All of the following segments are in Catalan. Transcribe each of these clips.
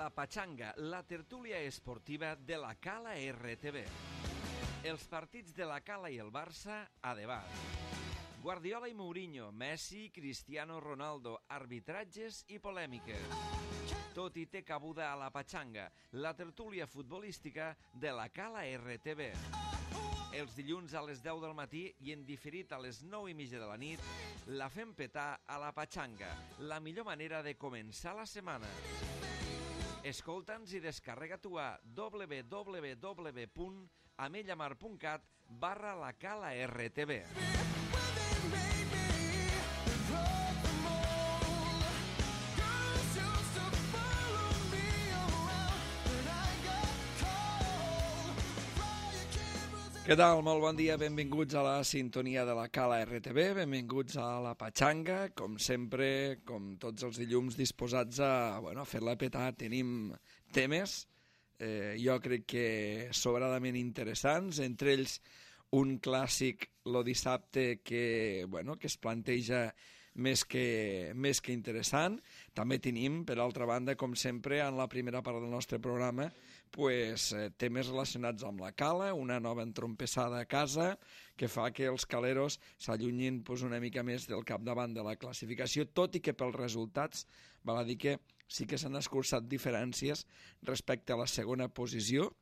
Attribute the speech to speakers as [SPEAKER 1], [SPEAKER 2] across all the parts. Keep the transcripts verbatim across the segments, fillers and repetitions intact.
[SPEAKER 1] La Pachanga, la tertúlia esportiva de la Cala R T V. Els partits de la Cala i el Barça a debat. Guardiola i Mourinho, Messi, Cristiano Ronaldo, arbitratges i polèmiques. Tot i té cabuda a La Pachanga, la tertúlia futbolística de la Cala R T V. Els dilluns a les deu del matí i en diferit a les nou i mitja de la nit, la fem petar a La Pachanga, la millor manera de començar la setmana. Escolta'ns i descarrega-t'ho a w w w punt amellamar punt cat barra la Cala R T V. Què tal? Molt bon dia, benvinguts a la sintonia de la Cala R T V, benvinguts a la Pachanga, com sempre, com tots els dilluns, disposats a, bueno, a fer-la petar. Tenim temes, eh, jo crec que sobradament interessants, entre ells un clàssic lo dissabte que, bueno, que es planteja més que, més que interessant. També tenim, per altra banda, com sempre, en la primera part del nostre programa, pues, eh, temes relacionats amb la Cala, una nova entrompessada a casa que fa que els caleros s'allunyin pues, una mica més del capdavant de la classificació, tot i que pels resultats val a dir que sí que s'han escurçat diferències respecte a la segona posició,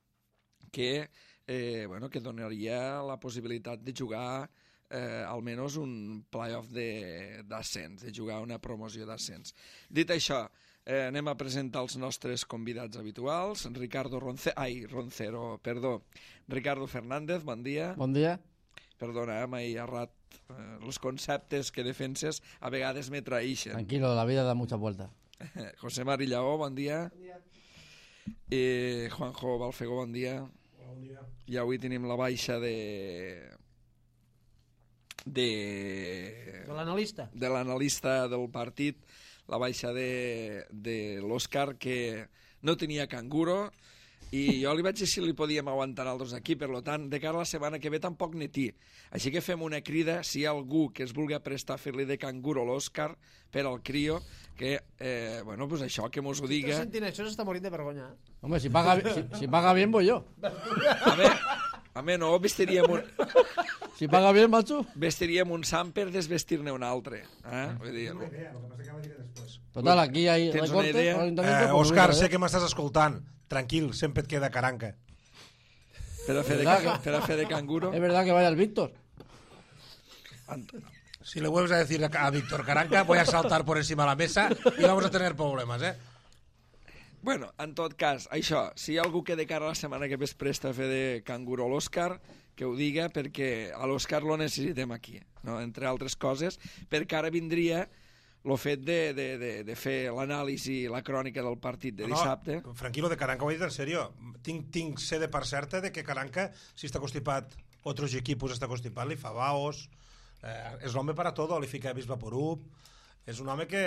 [SPEAKER 1] que, eh, bueno, que donaria la possibilitat de jugar eh, almenys un playoff d'ascens, de, de jugar una promoció d'ascens. Dit això, eh, anem a presentar els nostres convidats habituals. Ricardo Ronce... Ai, Roncero, perdó. Ricardo Fernández, bon dia.
[SPEAKER 2] Bon dia.
[SPEAKER 1] Perdona, eh, m'he errat. Eh, els conceptes que defenses a vegades me traïxen.
[SPEAKER 2] Tranquilo, la vida da muchas vueltas.
[SPEAKER 1] José Marillaó, bon dia.
[SPEAKER 3] Bon dia.
[SPEAKER 1] I Juanjo Balfegó, bon dia.
[SPEAKER 3] Bon dia.
[SPEAKER 1] I avui tenim la baixa de... de...
[SPEAKER 3] De l'analista.
[SPEAKER 1] de l'analista del partit, la baixa de, de l'Òscar, que no tenia canguro, i jo li vaig dir si li podíem aguantar altres aquí, per tant, de cara a la setmana que ve tampoc netí. Així que fem una crida, si hi ha algú que es vulgui prestar a fer-li de canguro a l'Òscar per al crio, que, eh, bueno, pues això, que mos ho
[SPEAKER 3] Si
[SPEAKER 1] diga.
[SPEAKER 3] estàs sentint això s'està morint de vergonya. Eh?
[SPEAKER 2] Hombre, si paga, si, si paga bien, voy yo.
[SPEAKER 1] A mi, a mi no, vestiríem un,
[SPEAKER 2] Si paga bien, macho.
[SPEAKER 1] vestiríem un sant per desvestir-ne un altre. Eh? Vull dir,
[SPEAKER 4] Una idea, el que passa que la diré després.
[SPEAKER 2] Total, aquí hay
[SPEAKER 1] ¿Tienes una
[SPEAKER 2] recortes.
[SPEAKER 1] idea?
[SPEAKER 2] al ayuntamiento,
[SPEAKER 4] Eh,
[SPEAKER 2] pues
[SPEAKER 4] Òscar,
[SPEAKER 2] mira,
[SPEAKER 4] sé
[SPEAKER 2] eh.
[SPEAKER 4] que m'estàs escoltant. Tranquil, sempre et queda caranca.
[SPEAKER 1] per a fer de,
[SPEAKER 2] ¿Verdad?
[SPEAKER 1] per a fer de canguro.
[SPEAKER 2] Es verdad que vaya el Víctor.
[SPEAKER 4] Si le vuelves a decir a Víctor Caranca, voy a saltar por encima de la mesa y vamos a tener problemas, ¿eh?
[SPEAKER 1] Bueno, en tot cas, això, si hi ha algú que de cara a la setmana que ve es presta a fer de canguro a l'Òscar, que ho diga, perquè a l'Òscar lo necessitem aquí, no? Entre altres coses, perquè ara vindria el fet de, de, de, de fer l'anàlisi, la crònica del partit de dissabte.
[SPEAKER 4] No, tranquilo, de Caranca ho he dit en serio. Tinc, tinc sé de part certa de que Caranca, si està constipat, otros equipos està constipat, li fa baos, eh, és l'home para todo, li fica Bisvaporub, és un home que,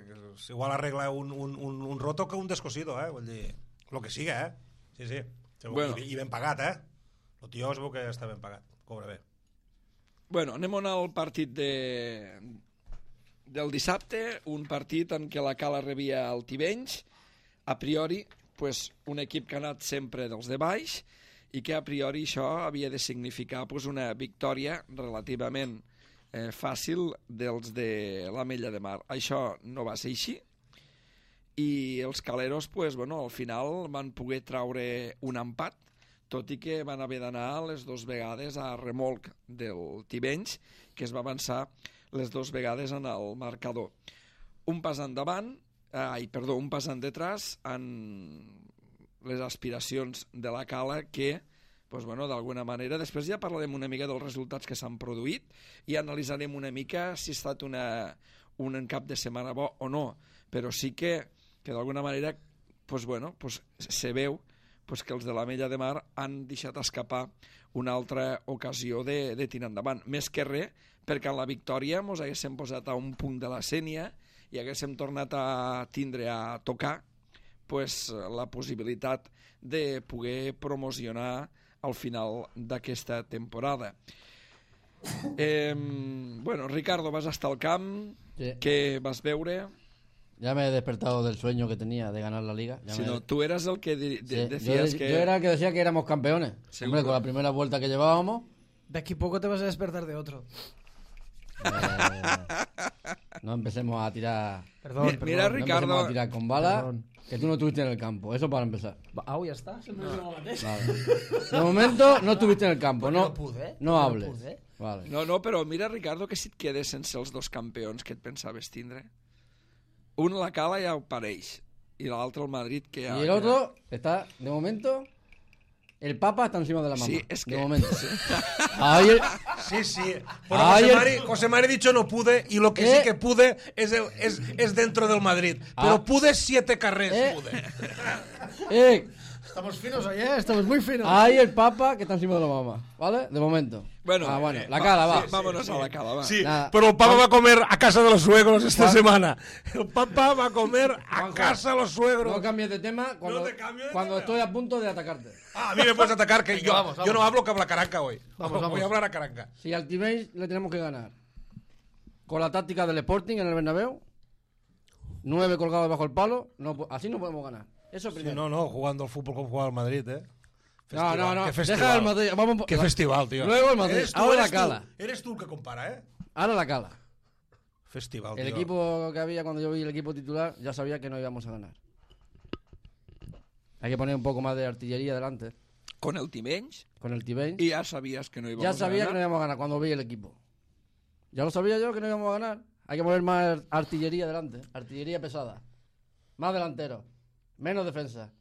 [SPEAKER 4] que igual arregla un, un, un, un roto que un descosido, eh? Vull dir, lo que siga, eh? Sí, sí.
[SPEAKER 1] Bueno.
[SPEAKER 4] I, I ben pagat, eh? El tio es veu que està ben pagat, cobra bé.
[SPEAKER 1] Bueno, anem a anar al partit de, del dissabte, un partit en què la Cala rebia el Tivenys, a priori, pues, un equip que ha anat sempre dels de baix, i que a priori això havia de significar pues, una victòria relativament eh, fàcil dels de l'Ametlla de Mar. Això no va ser així, i els caleros, pues, bueno, al final van poder traure un empat, tot i que van haver d'anar les dues vegades a remolc del Tivenys, que es va avançar les dues vegades en el marcador. Un pas endavant, ai, perdó, un pas endetràs en les aspiracions de la Cala que, pues, bueno, d'alguna manera, després ja parlarem una mica dels resultats que s'han produït i analitzarem una mica si ha estat una, un cap de setmana bo o no, però sí que, que d'alguna manera, pues, bueno, pues, se veu pues que els de l'Ametlla de Mar han deixat escapar una altra ocasió de, de tirar endavant. Més que res, perquè en la victòria ens haguéssim posat a un punt de la Sénia i haguéssim tornat a tindre a tocar pues, la possibilitat de poder promocionar al final d'aquesta temporada. Eh, bueno, Ricardo, vas estar al camp,
[SPEAKER 2] Sí.
[SPEAKER 1] què vas veure?
[SPEAKER 2] Ya me he despertado del sueño que tenía de ganar la liga. Ya
[SPEAKER 1] Si
[SPEAKER 2] me...
[SPEAKER 1] no, tú eras el que de- de-
[SPEAKER 2] Sí,
[SPEAKER 1] decías
[SPEAKER 2] yo,
[SPEAKER 1] que...
[SPEAKER 2] yo era el que decía que éramos campeones.
[SPEAKER 1] Seguro.
[SPEAKER 2] Hombre, con la primera vuelta que llevábamos.
[SPEAKER 3] De aquí poco te vas a despertar de otro.
[SPEAKER 2] eh, no empecemos a tirar.
[SPEAKER 3] Perdón,
[SPEAKER 1] Mi-
[SPEAKER 3] perdón.
[SPEAKER 1] mira,
[SPEAKER 2] No
[SPEAKER 1] Ricardo-
[SPEAKER 2] empecemos a tirar con balas.
[SPEAKER 3] Perdón.
[SPEAKER 2] Que tú no estuviste en el campo. Eso para empezar.
[SPEAKER 3] Ah, ya está.
[SPEAKER 2] Vale. De momento no estuviste en el campo. No,
[SPEAKER 3] no pude,
[SPEAKER 2] no
[SPEAKER 3] no
[SPEAKER 2] hables.
[SPEAKER 3] pude.
[SPEAKER 2] Vale.
[SPEAKER 1] No, no, però mira, Ricardo, que si et quedes sense els dos campions que et pensaves tindre. Un a la Cala ja ho pareix. I l'altre al Madrid, que ja...
[SPEAKER 2] Y el otro está, de momento, el Papa está encima de la mamá.
[SPEAKER 1] Sí, es que-
[SPEAKER 2] De momento. Ahí el-
[SPEAKER 4] Sí, sí. Bueno,
[SPEAKER 2] Ay,
[SPEAKER 4] José,
[SPEAKER 2] el-
[SPEAKER 4] Mari, José Mari ha dicho no pude y lo que
[SPEAKER 2] Eh.
[SPEAKER 4] sí que pude es, el- es, es dentro del Madrid. Pero
[SPEAKER 2] Ah.
[SPEAKER 4] pude siete carrers.
[SPEAKER 2] Eh.
[SPEAKER 4] Pude.
[SPEAKER 2] eh,
[SPEAKER 3] Estamos finos hoy, ¿eh? Estamos muy finos.
[SPEAKER 2] ahí el Papa que está encima de la mamá. ¿Vale? De momento.
[SPEAKER 1] Bueno,
[SPEAKER 2] Ah, bueno.
[SPEAKER 1] eh,
[SPEAKER 2] La Cala, va.
[SPEAKER 1] sí, vámonos a la Cala, va.
[SPEAKER 4] Sí,
[SPEAKER 2] Nada.
[SPEAKER 4] pero el Papa va a comer a casa de los suegros esta
[SPEAKER 2] Juan-
[SPEAKER 4] semana. El Papa va a comer a
[SPEAKER 2] Juanjo,
[SPEAKER 4] casa de los suegros.
[SPEAKER 2] No cambies de tema cuando,
[SPEAKER 4] No te cambio de
[SPEAKER 2] cuando
[SPEAKER 4] tema.
[SPEAKER 2] estoy a punto de atacarte.
[SPEAKER 4] Ah, a mí me puedes atacar, que yo,
[SPEAKER 3] vamos, vamos.
[SPEAKER 4] yo no hablo que habla Caranca hoy.
[SPEAKER 3] Vamos,
[SPEAKER 4] Voy
[SPEAKER 3] vamos.
[SPEAKER 4] a hablar a Caranca.
[SPEAKER 2] Si al Tibéis le tenemos que ganar con la táctica del Sporting en el Bernabéu, nueve colgados bajo el palo, no, po- así no podemos ganar. Eso
[SPEAKER 4] Sí,
[SPEAKER 2] primero.
[SPEAKER 4] no, no, jugando al fútbol como jugaba el Madrid, ¿eh?
[SPEAKER 2] no, no, no.
[SPEAKER 4] Qué festival.
[SPEAKER 2] Deja el Madrid. Vamos,
[SPEAKER 4] Qué
[SPEAKER 2] la-
[SPEAKER 4] festival, tío.
[SPEAKER 2] Luego el Madrid.
[SPEAKER 4] Eres tú,
[SPEAKER 2] Ahora la
[SPEAKER 4] eres tú.
[SPEAKER 2] Cala.
[SPEAKER 4] Eres tú el que compara, ¿eh?
[SPEAKER 2] Ahora la Cala.
[SPEAKER 4] Festival,
[SPEAKER 2] El
[SPEAKER 4] tío.
[SPEAKER 2] equipo que había cuando yo vi el equipo titular, ya sabía que no íbamos a ganar. Hay que poner un poco más de artillería delante
[SPEAKER 1] Con el Timenys,
[SPEAKER 2] con el Tibéis.
[SPEAKER 1] y ya sabías que no íbamos
[SPEAKER 2] Ya
[SPEAKER 1] a
[SPEAKER 2] sabía que no
[SPEAKER 1] ganar.
[SPEAKER 2] íbamos a ganar cuando vi el equipo. Ya lo sabía yo que no íbamos a ganar. Hay que poner más artillería delante. Artillería pesada. Más delantero. Menos defensa.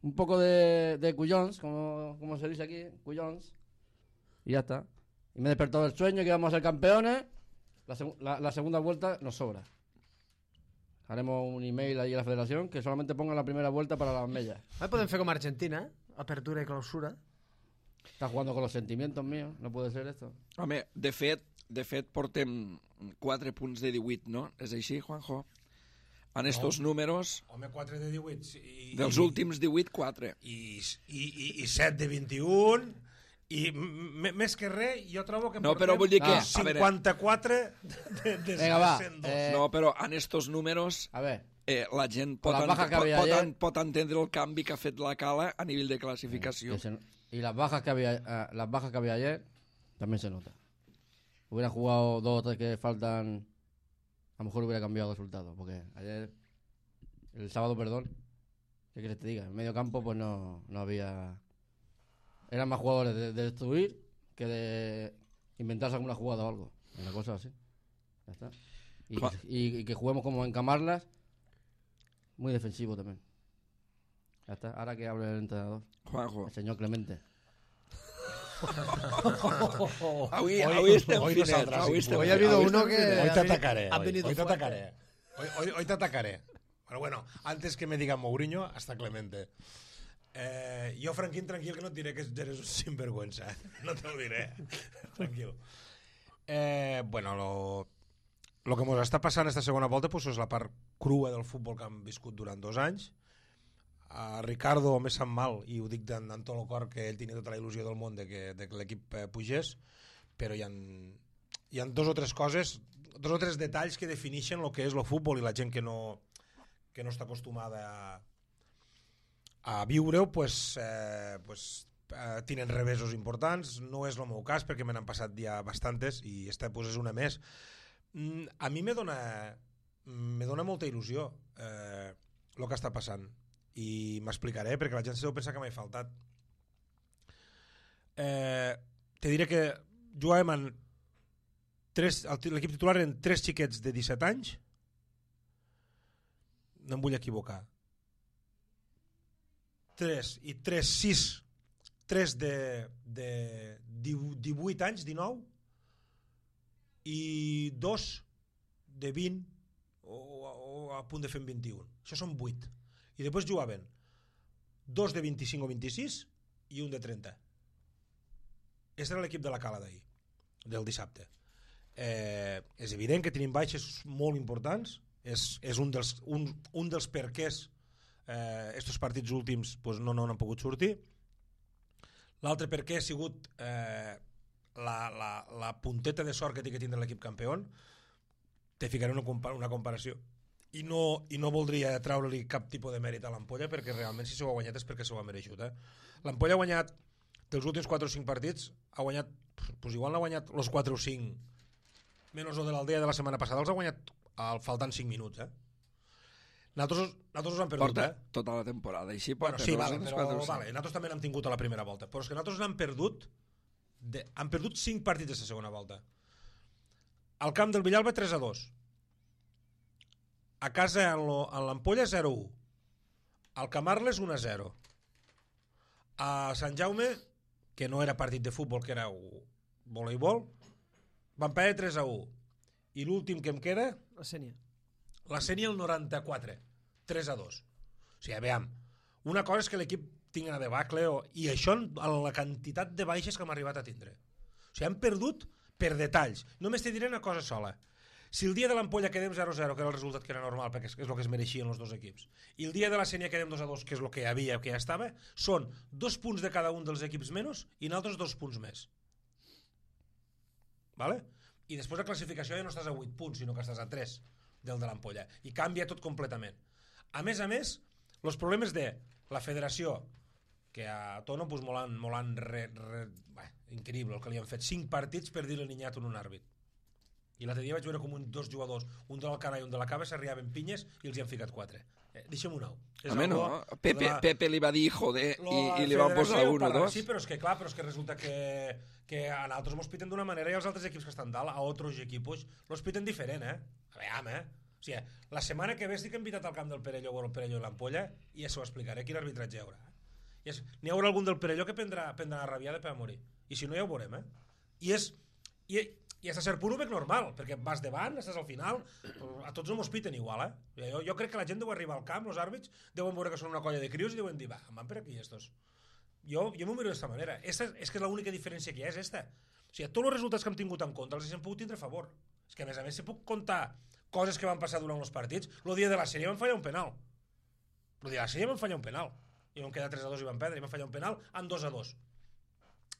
[SPEAKER 2] Un poco de, de cuyons, como, como se dice aquí. Cuyons. Y ya está. Y me he despertado del sueño que íbamos a ser campeones. La, segu- la- la segunda vuelta nos sobra. Haremos un email ahí a la federación que solamente ponga la primera vuelta para las mellas.
[SPEAKER 3] Ahí podem fer com Argentina, eh? Apertura i clausura.
[SPEAKER 2] Está jugando con los sentimientos míos. No puede ser esto.
[SPEAKER 1] Home, de fet, de fet portem quatre punts de divuit, no? És així, Juanjo? En estos números,
[SPEAKER 4] Home, quatre de divuit. I,
[SPEAKER 1] dels últims divuit, quatre.
[SPEAKER 4] I, i, i, i set de vint-i-un. I m- m- més que res, jo trobo que
[SPEAKER 1] No,
[SPEAKER 4] portem
[SPEAKER 1] però vull dir que,
[SPEAKER 2] Ah.
[SPEAKER 1] a veure,
[SPEAKER 4] cinquanta-quatre de, de
[SPEAKER 2] Venga, va.
[SPEAKER 4] cent dos.
[SPEAKER 2] Eh,
[SPEAKER 1] no, però en estos números
[SPEAKER 2] A ver.
[SPEAKER 1] eh, la gent pot,
[SPEAKER 2] la
[SPEAKER 1] ent
[SPEAKER 2] baja que
[SPEAKER 1] pot,
[SPEAKER 2] había
[SPEAKER 1] pot,
[SPEAKER 2] ayer-
[SPEAKER 1] en- pot entendre el canvi que ha fet la Cala a nivell de classificació.
[SPEAKER 2] Que se- y las bajas que había ah, las bajas que había ayer también se nota. Hubiera jugado dos o tres que faltan, a lo mejor hubiera cambiado el resultado, porque ayer, el sábado, perdón, ¿qué quieres que te diga? En medio campo pues no, no había, eran más jugadores de, de destruir que de inventarse alguna jugada o algo, una cosa así. Ya está. Y,
[SPEAKER 1] Juan-
[SPEAKER 2] y- y que juguemos como en Camarlas, muy defensivo también. Ya está, ahora que hable el entrenador,
[SPEAKER 1] Juanjo,
[SPEAKER 2] el señor Clemente.
[SPEAKER 1] avui, avui estem
[SPEAKER 4] hoy
[SPEAKER 1] finets.
[SPEAKER 4] nosotras,
[SPEAKER 1] Avui
[SPEAKER 4] sí,
[SPEAKER 1] estem
[SPEAKER 3] Hoy
[SPEAKER 4] Hoy
[SPEAKER 3] ha habido
[SPEAKER 1] avui
[SPEAKER 3] uno
[SPEAKER 1] estem
[SPEAKER 3] que...
[SPEAKER 1] finets.
[SPEAKER 4] Hoy te
[SPEAKER 3] ha veni-
[SPEAKER 4] atacaré.
[SPEAKER 3] ha
[SPEAKER 4] Hoy,
[SPEAKER 3] venido
[SPEAKER 4] hoy te
[SPEAKER 3] fuerte.
[SPEAKER 4] atacaré. Hoy, hoy, hoy te atacaré. Pero bueno, antes que me digan Mourinho, hasta Clemente. Eh, yo, Franquín, tranquil, que no et diré que eres un sinvergüenza. No te lo diré. Tranquil. Eh, bueno, lo, lo que ens està passant esta segona volta pues, és la part crua del futbol que hem viscut durant dos anys. A Ricardo me sap mal, i ho dic d'en d'en tot el cor, que ell tenia tota la il·lusió del món de que, de que l'equip eh, pugés, però hi ha, hi ha dos o tres coses, dos o tres detalls que defineixen el que és el futbol, i la gent que no, que no està acostumada a, a viure-ho pues, eh, pues, eh, tenen revesos importants. No és el meu cas perquè me n'han passat ja bastantes i esta pues, és una més. Mm, a mi me dona, me dona molta il·lusió eh, el que està passant, i m'explicaré perquè la gent se deu pensar que m'he faltat. Eh, te diré que jugàvem en tres, l'equip titular eren tres xiquets de disset anys, no em vull equivocar, tres i tres, sis, tres de, de divuit anys, dinou, i dos de vint o, o a punt de fer vint-i-un. Això són vuit. I després jugaven dos de vint-i-cinc o vint-i-sis i un de trenta. Aquest era l'equip de la Cala d'ahir, del dissabte. Eh, és evident que tenim baixes molt importants, és, és un, dels, un, un dels perquès eh, estos partits últims pues, no, no han pogut sortir. L'altre perquè ha sigut eh, la, la, la punteta de sort que té que tindre l'equip campió. Te ficaré una, compa una comparació. i no, i no voldria treure-li cap tipus de mèrit a l'Ampolla, perquè realment si s'ho ha guanyat és perquè s'ho ha mereixut. Eh? L'Ampolla ha guanyat, dels últims quatre o cinc partits, ha guanyat, doncs igual n'ha guanyat els quatre o cinc, menys el de l'Aldea de la setmana passada, els ha guanyat al faltant cinc minuts. Eh? Nosaltres, nosaltres us hem perdut.
[SPEAKER 1] Porta
[SPEAKER 4] eh?
[SPEAKER 1] tota la temporada, així
[SPEAKER 4] Bueno,
[SPEAKER 1] porta
[SPEAKER 4] sí,
[SPEAKER 1] no?
[SPEAKER 4] vale,
[SPEAKER 1] Els
[SPEAKER 4] però
[SPEAKER 1] quatre o cinc.
[SPEAKER 4] vale, nosaltres també n'hem tingut a la primera volta, però és que nosaltres n'hem perdut, de, han perdut cinc partits de la segona volta. Al camp del Villalba tres a dos. A casa en l'Ampolla zero a u. Al Camarles un a zero. A Sant Jaume, que no era partit de futbol, que era voleibol, van perdre tres a u. I l'últim que em queda,
[SPEAKER 3] La Sènia.
[SPEAKER 4] la Sènia el noranta-quatre, tres a dos. O sigui, aviam, una cosa és que l'equip tingui una debacle o, i això en la quantitat de baixes que hem arribat a tindre. O sigui, hem perdut per detalls. Només te diré una cosa sola. Si el dia de l'Ampolla quedem zero a zero, que era el resultat que era normal, perquè és, és el que es mereixien els dos equips, i el dia de la Sènia quedem dos a dos, que és el que hi havia, que ja estava, són dos punts de cada un dels equips menys i nosaltres dos punts més. Vale? I després la classificació ja no estàs a vuit punts, sinó que estàs a tres del de l'Ampolla. I canvia tot completament. A més a més, els problemes de la federació, que a Tono pues, molt han, molt han re, re, bé, increïble el que li han fet, cinc partits per dir-li ninyat a un àrbit. I l'altre dia vaig veure com un, dos jugadors, un de l'Alcalà i un de la Cava, s'arribaven pinyes i els hi han ficat quatre. Eh, deixem un nou.
[SPEAKER 1] A mi no,
[SPEAKER 4] algo,
[SPEAKER 1] Pepe,
[SPEAKER 4] la,
[SPEAKER 1] Pepe li va dir joder
[SPEAKER 4] lo,
[SPEAKER 1] i, i li van posar un o dos.
[SPEAKER 4] Sí, però és que clar, però és que resulta que, que a nosaltres mos piten d'una manera i els altres equips que estan dalt, a altres equipos, los piten diferent, eh? A veure, eh? O sigui, la setmana que ve estic invitat al camp del Perelló o el Perelló i l'Ampolla i ja s'ho explicaré quin arbitratge hi haurà. I és, n'hi haurà algun del Perelló que prendrà, prendrà una rabiada per a morir. I si no ja ho veurem, eh? I és... I, i a cert punt ho veig normal, perquè vas davant, estàs al final, a tots no mos piten igual, eh? Jo, jo crec que la gent deu arribar al camp, els àrbits, deuen veure que són una colla de crios i deuen dir, va, van per aquí estos. Jo, jo m'ho miro d'esta manera. Esta, és que l'única diferència que hi ha és esta. O sigui, tots els resultats que hem tingut en compte els hem pogut tindre a favor. És que a més a més si puc contar coses que van passar durant els partits. El dia de la sèrie van fallar un penal. El dia de la sèrie van fallar un penal. I vam quedar tres a dos i van perdre. I van fallar un penal en dos a dos.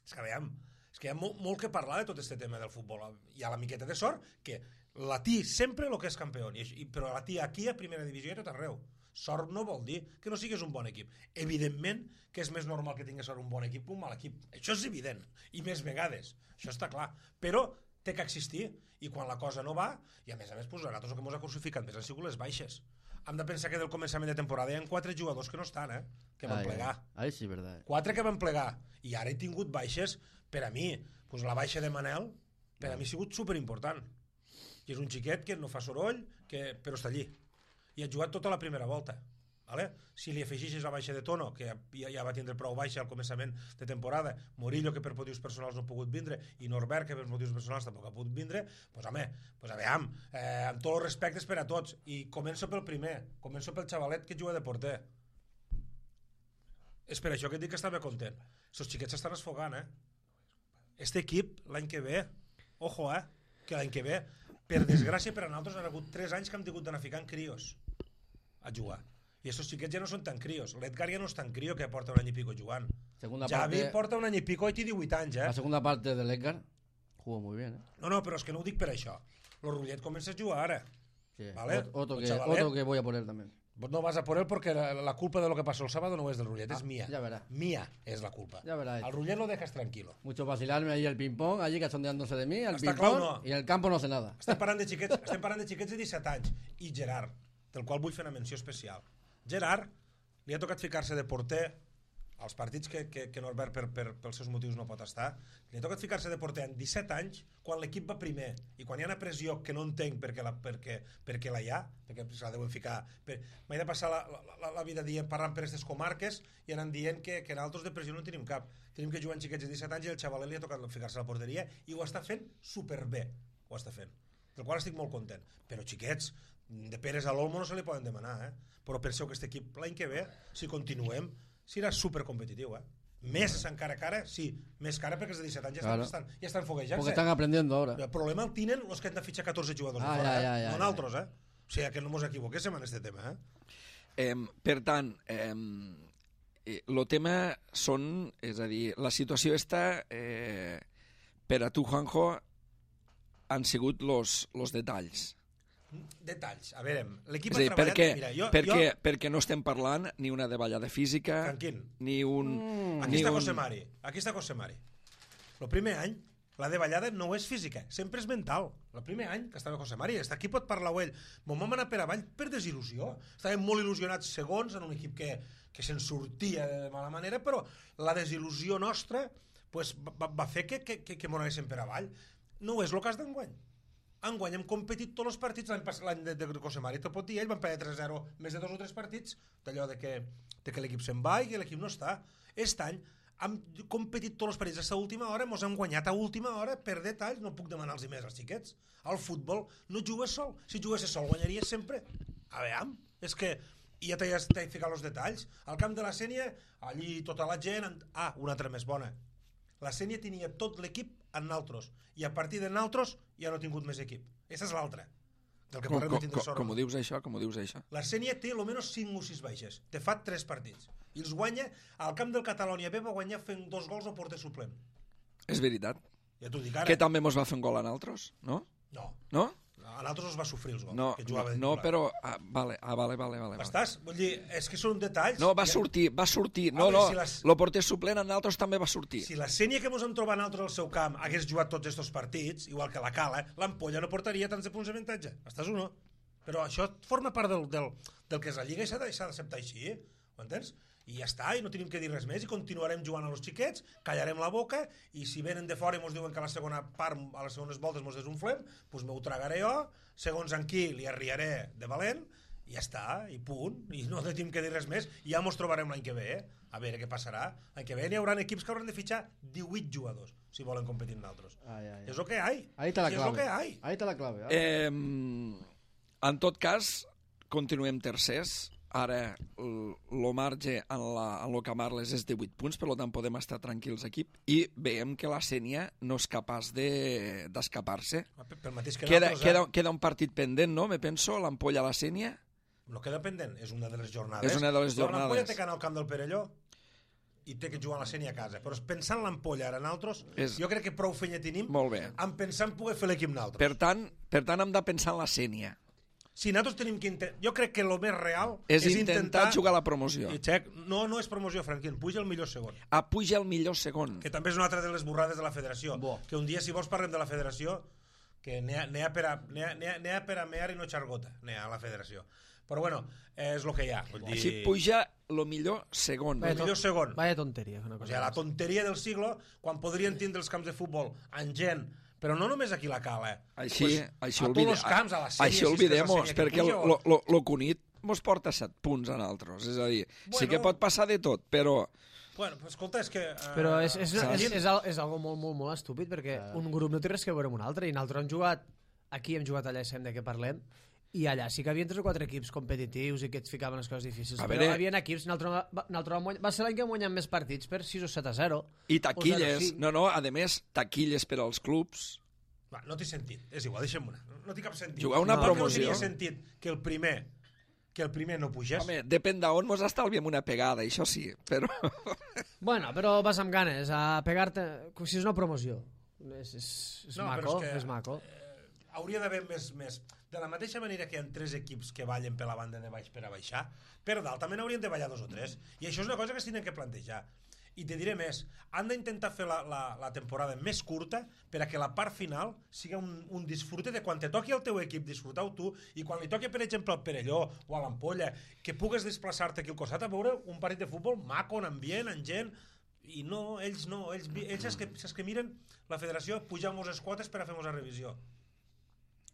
[SPEAKER 4] És que veiem... És que hi ha molt, molt que parlar de tot aquest tema del futbol. Hi ha la miqueta de sort que la T sempre el que és campió, i, però la T aquí a primera divisió i a tot arreu. Sort no vol dir que no siguis un bon equip. Evidentment que és més normal que tinguis un bon equip que un mal equip. Això és evident. I més vegades. Això està clar. Però té que existir. I quan la cosa no va, i a més a més, pues, a nosaltres el que ens ha crucificat més han sigut les baixes. Hem de pensar que del començament de temporada hi ha quatre jugadors que no estan, eh? Que van
[SPEAKER 2] Ai,
[SPEAKER 4] plegar.
[SPEAKER 2] Ai, sí, verdad.
[SPEAKER 4] Quatre que van plegar. I ara he tingut baixes. Per a mi, pues la baixa de Manel, per a mi ha sigut superimportant. I és un xiquet que no fa soroll, que, però està allí. I ha jugat tota la primera volta. Vale? Si li afegixes la baixa de Tono, que ja, ja va tindre prou baixa al començament de temporada, Morillo, que per motius personals no ha pogut vindre, i Norbert, que per motius personals tampoc ha pogut vindre, doncs home, pues aviam, eh, amb tots els respectes per a tots. I començo pel primer, començo pel xavalet que juga de porter. És per això que et dic que estava content. Els xiquets s'estan esfogant, eh? Este equip, l'any que ve, ojo, eh, que l'any que ve, per desgràcia per a nosaltres, han hagut tres anys que hem tingut d'anar ficant crios a jugar. I estos xiquets ja no són tan crios. L'Edgar ja no és tan crio, que porta un any i pico jugant.
[SPEAKER 2] Segunda
[SPEAKER 4] Javi
[SPEAKER 2] parte,
[SPEAKER 4] porta un any i pico i té divuit anys, eh?
[SPEAKER 2] la segunda parte del Edgar jugó muy bien, ¿eh?
[SPEAKER 4] No, no, però és que no ho dic per això. Lo Rullet comença a jugar ara.
[SPEAKER 2] Sí,
[SPEAKER 4] Vale.
[SPEAKER 2] ot- otro,
[SPEAKER 4] El
[SPEAKER 2] que,
[SPEAKER 4] chavalet.
[SPEAKER 2] otro que voy a poner también.
[SPEAKER 4] No vas a por él porque la, la culpa de lo que pasó el sábado no es del Rullet,
[SPEAKER 2] Ah,
[SPEAKER 4] es mía.
[SPEAKER 2] ya verá.
[SPEAKER 4] Mía es la culpa.
[SPEAKER 2] Ya verá.
[SPEAKER 4] Al Rullet lo dejas tranquilo.
[SPEAKER 2] Mucho vacilarme ahí el ping-pong, allí cachondeándose de mí, el
[SPEAKER 4] Està
[SPEAKER 2] ping-pong,
[SPEAKER 4] clar, no.
[SPEAKER 2] y en el campo no sé nada.
[SPEAKER 4] Estem parlant de xiquets, estem parlant de xiquets de disset anys. I Gerard, del qual vull fer una menció especial. Gerard li ha tocat ficar-se de porter als partits que, que, que Norbert per, per, pels seus motius no pot estar. Li ha tocat ficar-se de porter en disset anys quan l'equip va primer i quan hi ha una pressió que no entenc perquè la, perquè, perquè la hi ha, perquè se la deuen ficar. Per... M'he de passar la, la, la vida dient, parlant per aquestes comarques i anant dient que, que nosaltres de pressió no en tenim cap. Tenim que jugar en xiquets de disset anys i el xavalet li ha tocat ficar-se a la porteria i ho està fent superbé. Ho està fent. Del qual estic molt content. Però xiquets, de Pérez a l'Olmo no se li poden demanar, eh? Però penseu que aquest equip l'any que ve, si continuem, serà supercompetitiu, eh? Més encara cara, sí, més cara perquè els de disset anys ja
[SPEAKER 2] Claro.
[SPEAKER 4] estan, ja estan foguejant-se.
[SPEAKER 2] Porque están aprendiendo ahora.
[SPEAKER 4] El problema el tenen els que han de fitxar catorze jugadors
[SPEAKER 2] Ah,
[SPEAKER 4] de fora,
[SPEAKER 2] ja,
[SPEAKER 4] eh?
[SPEAKER 2] ja, ja,
[SPEAKER 4] no
[SPEAKER 2] ja.
[SPEAKER 4] nosaltres, eh? O sigui, que no mos equivoquéssim en aquest tema, eh?
[SPEAKER 1] Eh, per tant, eh, el tema són, és a dir, la situació està, eh, per a tu, Juanjo, han sigut los, los detalls.
[SPEAKER 4] Detalls. A veure, l'equip
[SPEAKER 1] És
[SPEAKER 4] ha
[SPEAKER 1] a dir,
[SPEAKER 4] treballat...
[SPEAKER 1] perquè,
[SPEAKER 4] Mira, jo,
[SPEAKER 1] perquè,
[SPEAKER 4] jo...
[SPEAKER 1] perquè no estem parlant ni una davallada física,
[SPEAKER 4] Tranquil.
[SPEAKER 1] ni un...
[SPEAKER 2] Mm.
[SPEAKER 4] Aquí
[SPEAKER 1] ni
[SPEAKER 4] està
[SPEAKER 1] un...
[SPEAKER 4] José Mari. Aquí està José Mari. El primer any, la davallada no és física, sempre és mental. El primer any que estava José Mari, aquí pot parlar ell. Mon vam anar per avall per desil·lusió. Estàvem molt il·lusionats segons en un equip que, que se'n sortia de mala manera, però la desil·lusió nostra pues, va, va fer que, que, que, que m'ho anéssim per avall. No és el cas d'enguany. Enguany hem competit tots els partits, l'any de, de José Mari te pot dir, ell van perdre tres a zero més de dos o tres partits, d'allò de que, de que l'equip se'n va i que l'equip no està. Aquest any hem competit tots els partits a l'última hora, mos hem guanyat a última hora per detalls, no puc demanar-los més als xiquets. Al futbol no jugues sol, si juguessis sol guanyaries sempre. A veure, és que i ja t'he ficat els detalls. Al camp de la Sénia, allí tota la gent... Ah, una altra més bona. La Sénia tenia tot l'equip en naltros, i a partir de naltros ja no ha tingut més equip. Aquesta és l'altra. Del que
[SPEAKER 1] Com,
[SPEAKER 4] parlem
[SPEAKER 1] com,
[SPEAKER 4] de tindre
[SPEAKER 1] com,
[SPEAKER 4] sort.
[SPEAKER 1] com ho dius això? Com ho dius això?
[SPEAKER 4] La Sénia té almenys cinc o sis baixes. Te fa tres partits. I els guanya al camp del Catalònia B, va guanyar fent dos gols al porter suplent.
[SPEAKER 1] És veritat.
[SPEAKER 4] Ja t'ho dic ara.
[SPEAKER 1] Que també mos va fer un gol a nosaltres, no?
[SPEAKER 4] No.
[SPEAKER 1] No?
[SPEAKER 4] A nosaltres els va sofrir els gols.
[SPEAKER 1] No,
[SPEAKER 4] que
[SPEAKER 1] no,
[SPEAKER 4] jugava de
[SPEAKER 1] no
[SPEAKER 4] titular.
[SPEAKER 1] però... Ah, vale, ah, vale, vale, vale. vale.
[SPEAKER 4] Estàs? Vull dir, és que són detalls.
[SPEAKER 1] No, va
[SPEAKER 4] Ja-
[SPEAKER 1] sortir, va sortir. No,
[SPEAKER 4] Home,
[SPEAKER 1] no,
[SPEAKER 4] si les-
[SPEAKER 1] el porter suplent a nosaltres també va sortir.
[SPEAKER 4] Si la Sénia que ens hem trobat nosaltres al seu camp hagués jugat tots aquests partits, igual que la Cala, l'Ampolla no portaria tants de punts d'avantatge. Estàs o no? Però això forma part del, del, del que és la Lliga i s'ha de- s'ha d'acceptar així. Ho entens? I ja està, i no tenim que dir res més, i continuarem jugant a los xiquets, callarem la boca, i si venen de fora i ens diuen que a la segona part, a les segones voltes ens desunflem, doncs m'ho tragaré jo, segons en qui li arriaré de valent, i ja està, i punt, i no tenim que dir res més, i ja ens trobarem l'any que ve, eh? A veure què passarà. L'any que ve n'hi haurà equips que hauran de fitxar divuit jugadors, si volen competir amb nosaltres.
[SPEAKER 2] Ay, ay, ay.
[SPEAKER 4] És el que hi ha.
[SPEAKER 2] Ahí está la
[SPEAKER 4] Si és
[SPEAKER 2] clave.
[SPEAKER 4] el que hi ha.
[SPEAKER 2] Ahí está la clave.
[SPEAKER 1] Eh, en tot cas, continuem tercers. Ara el marge en, la, en lo que Marles és de vuit punts, per tant podem estar tranquils aquí, i veiem que la Sénia no és capaç de- d'escapar-se. De,
[SPEAKER 4] Pel mateix que
[SPEAKER 1] queda,
[SPEAKER 4] nosaltres,
[SPEAKER 1] queda,
[SPEAKER 4] eh?
[SPEAKER 1] queda un partit pendent, no? Me penso, l'Ampolla a la Sénia.
[SPEAKER 4] No queda pendent, és una de les jornades.
[SPEAKER 1] És una de les
[SPEAKER 4] Però L'Ampolla
[SPEAKER 1] jornades.
[SPEAKER 4] té que anar al camp del Perelló i té que jugar a la Sénia a casa. Però pensant l'Ampolla ara nosaltres,
[SPEAKER 1] És-
[SPEAKER 4] jo crec que prou feina tenim
[SPEAKER 1] Molt bé.
[SPEAKER 4] en pensar en poder fer l'equip nosaltres.
[SPEAKER 1] Per tant, per tant, hem de pensar en la Sénia.
[SPEAKER 4] Si nosaltres tenim que... Intent... Jo crec que el més real
[SPEAKER 1] És,
[SPEAKER 4] és
[SPEAKER 1] intentar,
[SPEAKER 4] intentar...
[SPEAKER 1] jugar a la promoció.
[SPEAKER 4] I xec, no, no és promoció, Franquín, puja el millor segon.
[SPEAKER 1] A puja el millor segon.
[SPEAKER 4] Que també és una altra de les burrades de la federació.
[SPEAKER 2] Bo.
[SPEAKER 4] Que un dia, si vols, parlem de la federació, que n'hi ha, n'hi ha, per a, n'hi ha, n'hi ha, n'hi ha per a mear i no xargota, n'hi ha a la federació. Però bueno, és el que hi ha. Vull dir...
[SPEAKER 1] Així puja el millor segon.
[SPEAKER 4] El millor segon.
[SPEAKER 3] Vaya tonteria. Una
[SPEAKER 4] O
[SPEAKER 3] cosa
[SPEAKER 4] sigui, la
[SPEAKER 3] més.
[SPEAKER 4] tonteria del siglo, quan podrien tindre els camps de futbol en gent, però no només aquí a la Cala, eh?
[SPEAKER 1] Així,
[SPEAKER 4] Pues,
[SPEAKER 1] així
[SPEAKER 4] a
[SPEAKER 1] olvide,
[SPEAKER 4] tots els camps, a la Sénia,
[SPEAKER 1] així
[SPEAKER 4] si és que és la
[SPEAKER 1] olvidem-nos,
[SPEAKER 4] Sénia que
[SPEAKER 1] perquè
[SPEAKER 4] puja,
[SPEAKER 1] lo,
[SPEAKER 4] o-
[SPEAKER 1] lo, lo Cunit mos porta set punts a nosaltres. És a dir,
[SPEAKER 4] Bueno.
[SPEAKER 1] sí que pot passar de tot, però
[SPEAKER 4] Bueno, pues, escolta, és que... Uh,
[SPEAKER 3] Però és, és,
[SPEAKER 1] Saps?
[SPEAKER 3] és, és, al- és algo molt, molt, molt estúpid, perquè un grup no té res que veure amb un altre, i nosaltres hem jugat, aquí hem jugat allà i sabem de què parlem, i allà sí que havia tres o quatre equips competitius i que et ficaven les coses difícils.
[SPEAKER 1] A
[SPEAKER 3] Però
[SPEAKER 1] veure-
[SPEAKER 3] hi havia equips, nosaltres, va, nosaltres vam guanyar- va ser l'any que hem guanyat més partits per sis o set a zero.
[SPEAKER 1] i
[SPEAKER 3] O zero
[SPEAKER 1] taquilles,
[SPEAKER 3] cinc.
[SPEAKER 1] no, no, a més, taquilles per als clubs.
[SPEAKER 4] Va, no té sentit, és igual, deixem una. No, no té cap sentit.
[SPEAKER 1] Jugar una
[SPEAKER 4] Igual que
[SPEAKER 1] promoció.
[SPEAKER 4] No tenia sentit que el primer que el primer no pugés.
[SPEAKER 1] Home, depèn d'on mos estalviem una pegada, això sí, però...
[SPEAKER 3] Bueno, però vas amb ganes a pegar-te, com si és una promoció. És, és, és
[SPEAKER 4] No, però
[SPEAKER 3] maco,
[SPEAKER 4] és que-
[SPEAKER 3] és maco.
[SPEAKER 4] Hauria d'haver més, més... De la mateixa manera que hi ha tres equips que ballen per la banda de baix per a baixar, per dalt també n'haurien de ballar dos o tres. I això és una cosa que es tenen que plantejar. I te diré més, han d'intentar fer la, la, la temporada més curta per a que la part final sigui un, un disfrute de quan te toqui el teu equip, disfrutar-ho tu, i quan li toqui, per exemple, al Perelló o a l'Ampolla, que pugues desplaçar-te aquí al costat a veure un partit de futbol maco, en ambient, en gent, i no, ells no, ells, ells és que, és que miren la federació pujar-nos les quotes per a fer-nos la revisió.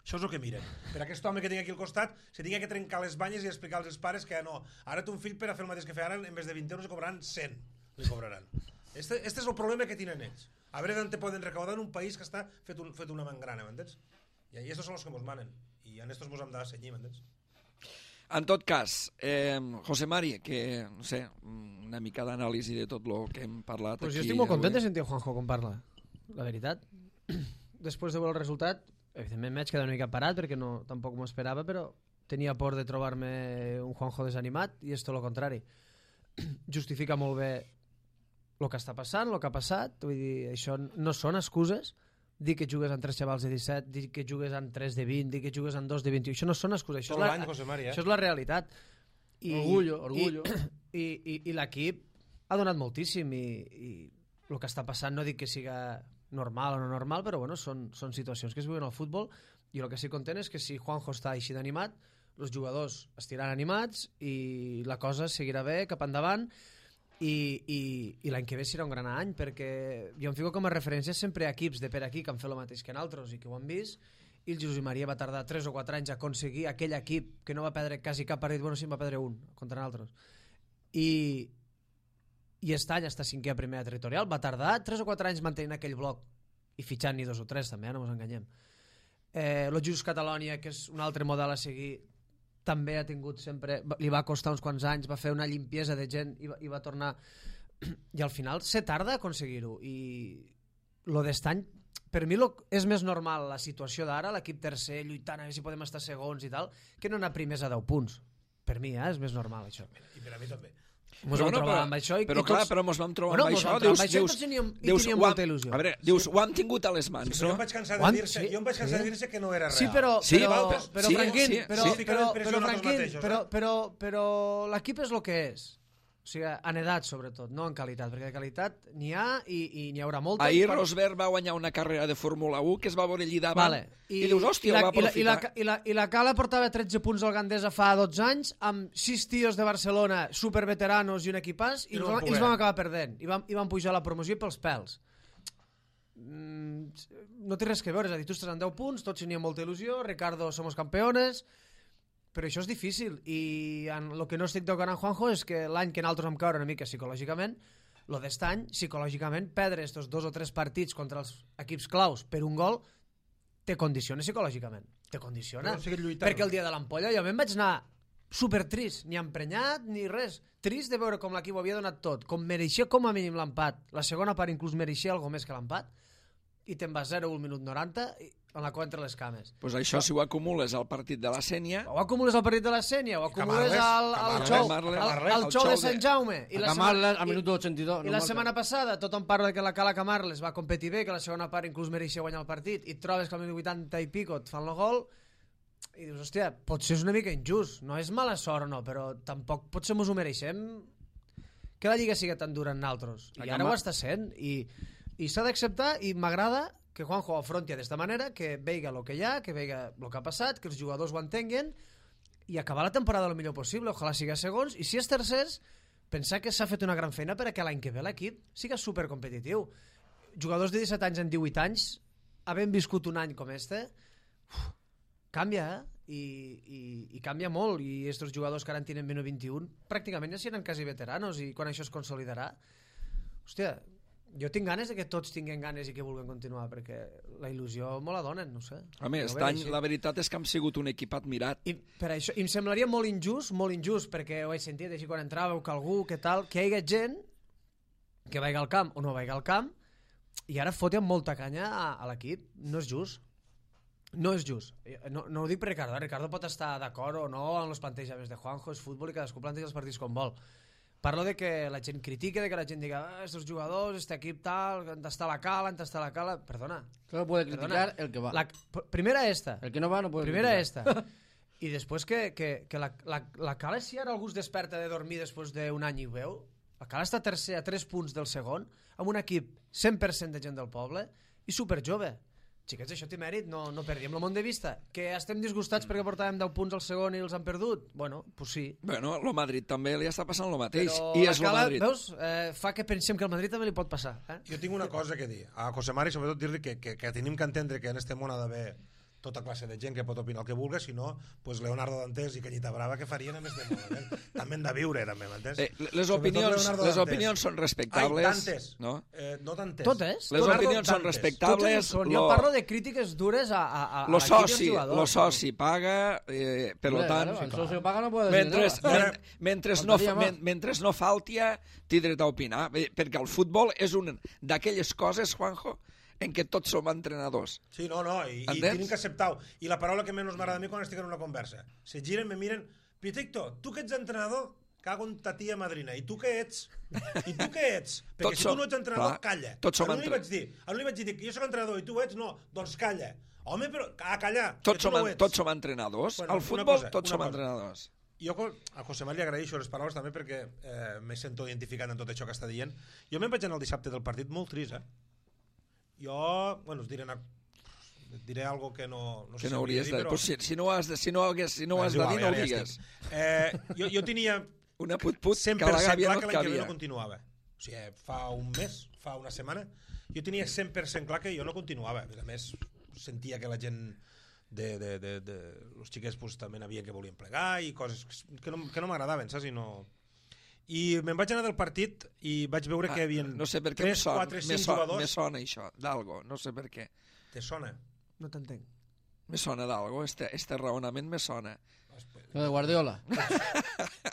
[SPEAKER 4] Això és el que miren. Per aquest home que tinc aquí al costat, se tinga que trencar les banyes i explicar als pares que no, ara té un fill per a fer el mateix que feien, en vez de vint euros li cobraran cent. Li cobraran. Este, este és el problema que tenen ells. A veure d'on te poden recaudar en un país que està fet, un, fet una mangrana, m'entens? I estos són els que mos manen. I en estos mos hem de cenyir, m'entens?
[SPEAKER 1] En tot cas, eh, José Mari, que, no sé, una mica d'anàlisi de tot el que hem parlat
[SPEAKER 3] Pues
[SPEAKER 1] aquí.
[SPEAKER 3] jo estic molt content
[SPEAKER 1] avui.
[SPEAKER 3] de sentir Juanjo com parla, la veritat. Després de veure el resultat, evidentment m'haig quedat una mica parat perquè no, tampoc m'ho esperava, però tenia por de trobar-me un Juanjo desanimat i és tot el contrari. Justifica molt bé el que està passant, el que ha passat, vull dir, això no són excuses, dir que jugues amb tres xavals de disset, dir que jugues amb tres de vint, dir que jugues amb dos de vint i u. Això no són excuses, això,
[SPEAKER 4] Tot
[SPEAKER 3] és
[SPEAKER 4] l'any,
[SPEAKER 3] la,
[SPEAKER 4] José Mari, eh?
[SPEAKER 3] això és la realitat. I,
[SPEAKER 2] Orgullo, orgullo.
[SPEAKER 3] I, i, i, i l'equip ha donat moltíssim i, i el que està passant no dic que siga normal o no normal, però bueno, són, són situacions que es viuen al futbol i el que sí content és que si Juanjo està així d'animat, els jugadors estiran animats i la cosa seguirà bé cap endavant. I, i, i l'any que ve serà un gran any perquè jo em fico com a referència sempre a equips de per aquí que han fet el mateix que nosaltres i que ho han vist, i el Josep Maria va tardar tres o quatre anys a aconseguir aquell equip que no va perdre quasi cap partit, bueno sí, va perdre un contra nosaltres, i i aquest any està cinquè a primera territorial, va tardar tres o quatre anys mantenint aquell bloc i fitxant-hi dos o tres també, eh? No ens enganyem. eh, el Just Catalonia, que és un altre model a seguir, també ha tingut sempre, li va costar uns quants anys, va fer una limpiesa de gent i va, i va tornar, i al final se tarda a aconseguir-ho, i lo d'estany, per mi lo, és més normal la situació d'ara, l'equip tercer lluitant a veure si podem estar segons i tal, que no anar primers a deu punts. Per mi, eh, és més normal això.
[SPEAKER 4] I per a mi també.
[SPEAKER 3] Mos vam trobar amb això i,
[SPEAKER 1] però
[SPEAKER 3] i
[SPEAKER 1] clar,
[SPEAKER 3] tots...
[SPEAKER 1] però mos vam trobar
[SPEAKER 3] bueno,
[SPEAKER 1] amb
[SPEAKER 3] mos
[SPEAKER 1] això,
[SPEAKER 3] vam trobar
[SPEAKER 1] dius,
[SPEAKER 3] amb això
[SPEAKER 1] dius,
[SPEAKER 3] i tots teníem, i
[SPEAKER 1] dius,
[SPEAKER 3] teníem
[SPEAKER 1] ho
[SPEAKER 3] molta
[SPEAKER 1] hem-
[SPEAKER 3] il·lusió.
[SPEAKER 1] a veure, dius, ho hem tingut a les mans,
[SPEAKER 4] Sí, però jo
[SPEAKER 1] no?
[SPEAKER 4] em vaig cansar
[SPEAKER 3] Quan-
[SPEAKER 4] de dir-se,
[SPEAKER 3] sí,
[SPEAKER 4] jo em vaig cansar
[SPEAKER 3] sí.
[SPEAKER 4] de dir-se que no era real.
[SPEAKER 3] Sí, però,
[SPEAKER 1] Sí,
[SPEAKER 3] però,
[SPEAKER 1] val,
[SPEAKER 3] però,
[SPEAKER 1] sí,
[SPEAKER 3] Franquín,
[SPEAKER 1] sí,
[SPEAKER 3] però,
[SPEAKER 1] sí.
[SPEAKER 3] però, però,
[SPEAKER 4] Fica
[SPEAKER 3] però,
[SPEAKER 4] la
[SPEAKER 3] Franquín,
[SPEAKER 4] mateixos,
[SPEAKER 3] però,
[SPEAKER 4] eh?
[SPEAKER 3] però, però l'equip és el que és. O sigui, en edat, sobretot, no en qualitat, perquè de qualitat n'hi ha i, i n'hi haurà molta.
[SPEAKER 1] Ahir
[SPEAKER 3] Però-
[SPEAKER 1] Rosberg va guanyar una carrera de Fórmula u que es va veure allí davant
[SPEAKER 3] Vale.
[SPEAKER 1] i, dius, hòstia,
[SPEAKER 3] i la,
[SPEAKER 1] ho va
[SPEAKER 3] i la, i, la,
[SPEAKER 1] aprofitar.
[SPEAKER 3] i, la, I la Cala portava tretze punts al Gandesa fa dotze anys amb sis tios de Barcelona superveteranos i un equipàs i,
[SPEAKER 4] I
[SPEAKER 3] els,
[SPEAKER 4] no van
[SPEAKER 3] vam, i els
[SPEAKER 4] poder.
[SPEAKER 3] vam acabar perdent i vam, i vam pujar la promoció pels pèls. Mm, no té res que veure, és a dir, tu estàs en deu punts, tots teníem molta il·lusió, Ricardo, somos campeones, però això és difícil i en el que no estic d'acord amb Juanjo és que l'any que nosaltres vam caure una mica psicològicament, lo d'est any, psicològicament, perdre estos dos o tres partits contra els equips claus per un gol te condiciona psicològicament, te condiciona.
[SPEAKER 4] Però seguir lluitant.
[SPEAKER 3] Perquè el dia de l'ampolla jo me'n vaig anar super trist, ni emprenyat ni res, trist de veure com l'equip ho havia donat tot, com mereixia com a mínim l'empat, la segona part inclús mereixia algo més que l'empat, i te'n vas zero al minut noranta i amb la cua entre les cames.
[SPEAKER 1] Pues això, si ho acumules al partit de la Sènia,
[SPEAKER 3] O acumules al partit de la Sènia, o acumules
[SPEAKER 4] Camarles,
[SPEAKER 3] al, al
[SPEAKER 4] Camarles,
[SPEAKER 3] xou,
[SPEAKER 1] Camarles,
[SPEAKER 3] al,
[SPEAKER 1] Camarles,
[SPEAKER 3] al
[SPEAKER 1] el
[SPEAKER 3] xou
[SPEAKER 1] xou
[SPEAKER 3] de
[SPEAKER 1] de-
[SPEAKER 3] Sant Jaume. I
[SPEAKER 2] A
[SPEAKER 3] la
[SPEAKER 2] Camarles,
[SPEAKER 3] setmana-
[SPEAKER 2] al
[SPEAKER 3] i-
[SPEAKER 2] minut ochenta y dos.
[SPEAKER 3] I la setmana passada tothom parla que la Cala Camarles va competir bé, que la segona part inclús mereixia guanyar el partit, i et trobes que al minut vuitanta i pico et fan el gol, i dius, hòstia, potser és una mica injust, no és mala sort o no, però tampoc potser mos ho mereixem que la Lliga sigui tan dura en naltros. I
[SPEAKER 2] A
[SPEAKER 3] ara
[SPEAKER 2] Camar-
[SPEAKER 3] ho està sent, i, i s'ha d'acceptar, i m'agrada que Juanjo ho afronti d'esta manera, que veiga el que hi ha, que veiga el que ha passat, que els jugadors ho entenguen, i acabar la temporada el millor possible, ojalà siga segons, i si és tercers, pensar que s'ha fet una gran feina perquè l'any que ve l'equip siga supercompetitiu. Jugadors de disset anys en divuit anys, havent viscut un any com este, uf, canvia, eh? I, i, i canvia molt, i estos jugadors que ara en tenen menys vint-i-un pràcticament ja seran quasi veteranos, i quan això es consolidarà, hòstia, jo tinc ganes de que tots tinguin ganes i que vulguin continuar, perquè la il·lusió me la donen, no sé.
[SPEAKER 1] a més,
[SPEAKER 3] Jo ho
[SPEAKER 1] aquest
[SPEAKER 3] veig
[SPEAKER 1] any
[SPEAKER 3] així.
[SPEAKER 1] la veritat és que hem sigut un equip admirat.
[SPEAKER 3] I per això, i em semblaria molt injust, molt injust, perquè ho he sentit així quan entràveu, que algú, que tal, que hi hagi gent que vagi al camp o no vagi al camp i ara foten molta canya a, a l'equip. No és just. No és just. No, no ho dic per Ricardo. Ricardo pot estar d'acord o no amb els plantejaments de Juanjo, és futbol i cadascú planteja els partits com vol. Parlo de que la gent critique, de que la gent diga ah, estos jugadors, este equip tal, han d'estar a la cala, han d'estar a la cala. Perdona.
[SPEAKER 2] Solo puede criticar
[SPEAKER 3] Perdona.
[SPEAKER 2] el que va.
[SPEAKER 3] La, primera esta.
[SPEAKER 2] El que no va no puede
[SPEAKER 3] Primera
[SPEAKER 2] criticar.
[SPEAKER 3] esta. I després que, que, que la, la, la Cala, si ara algú es desperta de dormir després d'un any i ho veu, la Cala està tercer a tres punts del segon, amb un equip cent per cent de gent del poble i superjove. Xiquets, això té mèrit, no, no perdíem el món de vista. Que estem disgustats perquè portàvem deu punts al segon i els han perdut? Bueno, pues sí.
[SPEAKER 1] Bueno, el Madrid també li està passant el mateix.
[SPEAKER 3] Però
[SPEAKER 1] I
[SPEAKER 3] la
[SPEAKER 1] és el
[SPEAKER 3] Cala,
[SPEAKER 1] Madrid.
[SPEAKER 3] veus, eh, fa que pensem que al Madrid també li pot passar. Eh?
[SPEAKER 4] Jo tinc una cosa que dir. A José Mari, sobretot, dir-li que, que, que tenim que entendre que en este món ha d'haver tota classe de gent que pot opinar el que vulgui, si no, pues Leonardo Dantes i Cañita Brava que farien en este món. Eh? També hem de viure, també, m'entens?
[SPEAKER 1] Eh, les
[SPEAKER 4] Sobretot
[SPEAKER 1] opinions,
[SPEAKER 4] Leonardo
[SPEAKER 1] les
[SPEAKER 4] Dantes.
[SPEAKER 1] opinions són respectables.
[SPEAKER 4] Ai, Dantes.
[SPEAKER 1] No?
[SPEAKER 4] Eh, no Dantes.
[SPEAKER 3] Totes.
[SPEAKER 1] Les
[SPEAKER 4] Leonardo
[SPEAKER 1] opinions són
[SPEAKER 4] Dantes.
[SPEAKER 1] respectables.
[SPEAKER 3] Totes ho són. Jo
[SPEAKER 1] Lo-
[SPEAKER 3] parlo de crítiques dures a, a, a,
[SPEAKER 1] Lo
[SPEAKER 3] a l'equip i als
[SPEAKER 1] soci,
[SPEAKER 3] jugadors.
[SPEAKER 1] lo soci paga, eh, per lo
[SPEAKER 2] Hombre,
[SPEAKER 1] tant...
[SPEAKER 2] claro, el socio paga no puede decir
[SPEAKER 1] Mentre,
[SPEAKER 2] nada.
[SPEAKER 1] men, mentre, no,
[SPEAKER 2] Faltaria
[SPEAKER 1] men,
[SPEAKER 2] más.
[SPEAKER 1] mentre no faltia, té dret a opinar, eh, perquè el futbol és una d'aquelles coses, Juanjo, en què tots som entrenadors.
[SPEAKER 4] Sí, no, no, i, i
[SPEAKER 1] Entens?
[SPEAKER 4] tenim que acceptar-ho. I la paraula que menys m'agrada a mi quan estic en una conversa. Se giren, me miren, Piticto, tu que ets entrenador, cago en ta tia madrina. I tu què ets? I tu què ets? Perquè
[SPEAKER 1] Tots
[SPEAKER 4] si
[SPEAKER 1] som-
[SPEAKER 4] tu no ets entrenador,
[SPEAKER 1] clar,
[SPEAKER 4] calla.
[SPEAKER 1] tots som
[SPEAKER 4] A l'un li
[SPEAKER 1] entre-
[SPEAKER 4] vaig dir, a l'un li vaig dir que jo soc entrenador i tu ets, no, doncs calla. Home, però, a callar, que
[SPEAKER 1] Tots
[SPEAKER 4] tu
[SPEAKER 1] som,
[SPEAKER 4] no ho
[SPEAKER 1] en-
[SPEAKER 4] ets.
[SPEAKER 1] tots som entrenadors.
[SPEAKER 4] Bueno,
[SPEAKER 1] Al
[SPEAKER 4] una
[SPEAKER 1] futbol
[SPEAKER 4] cosa,
[SPEAKER 1] tots
[SPEAKER 4] una
[SPEAKER 1] som
[SPEAKER 4] cosa.
[SPEAKER 1] entrenadors.
[SPEAKER 4] Jo a José Mari li agraeixo les paraules també perquè eh, me sento identificat en tot això que està dient. Jo me'n vaig anar el dissabte del partit molt trist, eh? Jo, bueno, us diré, una, diré algo que no, no sé
[SPEAKER 1] Que
[SPEAKER 4] si
[SPEAKER 1] no
[SPEAKER 4] hauria
[SPEAKER 1] hauries
[SPEAKER 4] de
[SPEAKER 1] de...
[SPEAKER 4] dir, però...
[SPEAKER 1] Pues si, si no ho has de, si no hagués, si no ho
[SPEAKER 4] Bé,
[SPEAKER 1] has
[SPEAKER 4] és
[SPEAKER 1] de
[SPEAKER 4] igual,
[SPEAKER 1] dir, no ho
[SPEAKER 4] ja- ja
[SPEAKER 1] digues.
[SPEAKER 4] estic. Eh, jo, jo tenia
[SPEAKER 1] Una put-put que
[SPEAKER 4] cent
[SPEAKER 1] a
[SPEAKER 4] per
[SPEAKER 1] la
[SPEAKER 4] cent
[SPEAKER 1] gàbia
[SPEAKER 4] clar
[SPEAKER 1] no
[SPEAKER 4] que
[SPEAKER 1] et
[SPEAKER 4] l'any que ve
[SPEAKER 1] cabia.
[SPEAKER 4] no continuava. O sigui, fa un mes, fa una setmana, jo tenia cent per cent clar que jo no continuava. A més, sentia que la gent de, de, de, de los xiquets pues, també n'havia que volien plegar i coses que no, que no m'agradaven, saps? I, no... I me'n vaig anar del partit i vaig veure que hi havia
[SPEAKER 1] Ah, no sé per què
[SPEAKER 4] tres,
[SPEAKER 1] em sona,
[SPEAKER 4] quatre,
[SPEAKER 1] me,
[SPEAKER 4] cinc
[SPEAKER 1] sona,
[SPEAKER 4] jugadors...
[SPEAKER 1] me sona això, d'algo, no sé per què.
[SPEAKER 4] Te sona?
[SPEAKER 3] No t'entenc.
[SPEAKER 1] Me sona d'algo, este, este raonament me sona.
[SPEAKER 2] Lo de Guardiola.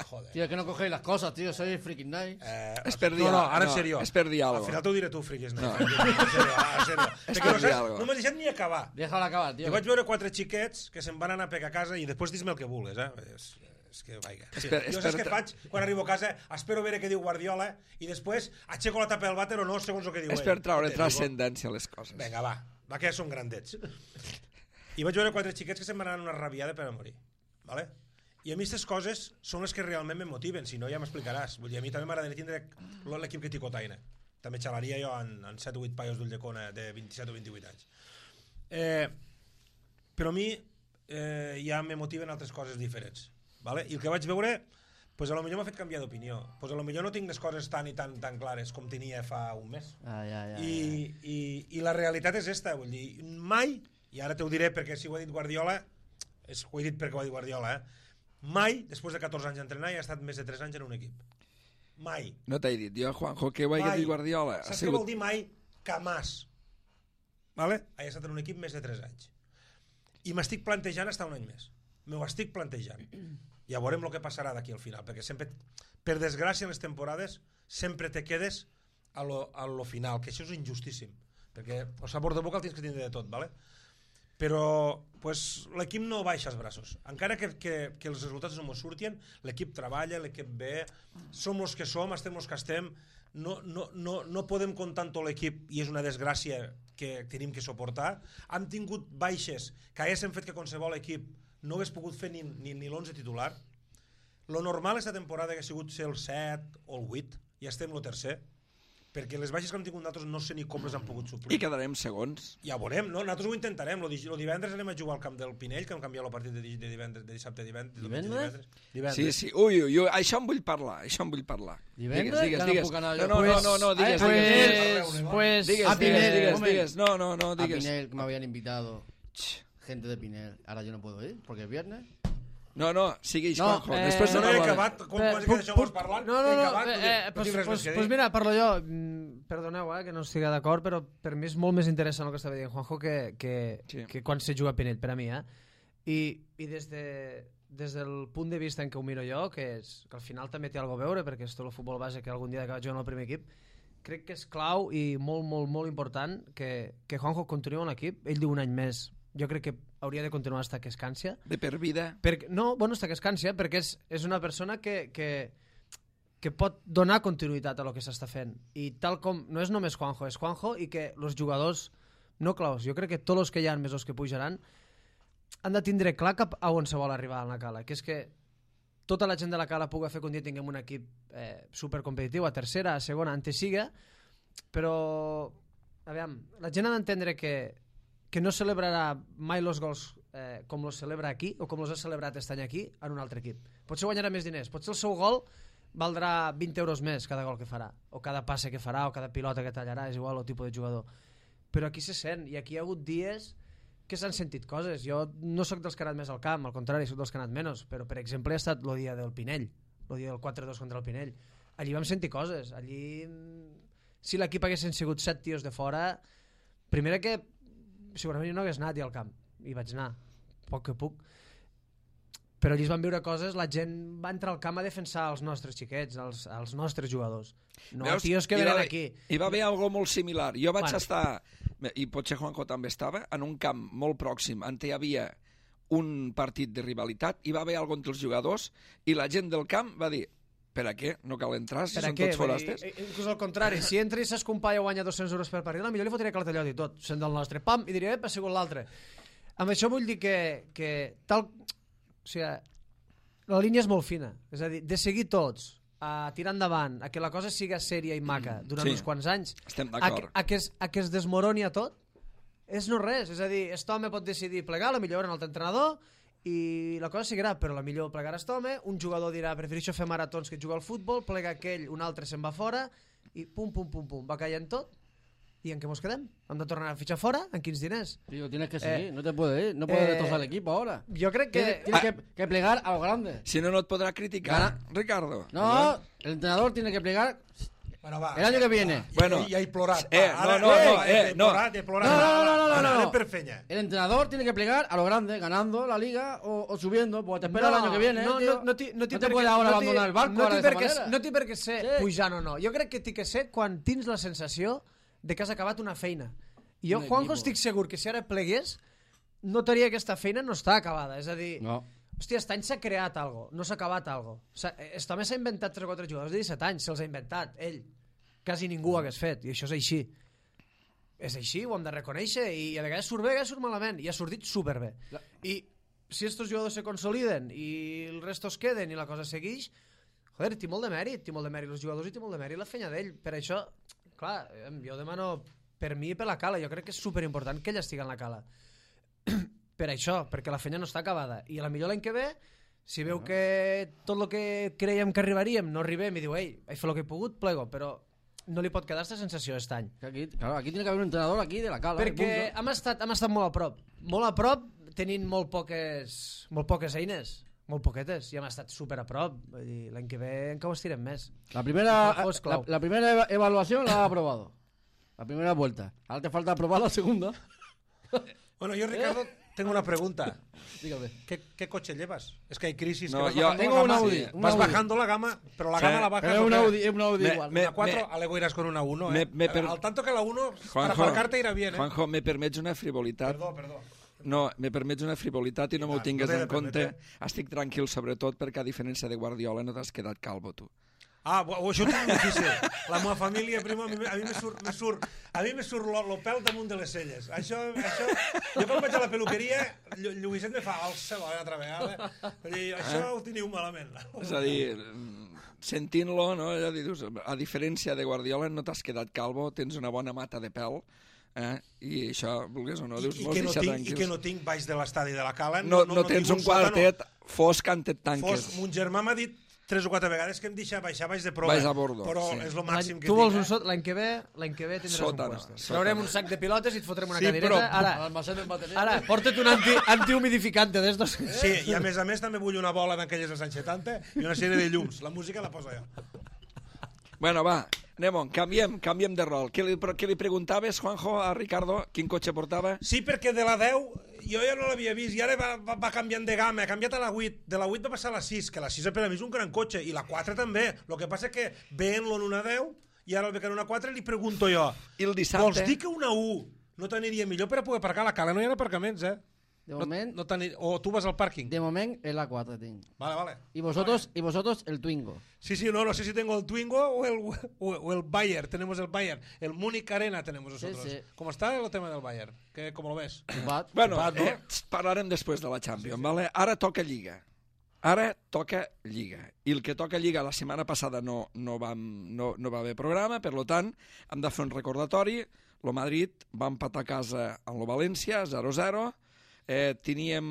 [SPEAKER 4] Joder.
[SPEAKER 2] Tío, que no cogéis las cosas, tío. Soy freaking nice.
[SPEAKER 4] Eh,
[SPEAKER 1] És per dir
[SPEAKER 4] no, no,
[SPEAKER 1] al-
[SPEAKER 4] ara
[SPEAKER 1] no,
[SPEAKER 4] en sèrio.
[SPEAKER 1] és per dir
[SPEAKER 4] Al
[SPEAKER 1] algo.
[SPEAKER 4] final t'ho diré tu, friquis. No.
[SPEAKER 1] No.
[SPEAKER 4] En sèrio, en sèrio.
[SPEAKER 1] És
[SPEAKER 4] Perquè
[SPEAKER 1] per
[SPEAKER 4] no,
[SPEAKER 1] dir
[SPEAKER 4] saps,
[SPEAKER 1] algo.
[SPEAKER 4] no m'has deixat ni acabar.
[SPEAKER 2] Déjala acabar, tío.
[SPEAKER 4] Jo vaig veure quatre xiquets que se'n van anar a pegar a casa i després dis-me el que vulguis, eh? És, és que, vaiga. Sí.
[SPEAKER 1] Esper-
[SPEAKER 4] Jo saps
[SPEAKER 1] espera-
[SPEAKER 4] què faig quan arribo a casa? Espero veure què diu Guardiola i després aixeco la tapa del vàter o no, segons el que diu
[SPEAKER 1] És
[SPEAKER 4] ell.
[SPEAKER 1] per traure
[SPEAKER 4] Te digo.
[SPEAKER 1] transcendència a les coses.
[SPEAKER 4] Vinga, va. Va, que ja són grandets. I vaig veure quatre xiquets que se'n van anar una rabiada per a morir. Vale? I a mi aquestes coses són les que realment me motiven, si no ja m'explicaràs. Vull dir, a mi també m'agradaria tindre l'equip que ticotaina. També xalaria jo en, en set o vuit paios d'Ulldecona de vint-i-set o vint-i-vuit anys. Eh, però a mi eh, ja me motiven altres coses diferents. Vale? I el que vaig veure, pues a lo millor m'ha fet canviar d'opinió. Pues a lo millor no tinc les coses tan i tan, tan clares com tenia fa un mes.
[SPEAKER 2] Ah, ja, ja,
[SPEAKER 4] I, i, I la realitat és esta, vull dir, mai, i ara t'ho diré perquè si ho ha dit Guardiola, és, ho he dit perquè ho ha dit Guardiola, eh? Mai, després de catorze anys d'entrenar, hi ha estat més de tres anys en un equip. Mai.
[SPEAKER 1] No t'he dit jo, Juanjo, que ho hagi
[SPEAKER 4] Mai.
[SPEAKER 1] dit Guardiola. Ha
[SPEAKER 4] Saps
[SPEAKER 1] sigut...
[SPEAKER 4] què vol dir mai? Camàs. Vale? Ha estat en un equip més de tres anys. I m'estic plantejant estar un any més. M'ho estic plantejant. Ja veurem el que passarà d'aquí al final, perquè sempre, per desgràcia, en les temporades, sempre te quedes a lo, a lo final, que això és injustíssim, perquè el sabor de boca el tens que tindre de tot, vale? Però pues, l'equip no baixa els braços. Encara que, que, que els resultats no ens surtien, l'equip treballa, l'equip ve, som els que som, estem els que estem, no, no, no, no podem comptar amb tot l'equip i és una desgràcia que tenim que suportar. Hem tingut baixes que haguessin fet que qualsevol equip no hagués pogut fer ni, ni, ni l'onze titular. Lo normal aquesta temporada que ha sigut ser el set o el vuit i estem el tercer, perquè les baixes que hem tingut nosaltres no sé ni com les han pogut suplir.
[SPEAKER 1] I quedarem segons.
[SPEAKER 4] Ja ho veurem, no? Nosaltres ho intentarem. Lo, di lo divendres anem a jugar al camp del Pinell, que hem canviat el partit de, di de divendres, de dissabte a divendres.
[SPEAKER 2] Divendres?
[SPEAKER 4] divendres.
[SPEAKER 1] Sí, sí. Ui, ui, ui, això en vull parlar, això en vull parlar.
[SPEAKER 2] Divendres?
[SPEAKER 1] Digues,
[SPEAKER 2] Ja no
[SPEAKER 1] digues,
[SPEAKER 2] puc anar
[SPEAKER 1] digues.
[SPEAKER 2] jo.
[SPEAKER 1] No, no,
[SPEAKER 2] Pues-
[SPEAKER 1] no, no, digues,
[SPEAKER 2] Pues-
[SPEAKER 1] digues.
[SPEAKER 3] Pues...
[SPEAKER 1] Digues,
[SPEAKER 2] a
[SPEAKER 1] digues,
[SPEAKER 2] Pinel,
[SPEAKER 1] digues,
[SPEAKER 2] moment.
[SPEAKER 1] digues. No, no, no,
[SPEAKER 2] A
[SPEAKER 1] digues.
[SPEAKER 2] Pinel, que me habían invitado gente de Pinel. Ahora yo no puedo ir, porque es viernes.
[SPEAKER 1] No, no, sigueix,
[SPEAKER 2] No,
[SPEAKER 1] Juanjo.
[SPEAKER 3] eh,
[SPEAKER 1] Després
[SPEAKER 4] No,
[SPEAKER 1] de
[SPEAKER 4] no he
[SPEAKER 1] parlar...
[SPEAKER 4] acabat, quan
[SPEAKER 3] Eh,
[SPEAKER 4] quasi que
[SPEAKER 3] puc-
[SPEAKER 4] deixeu
[SPEAKER 3] puc-
[SPEAKER 4] parlant,
[SPEAKER 3] No, no,
[SPEAKER 4] he
[SPEAKER 3] no,
[SPEAKER 4] acabat,
[SPEAKER 3] eh,
[SPEAKER 4] no,
[SPEAKER 3] eh,
[SPEAKER 4] no
[SPEAKER 3] pues,
[SPEAKER 4] tinc res
[SPEAKER 3] pues,
[SPEAKER 4] més que
[SPEAKER 3] pues
[SPEAKER 4] dir.
[SPEAKER 3] mira, parlo jo. Mm, Perdoneu, eh, que no estigui d'acord, però per mi és molt més interessant el que estava dient Juanjo que, que,
[SPEAKER 1] Sí.
[SPEAKER 3] que quan se juga a Pinell, per a mi, eh? I, i des, de, des del punt de vista en què ho miro jo, que, és, que al final també té alguna a veure, perquè és tot el futbol base que algun dia he acabat jugant al primer equip, crec que és clau i molt, molt, molt important que, que Juanjo continuï en l'equip. Ell diu un any més. Jo crec que hauria de continuar hasta que es cansia.
[SPEAKER 1] De per vida.
[SPEAKER 3] Perquè, no, bueno, hasta que es cansia, perquè és, és una persona que, que, que pot donar continuïtat a lo que s'està fent. I tal com, no és només Juanjo, és Juanjo i que els jugadors no claus, jo crec que tots els que hi ha més els que pujaran han de tindre clar cap a on se vol arribar a la Cala, que és que tota la gent de la Cala pugui fer que un dia tinguem un equip eh, supercompetitiu, a tercera, a segona, ante siga, però aviam, la gent ha d'entendre que, que no celebrarà mai els gols eh, com els celebra aquí o com els ha celebrat aquest any aquí en un altre equip. Potser guanyarà més diners, potser el seu gol valdrà vint euros més cada gol que farà, o cada passe que farà, o cada pilota que tallarà, és igual el tipus de jugador. Però aquí se sent, i aquí hi ha hagut dies que s'han sentit coses. Jo no sóc dels que ha anat més al camp, al contrari, sóc dels que ha anat menys, però per exemple ha estat el dia del Pinell, el dia del quatre dos contra el Pinell. Allí vam sentir coses, allí si l'equip haguessin sigut set tios de fora, primera que segurament jo no hagués anat al camp, i vaig anar, poc que puc, però allí es van veure coses, la gent va entrar al camp a defensar els nostres xiquets, els, els nostres jugadors, no
[SPEAKER 1] Veus?
[SPEAKER 3] tios que
[SPEAKER 1] Hi va
[SPEAKER 3] venen
[SPEAKER 1] haver-
[SPEAKER 3] aquí.
[SPEAKER 1] Hi va haver algo molt similar. Jo vaig
[SPEAKER 3] Bueno.
[SPEAKER 1] estar, i potser Juanjo també estava, en un camp molt pròxim, on hi havia un partit de rivalitat, hi va haver algo entre els jugadors, i la gent del camp va dir, Per a què? No cal entrar si
[SPEAKER 3] Per a
[SPEAKER 1] són
[SPEAKER 3] què?
[SPEAKER 1] tots forastes?
[SPEAKER 3] Vull dir, inclús al contrari, si entra i s'escompalla guanya dos-cents euros per partit, millor li fotria cartellot i tot, sent del nostre, pam, i diria, ep, ha sigut l'altre. Amb això vull dir que, que tal... O sigui, la línia és molt fina. És a dir, de seguir tots a tirar endavant, a que la cosa siga sèria i maca durant
[SPEAKER 1] Sí.
[SPEAKER 3] uns quants anys,
[SPEAKER 1] Estem
[SPEAKER 3] a,
[SPEAKER 1] d'acord.
[SPEAKER 3] que- a, que es, a que es desmoroni a tot, és no res. És a dir, aquest home pot decidir plegar, la millor en l'altre entrenador, i la cosa seguirà, però la millor plegarà aquest home, un jugador dirà, prefereixo fer maratons que jugar al futbol, plega aquell, un altre se'n va fora, i pum, pum, pum, pum, va caient tot, i en què mos quedem? Hem de tornar a fitxar fora? En quins diners?
[SPEAKER 2] Tío, tienes que
[SPEAKER 3] Eh,
[SPEAKER 2] seguir, no te puedes ir, no puedes
[SPEAKER 3] eh,
[SPEAKER 2] destrozar el equipo ahora.
[SPEAKER 3] Jo crec que...
[SPEAKER 2] Tienes, tienes que, que plegar a lo grande.
[SPEAKER 1] Si no, no et podrà criticar,
[SPEAKER 2] Gana.
[SPEAKER 1] Ricardo.
[SPEAKER 2] No, el entrenador tiene que plegar
[SPEAKER 4] Bueno, va.
[SPEAKER 2] el año que viene.
[SPEAKER 4] Ja,
[SPEAKER 1] Bueno.
[SPEAKER 4] ja he plorat.
[SPEAKER 1] Eh,
[SPEAKER 4] va, ara,
[SPEAKER 1] no, no,
[SPEAKER 4] eh,
[SPEAKER 1] no, eh,
[SPEAKER 4] he
[SPEAKER 1] no.
[SPEAKER 4] plorat, he plorat.
[SPEAKER 2] No, no, no, no, no,
[SPEAKER 4] Va,
[SPEAKER 2] no,
[SPEAKER 4] anem
[SPEAKER 2] no.
[SPEAKER 4] per fenya.
[SPEAKER 2] El entrenador tiene que plegar a lo grande, ganando la liga o, o subiendo, porque te espera el año que viene.
[SPEAKER 3] No,
[SPEAKER 2] tío.
[SPEAKER 3] no, no, ti- no, ti
[SPEAKER 2] no te
[SPEAKER 3] per
[SPEAKER 2] puedes
[SPEAKER 3] què-
[SPEAKER 2] ahora
[SPEAKER 3] no ti-
[SPEAKER 2] abandonar el barco
[SPEAKER 3] no
[SPEAKER 2] ahora
[SPEAKER 3] ti
[SPEAKER 2] de esa
[SPEAKER 3] per què-
[SPEAKER 2] manera.
[SPEAKER 3] No té per què ser
[SPEAKER 2] Sí.
[SPEAKER 3] pujant o no. Jo crec que té que ser quan tens la sensació de que has acabat una feina. I jo,
[SPEAKER 2] Un
[SPEAKER 3] Juanjo,
[SPEAKER 2] equipo.
[SPEAKER 3] estic segur que si ara plegués, notaria que aquesta feina no està acabada. És a dir,
[SPEAKER 2] No.
[SPEAKER 3] hòstia, aquest any s'ha creat algo, no s'ha acabat algo. Aquest home s'ha inventat tres o quatre jugadors de disset anys, se'ls ha inventat, ell. Quasi ningú ho hagués fet, i això és així. És així, ho hem de reconèixer, i a vegades surt bé, a vegades surt malament, i ha sortit superbé. I si estos jugadors se consoliden i el resto es queden i la cosa segueix, joder, té molt de mèrit, té molt de mèrit els jugadors i té molt de mèrit la feina d'ell. Per això, clar, em- jo demano per mi i per la Cala, jo crec que és superimportant que ell estigui en la Cala. Per això, perquè la feina no està acabada. I a la millor l'any que ve, si veu que tot el que creiem que arribaríem no arribem i diu, ei, he fet el que he pogut, plego, però no li pot quedar aquesta sensació aquest any.
[SPEAKER 2] Que Aquí, claro, aquí tiene que haber un entrenador aquí de la cala. y
[SPEAKER 3] Perquè
[SPEAKER 2] punto.
[SPEAKER 3] hem estat, hem estat molt a prop. Molt a prop, tenint molt poques, molt poques eines. Molt poquetes, i hem estat super a prop. Vull dir, l'any que ve encara ho estirem més.
[SPEAKER 2] La primera,
[SPEAKER 3] Juanjo es
[SPEAKER 2] la,
[SPEAKER 3] clau.
[SPEAKER 2] la primera eva- evaluación la ha aprobado. La primera vuelta. Ahora te falta aprobar la segunda.
[SPEAKER 4] Bueno, yo, Ricardo, tengo una pregunta.
[SPEAKER 2] Dígame.
[SPEAKER 4] ¿Qué, qué coche llevas? Es que hay crisis.
[SPEAKER 1] No,
[SPEAKER 4] que vas
[SPEAKER 1] yo
[SPEAKER 4] bajando
[SPEAKER 2] tengo
[SPEAKER 4] la
[SPEAKER 2] un
[SPEAKER 4] gama.
[SPEAKER 2] Audi,
[SPEAKER 4] Sí.
[SPEAKER 2] un
[SPEAKER 4] Vas
[SPEAKER 2] Audi.
[SPEAKER 4] bajando la gama, pero la
[SPEAKER 1] Sí,
[SPEAKER 4] gama la bajas.
[SPEAKER 2] Pero es
[SPEAKER 4] ¿o
[SPEAKER 2] un
[SPEAKER 4] qué?
[SPEAKER 2] Audi, es un Audi
[SPEAKER 1] Me-
[SPEAKER 2] igual.
[SPEAKER 1] me-
[SPEAKER 4] Una cuatro, algo irás con una uno,
[SPEAKER 1] me-
[SPEAKER 4] ¿eh?
[SPEAKER 1] me per-
[SPEAKER 4] Al tanto que la uno, para
[SPEAKER 1] Juanjo,
[SPEAKER 4] aparcarte irá bien, ¿eh?
[SPEAKER 1] Juanjo, me permets una frivolitat?
[SPEAKER 4] Perdó, perdó.
[SPEAKER 1] No, me permets una frivolitat i no m'ho
[SPEAKER 4] Ah,
[SPEAKER 1] tingues
[SPEAKER 4] no t'he de
[SPEAKER 1] en compte.
[SPEAKER 4] permetre.
[SPEAKER 1] Estic tranquil, sobretot, perquè a diferència de Guardiola no t'has quedat calvo, tu.
[SPEAKER 4] Ah, bo- això ho tinc difícil. La meva família, prima, a mi, a mi me surt, me surt, a mi me surt lo, lo pèl damunt de les celles. Això, això, jo quan vaig a la peluqueria, Llu- Lluïset me fa el cel una altra vegada. Vull dir, això ho teniu malament.
[SPEAKER 1] És a dir, sentint-lo, no? Ja dius, a diferència de Guardiola no t'has quedat calvo, tens una bona mata de pèl, eh? I això, vulguis o no,
[SPEAKER 4] I,
[SPEAKER 1] dius,
[SPEAKER 4] i,
[SPEAKER 1] vols
[SPEAKER 4] que no
[SPEAKER 1] deixar
[SPEAKER 4] tinc, I
[SPEAKER 1] tranquils.
[SPEAKER 4] que no tinc baix de l'estadi de la Cala.
[SPEAKER 1] No, no, tens
[SPEAKER 4] tinc
[SPEAKER 1] un
[SPEAKER 4] sòtano.
[SPEAKER 1] quartet fosc on et tanques.
[SPEAKER 4] Fos, mon germà m'ha dit tres o quatre vegades que em deixa baixar baix de prova.
[SPEAKER 1] Baix a bordo,
[SPEAKER 4] però
[SPEAKER 1] sí.
[SPEAKER 4] és el
[SPEAKER 3] L'any-
[SPEAKER 4] màxim que
[SPEAKER 3] tu vols
[SPEAKER 4] tinc.
[SPEAKER 3] un
[SPEAKER 4] eh?
[SPEAKER 3] sot, l'any que ve, l'any que ve tindràs
[SPEAKER 1] Sòtano,
[SPEAKER 3] un puesto.
[SPEAKER 1] sòtano.
[SPEAKER 3] Traurem un sac de pilotes i et fotrem una
[SPEAKER 4] Sí,
[SPEAKER 3] cadireta.
[SPEAKER 4] però-
[SPEAKER 3] Ara,
[SPEAKER 2] Almacén de batería.
[SPEAKER 3] ara, porta't un anti, antihumidificante d'estos.
[SPEAKER 4] Sí, i a més a més també vull una bola d'aquelles dels anys setanta i una sèrie de llums. La música la poso jo.
[SPEAKER 1] Bueno, va, anem-on, canviem, canviem de rol. Què li, però què li preguntaves, Juanjo, a Ricardo? Quin cotxe portava?
[SPEAKER 4] Sí, perquè de la deu jo ja no l'havia vist i ara va, va, va canviant de gamma, ha canviat a la vuit, de la vuit va passar a la sis, que la sis per a mi és un gran cotxe, i la quatre també. El que passa és que veient-lo en una deu i ara el veig en una quatre, li pregunto jo,
[SPEAKER 1] I el dissabte?
[SPEAKER 4] vols dir que una u no t'aniria millor per a poder aparcar a la Cala? No hi ha aparcaments, eh?
[SPEAKER 2] De
[SPEAKER 4] No,
[SPEAKER 2] moment,
[SPEAKER 4] no t'anir- o tu vas al pàrquing.
[SPEAKER 2] de moment el A cuatro tinc.
[SPEAKER 4] Vale, vale.
[SPEAKER 2] Y vosotros, y vosotros el Twingo.
[SPEAKER 4] Sí, sí, no, no sé si tengo el Twingo o el, o, o el Bayern. Tenemos el Bayern. El Múnich Arena tenemos nosotros.
[SPEAKER 2] Sí, sí.
[SPEAKER 4] ¿Cómo está el tema del Bayern? ¿Qué, ¿Cómo lo ves?
[SPEAKER 2] Bat.
[SPEAKER 1] Bueno,
[SPEAKER 4] Pat, no?
[SPEAKER 1] eh, parlarem després de la Champions, vale? Ara toca Lliga. Ara toca Lliga. I el que toca Lliga la setmana passada no, no, vam, no, no va haver programa, per lo tant, hem de fer un recordatori. Lo Madrid va empatar a casa amb lo València, zero zero. Eh, teníem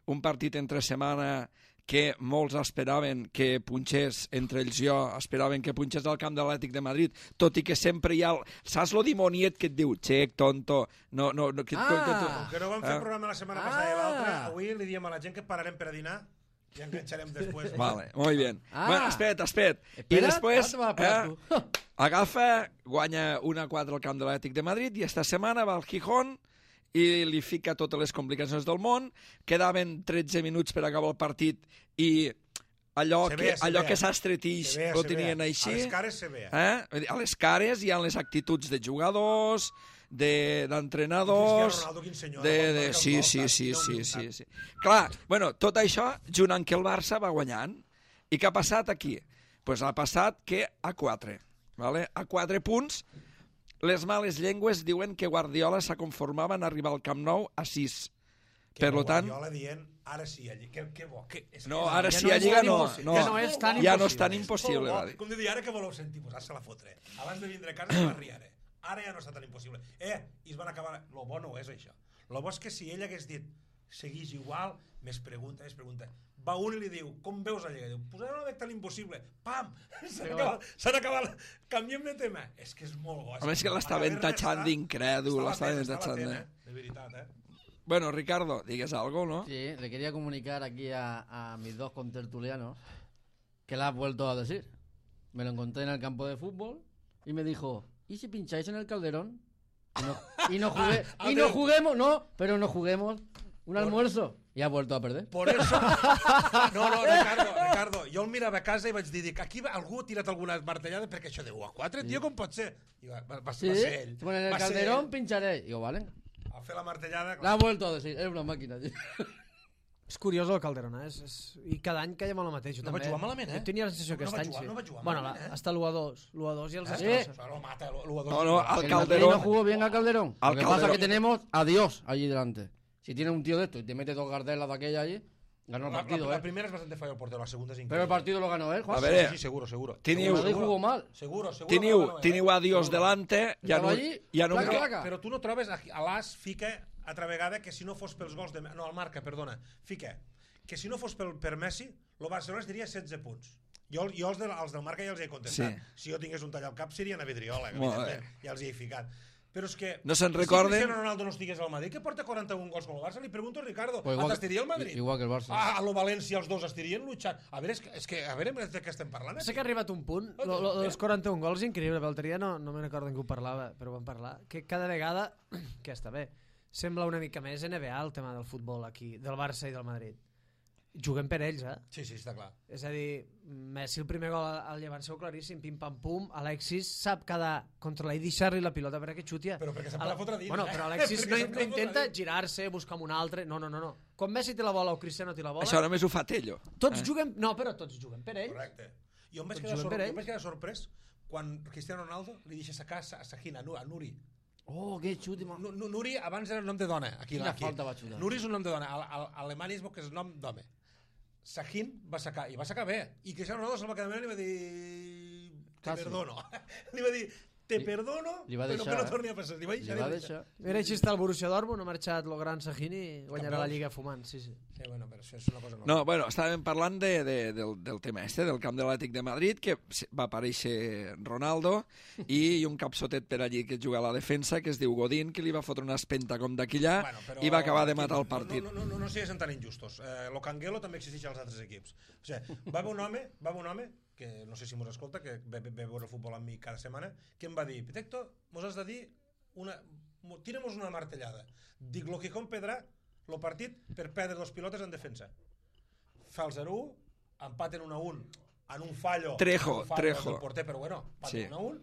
[SPEAKER 1] un partit entre setmana que molts esperaven que punxés, entre ells jo, esperaven que punxés al camp de l'Atlètic de Madrid, tot i que sempre hi ha... El, saps lo dimoniet que et diu, xec, tonto, no, no, no, que,
[SPEAKER 2] Ah.
[SPEAKER 1] que, que,
[SPEAKER 4] Com que no vam fer
[SPEAKER 1] Ah.
[SPEAKER 4] programa la setmana
[SPEAKER 2] Ah.
[SPEAKER 4] passada i l'altra, avui li diem a la gent que pararem per a dinar i enganxarem després.
[SPEAKER 1] Vale, muy bien.
[SPEAKER 2] Ah.
[SPEAKER 1] Bueno, espera't, espera't. I
[SPEAKER 2] Espera't,
[SPEAKER 1] després
[SPEAKER 2] ara te vas a parar
[SPEAKER 1] eh,
[SPEAKER 2] tu.
[SPEAKER 1] agafa, guanya una a quatre al camp de l'Atlètic de Madrid i esta setmana va al Gijón i li fica totes les complicacions del món. Quedaven tretze minuts per acabar el partit i allò
[SPEAKER 4] Se
[SPEAKER 1] que,
[SPEAKER 4] vea, se
[SPEAKER 1] allò
[SPEAKER 4] vea.
[SPEAKER 1] que s'estretix
[SPEAKER 4] Se vea,
[SPEAKER 1] ho
[SPEAKER 4] se
[SPEAKER 1] tenien
[SPEAKER 4] vea.
[SPEAKER 1] així.
[SPEAKER 4] A les cares se vea.
[SPEAKER 1] Eh? Vull dir, a les cares hi ha les actituds de jugadors, de- d'entrenadors...
[SPEAKER 4] Cristiano Ronaldo, quin senyor,
[SPEAKER 1] de,
[SPEAKER 4] quan
[SPEAKER 1] de,
[SPEAKER 4] marca el
[SPEAKER 1] sí,
[SPEAKER 4] gol,
[SPEAKER 1] sí,
[SPEAKER 4] saps?
[SPEAKER 1] sí,
[SPEAKER 4] Quina
[SPEAKER 1] sí,
[SPEAKER 4] humilitat.
[SPEAKER 1] sí, sí. Clar, bueno, tot això, junt amb que el Barça va guanyant. I què ha passat aquí? pues ha passat que a quatre. Vale? A quatre punts, les males llengües diuen que Guardiola s'ha conformava en arribar al Camp Nou a sis. Per lo tant...
[SPEAKER 4] Guardiola dient, ara sí, allí. Que, que bo. Que, és,
[SPEAKER 1] No,
[SPEAKER 4] és,
[SPEAKER 1] ara
[SPEAKER 3] ja
[SPEAKER 1] sí,
[SPEAKER 3] no
[SPEAKER 1] a
[SPEAKER 3] és
[SPEAKER 1] Lliga
[SPEAKER 3] tan
[SPEAKER 1] no.
[SPEAKER 3] impossible.
[SPEAKER 1] no.
[SPEAKER 3] Ja no és tan
[SPEAKER 1] Ja no és
[SPEAKER 3] impossible.
[SPEAKER 1] tan impossible.
[SPEAKER 4] Oh,
[SPEAKER 1] va dir.
[SPEAKER 4] com de dir, ara que voleu sentir? Pues ara se la fotre. Abans de vindre a casa se la riare. Ara ja no està tan impossible. Eh, i es van acabar... Lo bo no és això. Lo bo és que si ell hagués dit segueix igual, més pregunta, més pregunta. Va un i li diu, com veus la Lliga? Diu, pues ara no veig tan impossible. Pam! S'han acabat, s'han acabat. Canviem de tema. És que és molt bo.
[SPEAKER 1] Home, és que l'estaven tatxant d'incrèdul, l'estaven tatxant de...
[SPEAKER 4] De veritat, eh?
[SPEAKER 1] Bueno, Ricardo, digues algo, ¿no?
[SPEAKER 2] Sí, le quería comunicar aquí a, a mis dos contertulianos que la has vuelto a decir. Me lo encontré en el campo de fútbol y me dijo, ¿y si pincháis en el Calderón? Y no, y no, jugué, y no juguemos, no, pero no juguemos un almuerzo. I ha vuelto a perder.
[SPEAKER 4] Por eso... No, no, Ricardo, Ricardo, jo el mirava a casa i vaig dir, dic, aquí algú ha tirat alguna martellada perquè això de u a quatre, sí. Tio, com pot ser? I va, va, va,
[SPEAKER 2] Sí,
[SPEAKER 4] va ser ell.
[SPEAKER 2] bueno, en el
[SPEAKER 4] Va ser
[SPEAKER 2] Calderón
[SPEAKER 4] ell.
[SPEAKER 2] pincharé. Digo, vale.
[SPEAKER 4] A fer la martellada...
[SPEAKER 2] La ha vuelto a decir, es una máquina, tío.
[SPEAKER 3] És curiós el Calderón, eh? És, és... I cada any caiem a la mateixa.
[SPEAKER 4] No va jugar malament, eh?
[SPEAKER 3] Jo tenia la sensació que
[SPEAKER 4] No va
[SPEAKER 3] aquest any
[SPEAKER 4] jugar-
[SPEAKER 3] sí.
[SPEAKER 4] no va jugar
[SPEAKER 3] Bueno,
[SPEAKER 4] malament,
[SPEAKER 3] la,
[SPEAKER 4] eh?
[SPEAKER 3] hasta l'u a dos. l'u a dos i els
[SPEAKER 2] Sí.
[SPEAKER 3] destrossa.
[SPEAKER 4] Això lo mata, lo, lo
[SPEAKER 1] No, no, al
[SPEAKER 2] El
[SPEAKER 1] Calderón...
[SPEAKER 2] Madrid no jugó bien a Calderón.
[SPEAKER 1] Al
[SPEAKER 2] Lo que pasa es
[SPEAKER 1] Calderón.
[SPEAKER 2] que tenemos a Dios allí delante. Si tiene un tío de esto y te mete dos gardelas de aquella allí, ganó el
[SPEAKER 4] La,
[SPEAKER 2] partido,
[SPEAKER 4] la, la
[SPEAKER 2] ¿eh?
[SPEAKER 4] primera es bastante fallo el portero, la segunda es increíble.
[SPEAKER 2] Pero el partido lo ganó él, Juan.
[SPEAKER 1] A ver,
[SPEAKER 4] Sí, sí, seguro, seguro.
[SPEAKER 2] El
[SPEAKER 1] Teniu,
[SPEAKER 2] Madrid jugó mal.
[SPEAKER 4] Seguro, seguro.
[SPEAKER 1] teniu,
[SPEAKER 4] que lo ganó,
[SPEAKER 1] teniu a Dios
[SPEAKER 4] Seguro.
[SPEAKER 1] delante, ja no,
[SPEAKER 2] Estava allí,
[SPEAKER 1] ja no...
[SPEAKER 2] placa,
[SPEAKER 1] em-
[SPEAKER 2] placa.
[SPEAKER 4] Però tu no trobes, aquí, a l'As fica altra vegada que si no fos pels gols de... No, el Marca, perdona. Fica que si no fos pel, per Messi, el Barcelona es diria setze punts. Jo, jo els, de, els del Marca ja els he contestat.
[SPEAKER 1] Sí.
[SPEAKER 4] Si jo tingués un tall al cap, serien a Vidriola,
[SPEAKER 1] Molt
[SPEAKER 4] evidentment. Ja els hi he ficat. Però és que...
[SPEAKER 1] No se'n
[SPEAKER 4] si
[SPEAKER 1] recorden?
[SPEAKER 4] Cristiano Ronaldo no estigués al Madrid, que porta quaranta-un gols com el Barça, li pregunto a Ricardo,
[SPEAKER 2] Pues
[SPEAKER 4] pues
[SPEAKER 2] igual-
[SPEAKER 4] t'estiria el Madrid?
[SPEAKER 2] igual que el Barça.
[SPEAKER 4] Ah, a lo València els dos estirien luchant. A veure, és que, és que a veure de què estem parlant.
[SPEAKER 3] Sé que ha arribat un punt, lo, lo, dels quaranta-un gols, increïble, l'altre dia no, no me'n recordo en què ho parlava, però vam parlar, que cada vegada, que està bé, sembla una mica més N B A el tema del futbol aquí, del Barça i del Madrid. Juguem per ells, eh?
[SPEAKER 4] Sí, sí, està clar.
[SPEAKER 3] És a dir, Messi el primer gol al llevant seu claríssim, pim-pam-pum, Alexis sap quedar controlar i deixar-li la pilota perquè xutia.
[SPEAKER 4] Però perquè se'n
[SPEAKER 3] Ala-
[SPEAKER 4] la fotre dins.
[SPEAKER 3] Bueno,
[SPEAKER 4] eh?
[SPEAKER 3] però Alexis
[SPEAKER 4] Perquè
[SPEAKER 3] no,
[SPEAKER 4] se'n
[SPEAKER 3] no
[SPEAKER 4] la
[SPEAKER 3] intenta
[SPEAKER 4] fotre dins.
[SPEAKER 3] girar-se, buscar amb un altre, no, no, no, no. Quan Messi té la bola o Cristiano té la bola,
[SPEAKER 1] Això només ho fa Tello.
[SPEAKER 3] tots
[SPEAKER 1] Eh?
[SPEAKER 3] juguem, no, però tots juguem per ells.
[SPEAKER 4] Correcte. Jo em vaig,
[SPEAKER 3] Tots
[SPEAKER 4] quedar,
[SPEAKER 3] juguen
[SPEAKER 4] sor...
[SPEAKER 3] per
[SPEAKER 4] jo
[SPEAKER 3] ells.
[SPEAKER 4] em vaig quedar sorprès quan Cristiano Ronaldo li deixa sacar a Sahin, a Nu- a Nuri.
[SPEAKER 2] Oh, qué chute, man.
[SPEAKER 4] Nu- Nu- Nuri abans era el nom de dona. Aquí,
[SPEAKER 2] Quina
[SPEAKER 4] aquí.
[SPEAKER 2] falta va xutar.
[SPEAKER 4] Nuri és un nom de dona. A, a, a Alemanya es veu que és nom d'home. Sahin va sacar, i va sacar bé. I Cristiano Ronaldo se'l va quedar mirant i va dir... Te
[SPEAKER 2] Quasi.
[SPEAKER 4] perdono. li va dir, te
[SPEAKER 2] Li-
[SPEAKER 4] perdono,
[SPEAKER 2] li va
[SPEAKER 4] però
[SPEAKER 2] deixar,
[SPEAKER 4] que no
[SPEAKER 2] eh?
[SPEAKER 4] torni a passar. Li va deixar.
[SPEAKER 2] Li va
[SPEAKER 4] li
[SPEAKER 2] deixar.
[SPEAKER 3] Mira, així està el Borussia Dortmund, ha marxat el gran Sahini i guanyarà la
[SPEAKER 4] Campeons.
[SPEAKER 3] Lliga fumant, sí, sí.
[SPEAKER 4] Sí, bueno, però això és una cosa
[SPEAKER 1] No, bueno, estàvem parlant de, de, del, del tema este, del camp de l'Atlètic de Madrid, que va aparèixer Ronaldo i un capsotet per allí que juga a la defensa, que es diu Godín, que li va fotre una espenta com d'aquillà
[SPEAKER 4] Bueno, però
[SPEAKER 1] i va acabar de
[SPEAKER 4] aquí
[SPEAKER 1] matar el
[SPEAKER 4] no-
[SPEAKER 1] partit.
[SPEAKER 4] No, no, no, no, no siguin tan injustos. Eh, lo Canguelo també existeix als altres equips. O sigui, va haver un home, va haver un home que no sé si mos escolta, que ve, ve, ve a veure el futbol amb mi cada setmana, que em va dir, Pitecto, mos has de dir una... mo- tira-mos una martellada. Dic, lo que compedrà lo partit per perdre dos pilotes en defensa. Fa el zero u, empaten un a un en un fallo,
[SPEAKER 1] Trejo,
[SPEAKER 4] en un fallo
[SPEAKER 1] Trejo.
[SPEAKER 4] del porter, però bueno, empaten
[SPEAKER 1] Sí.
[SPEAKER 4] un a un,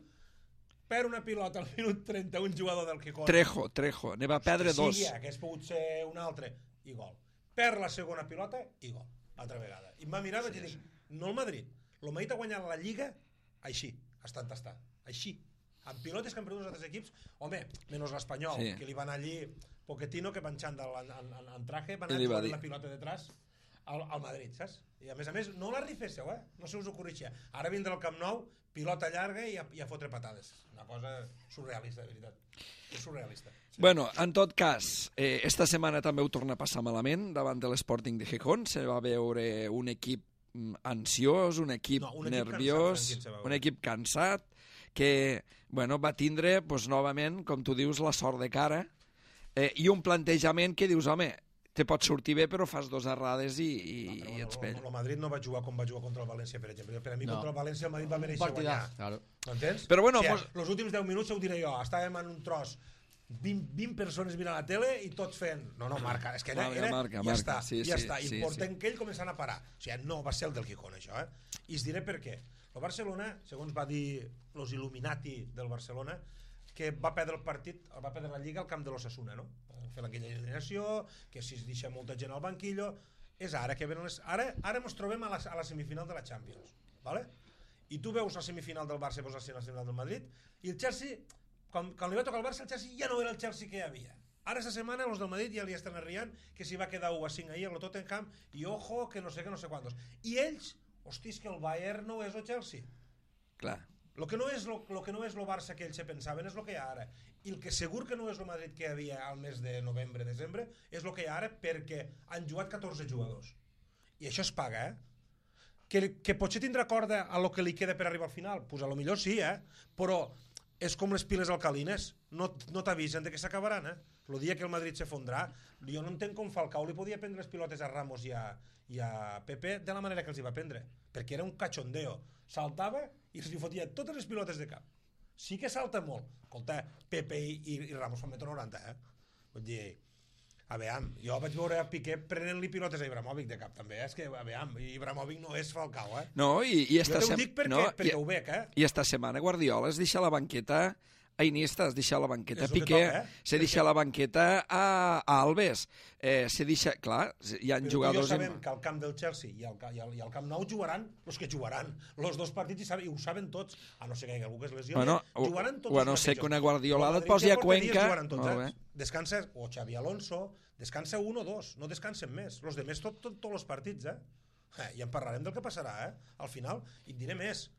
[SPEAKER 4] perd una pilota al minut trenta, un jugador del Gijón.
[SPEAKER 1] Trejo, Trejo, ne va perdre dos.
[SPEAKER 4] Sí, que hagués pogut ser un altre, i gol. Perd la segona pilota i gol, altra vegada. I em va mirar i vaig dir, no el Madrid, el Madrid ha guanyat la Lliga així, estant tastar, així. Amb pilotes que han perdut els altres equips, home, menys l'Espanyol,
[SPEAKER 1] Sí.
[SPEAKER 4] que li van allí, Pochettino, que va enxandar en, en, en, en traje, van
[SPEAKER 1] I
[SPEAKER 4] anar
[SPEAKER 1] li va
[SPEAKER 4] jugant
[SPEAKER 1] dir.
[SPEAKER 4] la pilota detrás al, al Madrid, saps? I a més a més, no la riféssiu, eh? No se us ho corrixia. Ara vindrà al Camp Nou, pilota llarga i a, i a fotre patades. Una cosa surrealista, de veritat. És surrealista.
[SPEAKER 1] Bueno, en tot cas, eh, esta setmana també ho torna a passar malament davant de l'Sporting de Gijón. Se va veure un equip mm, ansiós, un equip,
[SPEAKER 4] No, un equip
[SPEAKER 1] nerviós,
[SPEAKER 4] cansat, tranquil, se va veure.
[SPEAKER 1] un equip cansat, que bueno, va tindre pues, novament, com tu dius, la sort de cara eh, i un plantejament que dius, home, te pot sortir bé però fas dos errades i, i,
[SPEAKER 4] No,
[SPEAKER 1] i ets
[SPEAKER 4] però
[SPEAKER 1] pell.
[SPEAKER 4] el, el Madrid no va jugar com va jugar contra el València, per exemple. Per a mi,
[SPEAKER 2] No.
[SPEAKER 4] contra el València, el Madrid va
[SPEAKER 2] Un
[SPEAKER 4] mereixer
[SPEAKER 2] partidàs,
[SPEAKER 4] guanyar.
[SPEAKER 2] claro.
[SPEAKER 4] M'entens?
[SPEAKER 1] Però bueno,
[SPEAKER 4] o sigui,
[SPEAKER 1] mos-
[SPEAKER 4] els últims deu minuts ho diré jo. Estàvem en un tros, vint, vint persones mirant la tele i tots fent... No, no, marca. És que era...
[SPEAKER 1] Marca,
[SPEAKER 4] era
[SPEAKER 1] marca,
[SPEAKER 4] ja
[SPEAKER 1] marca.
[SPEAKER 4] està,
[SPEAKER 1] Sí,
[SPEAKER 4] ja
[SPEAKER 1] sí,
[SPEAKER 4] està. I
[SPEAKER 1] sí,
[SPEAKER 4] portem que ell començant a parar. O sigui, no va ser el del Gijón, això, eh? I us diré per què. El Barcelona, segons va dir los Illuminati del Barcelona, que va perdre el partit, va perdre la Lliga al camp de l'Osasuna, no? Fer aquella eliminació, que si es deixa molta gent al banquillo... És ara que venen les... Ara, ara ens trobem a la, a la semifinal de la Champions, ¿vale? i tu veus la semifinal del Barça i veus la semifinal del Madrid, i el Chelsea, quan, quan li va tocar el Barça, el Chelsea ja no era el Chelsea que hi havia. Ara esta setmana els del Madrid ja li estan arriant que s'hi va quedar u a cinc ahir el Tottenham i ojo que no sé que no sé quantos. I ells, hosti, és que el Bayern no és el Chelsea.
[SPEAKER 1] Clar.
[SPEAKER 4] Lo que no és lo, lo que no és lo Barça que ells se pensaven és lo que hi ha ara. I el que segur que no és el Madrid que hi havia al mes de novembre, desembre, és lo que hi ha ara perquè han jugat catorze jugadors. I això es paga, eh? Que, que potser tindrà corda a lo que li queda per arribar al final? Pues a lo millor sí, eh? Però és com les piles alcalines, no, no t'avisen de que s'acabaran, eh? El dia que el Madrid se fondrà, jo no entenc com Falcao li podia prendre les pilotes a Ramos i a, i a Pepe de la manera que els hi va prendre, perquè era un cachondeo. Saltava i els hi fotia totes les pilotes de cap. Sí que salta molt. Escolta, Pepe i, i, i Ramos fan metro noranta, eh? Vull dir, a veure, jo vaig veure a Piqué prenent-li pilotes a Ibrahimovic de cap, també, eh? És que, a veure, Ibrahimovic no és Falcao, eh?
[SPEAKER 1] No, i, i esta
[SPEAKER 4] jo t'ho dic perquè,
[SPEAKER 1] no,
[SPEAKER 4] perquè
[SPEAKER 1] i,
[SPEAKER 4] ho veig, eh?
[SPEAKER 1] I esta setmana Guardiola es deixa la banqueta a Iniesta, es deixa la banqueta a Piqué,
[SPEAKER 4] toca, eh?
[SPEAKER 1] se deixa la banqueta a, a Alves, eh, se deixa... Clar, hi ha
[SPEAKER 4] Però
[SPEAKER 1] jugadors...
[SPEAKER 4] Però sabem en... que al camp del Chelsea i al, i, al, i al Camp Nou jugaran els que jugaran. Els dos partits i, saben, i ho saben tots. A no ser que hi hagi algú que es lesioni,
[SPEAKER 1] bueno,
[SPEAKER 4] jugaran tots
[SPEAKER 1] bueno,
[SPEAKER 4] els
[SPEAKER 1] sé
[SPEAKER 4] mateixos.
[SPEAKER 1] que una Guardiolada et
[SPEAKER 4] Madrid
[SPEAKER 1] posi
[SPEAKER 4] ja
[SPEAKER 1] a
[SPEAKER 4] porta dies
[SPEAKER 1] Cuenca...
[SPEAKER 4] jugaran tots,
[SPEAKER 1] Molt
[SPEAKER 4] eh?
[SPEAKER 1] bé.
[SPEAKER 4] Descansa, o Xavi Alonso, descansa un o dos, no descansen més. Els de més tot, tot, tots els partits, eh? eh? I en parlarem del que passarà, eh? Al final, i et diré més.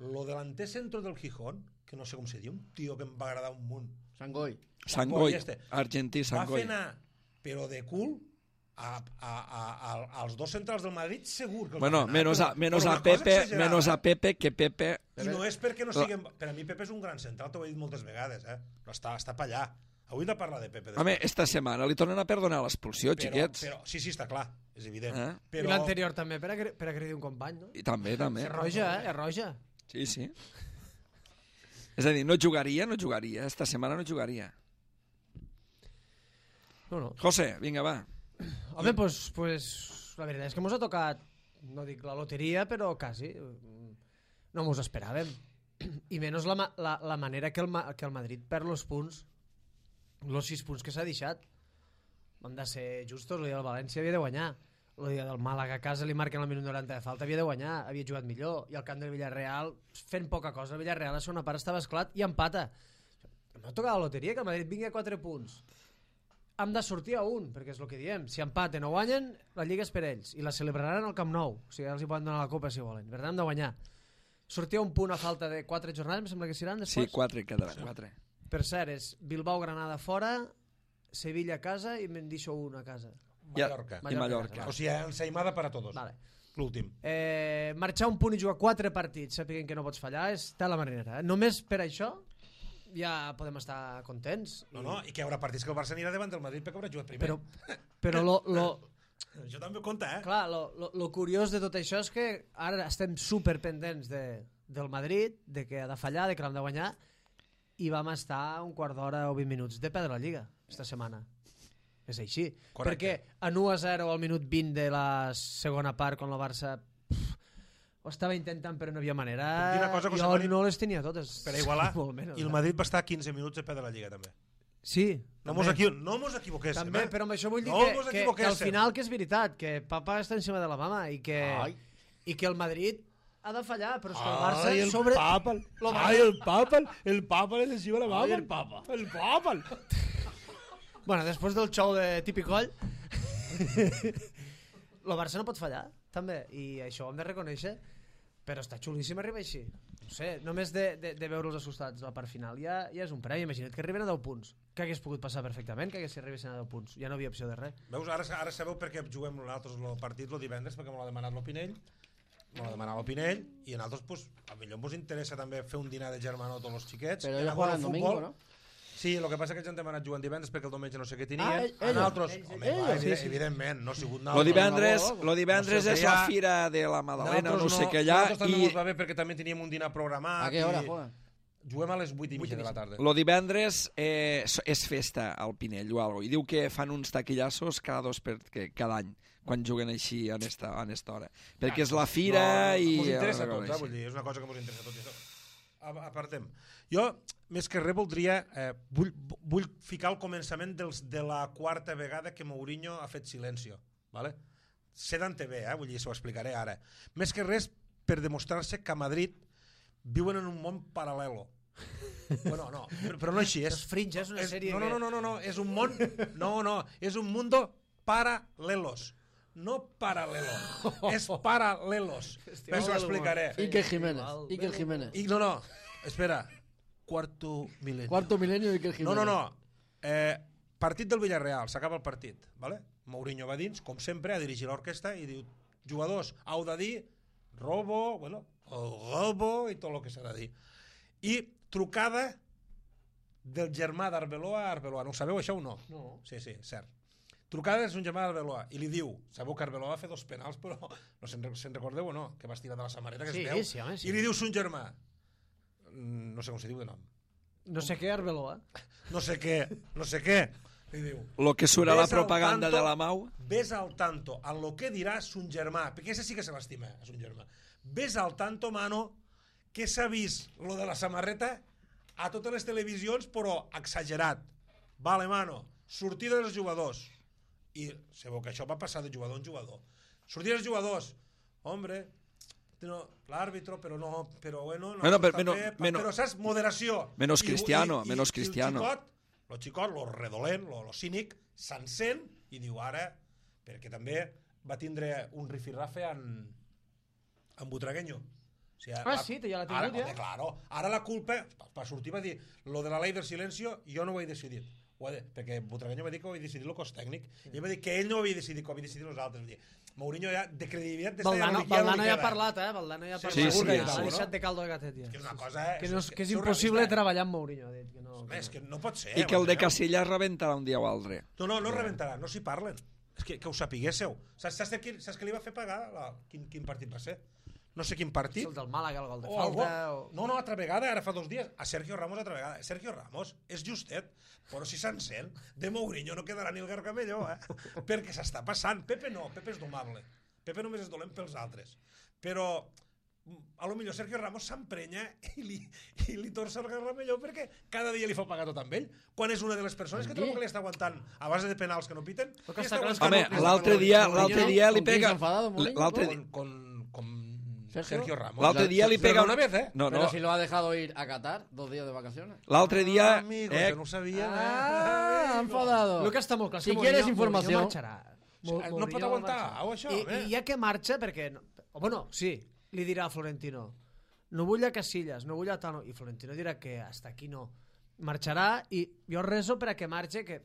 [SPEAKER 4] Lo delanter centro del Gijón, que no sé com se diu, un tio que em va agradar un munt.
[SPEAKER 2] Sangoi.
[SPEAKER 1] Sangoi,
[SPEAKER 4] este.
[SPEAKER 1] argentí
[SPEAKER 4] Va
[SPEAKER 1] Sangoi.
[SPEAKER 4] fer anar, però de cul, a, a, a, a, als dos centrals del Madrid segur que els
[SPEAKER 1] Bueno,
[SPEAKER 4] va anar,
[SPEAKER 1] menos a,
[SPEAKER 4] però-
[SPEAKER 1] menos
[SPEAKER 4] però
[SPEAKER 1] a
[SPEAKER 4] una cosa
[SPEAKER 1] Pepe,
[SPEAKER 4] exagerada,
[SPEAKER 1] menos a
[SPEAKER 4] eh?
[SPEAKER 1] Pepe, que Pepe...
[SPEAKER 4] I no és perquè no siguin... Per a mi Pepe és un gran central, t'ho he dit moltes vegades, eh? Però està, està per allà. Avui hem de parlar de Pepe.
[SPEAKER 1] Home, esta setmana li tornen a perdonar l'expulsió,
[SPEAKER 4] però,
[SPEAKER 1] xiquets.
[SPEAKER 4] però, sí, sí, està clar, és evident.
[SPEAKER 1] Eh?
[SPEAKER 4] Però,
[SPEAKER 3] I l'anterior també, per, agre per agredir un company, no?
[SPEAKER 1] I també, també.
[SPEAKER 3] És roja, eh? És roja.
[SPEAKER 1] Sí, sí. És a dir, no jugaria, no jugaria. Esta setmana no jugaria.
[SPEAKER 3] No, no.
[SPEAKER 1] José, vinga, va.
[SPEAKER 3] Home, pues, pues la veritat és que mos ha tocat, no dic la loteria, però quasi. No mos esperàvem. I menys la, ma- la, la manera que el, Ma- que el Madrid perd els punts, els sis punts que s'ha deixat. Hem de ser justos, el dia del València havia de guanyar. El dia del Màlaga a casa li marquen el minut noranta de falta, havia de guanyar, havia jugat millor. I al camp del Villarreal, fent poca cosa, el Villarreal a la segona part estava esclat i empata. No ha tocat la loteria, que el Madrid vingui a quatre punts. Hem de sortir a un, perquè és el que diem. Si empaten o guanyen, la Lliga és per ells. I la celebraran al Camp Nou. O sigui, els hi poden donar la copa si volen. Per tant, hem de guanyar. Sortir a un punt a falta de quatre jornades, em sembla que seran
[SPEAKER 1] Sí,
[SPEAKER 3] després.
[SPEAKER 1] quatre quedaran, quatre.
[SPEAKER 3] Per cert, és Bilbao-Granada fora, Sevilla a casa i me'n deixo un a casa.
[SPEAKER 4] Mallorca.
[SPEAKER 1] I Mallorca.
[SPEAKER 4] O sigui, ensaïmada per a tots.
[SPEAKER 3] Vale.
[SPEAKER 4] L'últim.
[SPEAKER 3] Eh, marxar un punt i jugar quatre partits sapiguent que no pots fallar és tal la marinera. Eh? Només per això ja podem estar contents.
[SPEAKER 4] No, no, i que hi haurà partits que el Barça anirà davant del Madrid perquè haurà jugat primer.
[SPEAKER 3] Però, però lo, lo,
[SPEAKER 4] Això també ho compta, eh?
[SPEAKER 3] clar, lo, lo, lo curiós de tot això és que ara estem super pendents de, del Madrid, de que ha de fallar, de que l'hem de guanyar, i vam estar un quart d'hora o vint minuts de perdre la Lliga esta setmana. És així.
[SPEAKER 4] Correcte.
[SPEAKER 3] Perquè en u a zero al minut vint de la segona part, quan el Barça pff, ho estava intentant però no havia manera,
[SPEAKER 4] Puc dir una cosa, José
[SPEAKER 3] jo
[SPEAKER 4] Mari?
[SPEAKER 3] no les tenia totes.
[SPEAKER 4] Per a igualar,
[SPEAKER 3] Molt menys,
[SPEAKER 4] i el
[SPEAKER 3] eh?
[SPEAKER 4] Madrid va estar quinze minuts de perdre la Lliga, també.
[SPEAKER 3] Sí,
[SPEAKER 4] No
[SPEAKER 3] també.
[SPEAKER 4] mos, equi... no mos equivoquéssim,
[SPEAKER 3] També,
[SPEAKER 4] eh?
[SPEAKER 3] però amb això vull dir
[SPEAKER 4] No
[SPEAKER 3] que,
[SPEAKER 4] mos
[SPEAKER 3] que, que al
[SPEAKER 4] equivoquéssim.
[SPEAKER 3] final que és veritat, que papa està encima de la mama i que,
[SPEAKER 2] Ai.
[SPEAKER 3] i que el Madrid ha de fallar, però és que el Barça
[SPEAKER 5] Ay, el
[SPEAKER 3] sobre...
[SPEAKER 5] Papa, el,
[SPEAKER 3] Lo
[SPEAKER 5] ay, el Papa, el, el Papa le encima la
[SPEAKER 2] Ay,
[SPEAKER 5] mama.
[SPEAKER 2] el Papa.
[SPEAKER 5] El Papa.
[SPEAKER 3] Bueno, després del show de Tipicoll, el Barça no pot fallar, també, i això ho hem de reconèixer, però està xulíssim arribar així. No sé, només de, de, de veure'ls assustats a la part final ja, ja és un premi. Imagina't que arriben a deu punts, que hagués pogut passar perfectament, que hagués arribessin a deu punts. Ja no havia opció de res.
[SPEAKER 4] Veus, ara, ara sabeu per què juguem nosaltres el partit el divendres, perquè m'ho ha demanat l'Opinell, m'ho ha demanat l'Opinell, i a nosaltres, pues, a millor ens interessa també fer un dinar de germanor a tots els xiquets.
[SPEAKER 2] Però
[SPEAKER 4] anar
[SPEAKER 2] ella
[SPEAKER 4] a
[SPEAKER 2] juega
[SPEAKER 4] veure
[SPEAKER 2] el
[SPEAKER 4] futbol.
[SPEAKER 2] domingo, ¿no?
[SPEAKER 4] Sí, el que passa és que ells han demanat jugant divendres perquè el diumenge no sé què tenien.
[SPEAKER 2] Ah,
[SPEAKER 4] a
[SPEAKER 2] ellos.
[SPEAKER 4] nosaltres,
[SPEAKER 2] Ells,
[SPEAKER 4] home,
[SPEAKER 2] ellos,
[SPEAKER 4] va,
[SPEAKER 2] sí,
[SPEAKER 4] evident-
[SPEAKER 2] sí.
[SPEAKER 4] evidentment, no ha sigut
[SPEAKER 1] Lo
[SPEAKER 4] nosaltres.
[SPEAKER 1] divendres,
[SPEAKER 2] no, no,
[SPEAKER 1] lo divendres
[SPEAKER 4] no sé,
[SPEAKER 1] és
[SPEAKER 4] ja-
[SPEAKER 1] la fira de la Madalena, no
[SPEAKER 4] Nosaltres
[SPEAKER 1] sé què allà,
[SPEAKER 4] nosaltres també
[SPEAKER 1] i
[SPEAKER 4] mos va bé perquè també teníem un dinar programat.
[SPEAKER 2] ¿A qué hora
[SPEAKER 4] i
[SPEAKER 2] juegan?
[SPEAKER 4] Juguem a les vuit i mitja de la tarda.
[SPEAKER 1] lo divendres eh, és- és festa al Pinell o alguna cosa, i diu que fan uns taquillassos cada dos per, que, cada any quan juguen així en esta, en esta hora, perquè és la fira
[SPEAKER 4] no,
[SPEAKER 1] i...
[SPEAKER 4] Mos interessa a
[SPEAKER 1] una
[SPEAKER 4] tots,
[SPEAKER 1] cosa
[SPEAKER 4] eh? Vull
[SPEAKER 1] així.
[SPEAKER 4] dir, és una cosa que mos interessa a tots. Això. A- Apartem. Jo, més que res, voldria... Eh, vull, vull ficar el començament dels, de la quarta vegada que Mourinho ha fet silencio. Vale? Sé d'on te ve, eh? Vull dir, s'ho explicaré ara. Més que res, per demostrar-se que a Madrid viuen en un món paral·lelo. Bueno, no, però, però no així. És,
[SPEAKER 3] Los Fringe és una
[SPEAKER 4] és,
[SPEAKER 3] sèrie
[SPEAKER 4] no, no,
[SPEAKER 3] que...
[SPEAKER 4] no, no, no, no, és un món... No, no, és un mundo paralelos. No paralelo, és paralelos. Més ho explicaré.
[SPEAKER 2] Iker Jiménez. Iker Jiménez.
[SPEAKER 4] I, no, no, espera. Quarto milenio.
[SPEAKER 2] Cuarto milenio Iker
[SPEAKER 4] No,
[SPEAKER 2] Jiménez.
[SPEAKER 4] no, no. Eh, partit del Villarreal, s'acaba el partit. Vale? Mourinho va dins, com sempre, a dirigir l'orquestra i diu, jugadors, heu de dir robo, bueno, el robo i tot el que s'ha de dir. I trucada del germà d'Arbeloa a Arbeloa. No ho sabeu, això o no?
[SPEAKER 3] No.
[SPEAKER 4] Sí, sí, cert. Trucada és un germà d'Arbeloa i li diu, sabeu que Arbeloa va fer dos penals, però no se'n se'n recordeu o no? Que va estirar de la samarreta, que
[SPEAKER 3] Sí,
[SPEAKER 4] es veu.
[SPEAKER 3] sí, home, sí.
[SPEAKER 4] I li diu son germà, mm, no sé com se diu de nom,
[SPEAKER 3] No sé què, Arbeloa.
[SPEAKER 4] no sé què, no sé què, li diu.
[SPEAKER 1] Lo que surt a la
[SPEAKER 4] Ves al
[SPEAKER 1] propaganda
[SPEAKER 4] tanto,
[SPEAKER 1] de la Mau.
[SPEAKER 4] Ves al tanto en lo que dirà son germà, perquè ese sí que se l'estima, a son germà. Ves al tanto, mano, que s'ha vist lo de la samarreta a totes les televisions, però exagerat. Vale, mano, sortida dels jugadors. I sabeu que això va passar de jugador en jugador. Sortida dels jugadors. Hombre, no, l'àrbitro, però no, però bueno, no,
[SPEAKER 1] Bueno,
[SPEAKER 4] està
[SPEAKER 1] però menos-
[SPEAKER 4] bé,
[SPEAKER 1] menos-
[SPEAKER 4] però saps, moderació.
[SPEAKER 1] menos
[SPEAKER 4] I-
[SPEAKER 1] Cristiano,
[SPEAKER 4] i- i-
[SPEAKER 1] menos
[SPEAKER 4] i
[SPEAKER 1] Cristiano.
[SPEAKER 4] El xicot, lo xicot, lo redolent, lo, lo cínic, s'encén i diu ara, perquè també va tindre un rifirrafe en, en Butragueño. O sigui,
[SPEAKER 3] Ah, sí, ja l'ha tingut,
[SPEAKER 4] ara,
[SPEAKER 3] ja.
[SPEAKER 4] home, claro, ara la culpa, per sortir va dir, lo de la ley del silencio jo no ho he decidit. Ho de, perquè Butragueño va dir que ho havia decidit el cos tècnic, i ell va dir que ell no ho havia decidit, que ho havia decidit nosaltres. Vull dir, Mourinho ja, de credibilitat d'esta ja
[SPEAKER 3] Valdano,
[SPEAKER 4] no li- ja no
[SPEAKER 3] Valdano
[SPEAKER 4] li
[SPEAKER 3] ja ha
[SPEAKER 4] queda.
[SPEAKER 3] parlat, eh? Valdano ja ha
[SPEAKER 4] Sí,
[SPEAKER 3] parlat.
[SPEAKER 1] sí, sí,
[SPEAKER 3] Ha
[SPEAKER 1] sí.
[SPEAKER 3] deixat de caldo de gatet, ja.
[SPEAKER 4] Que és una cosa...
[SPEAKER 3] Que, no és, que és
[SPEAKER 4] surrealista.
[SPEAKER 3] impossible treballar amb Mourinho, ha dit. Que no,
[SPEAKER 4] Home, és que no pot ser.
[SPEAKER 1] I que el de
[SPEAKER 4] m'enteneu?
[SPEAKER 1] Casillas rebentarà un dia o altre.
[SPEAKER 4] No, no, no rebentarà, no s'hi parlen. És que, que ho sapiguéssiu. Saps, saps, de qui, saps que li va fer pagar? La, quin, quin partit va ser? No sé quin
[SPEAKER 3] És
[SPEAKER 4] partit.
[SPEAKER 3] el del Màlaga, el gol de
[SPEAKER 4] O
[SPEAKER 3] falta...
[SPEAKER 4] algo.
[SPEAKER 3] O...
[SPEAKER 4] No, no, altra vegada, ara fa dos dies, a Sergio Ramos altra vegada. Sergio Ramos és justet, però si s'encén, de Mourinho no quedarà ni el gargamelló, eh? Perquè s'està passant. Pepe no, Pepe és domable. Pepe només és dolent pels altres. Però a lo millor Sergio Ramos s'emprenya i li, i li torça el gargamelló perquè cada dia li fa pagar tot amb ell, quan és una de les persones que trobo que li està aguantant a base de penals que no piten.
[SPEAKER 3] Però que
[SPEAKER 4] li
[SPEAKER 3] està clar és
[SPEAKER 4] aguantant
[SPEAKER 1] Home,
[SPEAKER 4] el- li està
[SPEAKER 1] l'altre
[SPEAKER 4] aguantant
[SPEAKER 1] dia,
[SPEAKER 4] el-
[SPEAKER 1] l'altre
[SPEAKER 2] Mourinho,
[SPEAKER 1] dia li
[SPEAKER 2] ¿con quién
[SPEAKER 1] pega...
[SPEAKER 2] se ha enfadado Mourinho?
[SPEAKER 1] L'altre
[SPEAKER 4] con,
[SPEAKER 1] dia...
[SPEAKER 4] con, con
[SPEAKER 2] Sergio?
[SPEAKER 4] Sergio Ramos.
[SPEAKER 1] L'altre dia li
[SPEAKER 4] Però
[SPEAKER 1] pega...
[SPEAKER 4] una vez, eh?
[SPEAKER 1] No,
[SPEAKER 2] Pero
[SPEAKER 1] no.
[SPEAKER 2] si lo ha dejado ir a Qatar, dos días de vacaciones.
[SPEAKER 1] L'altre dia...
[SPEAKER 4] Ah, amigo,
[SPEAKER 1] Eh,
[SPEAKER 4] que no ho sabia.
[SPEAKER 2] Ah, enfadado.
[SPEAKER 3] El que està molt clar és
[SPEAKER 2] Si
[SPEAKER 3] que
[SPEAKER 2] quieres
[SPEAKER 3] Mourinho-
[SPEAKER 2] informació-
[SPEAKER 3] Mourinho marxarà. Mo-
[SPEAKER 4] No
[SPEAKER 3] Mourinho
[SPEAKER 4] pot aguantar,
[SPEAKER 3] marxarà.
[SPEAKER 4] au, això,
[SPEAKER 3] I,
[SPEAKER 4] eh?
[SPEAKER 3] I ja que marxa, perquè... No, o bueno, sí, li dirà a Florentino, no vull a Casillas, no vull a Tano, i Florentino dirà que hasta aquí no. Marxarà i jo reso per a que marxe, que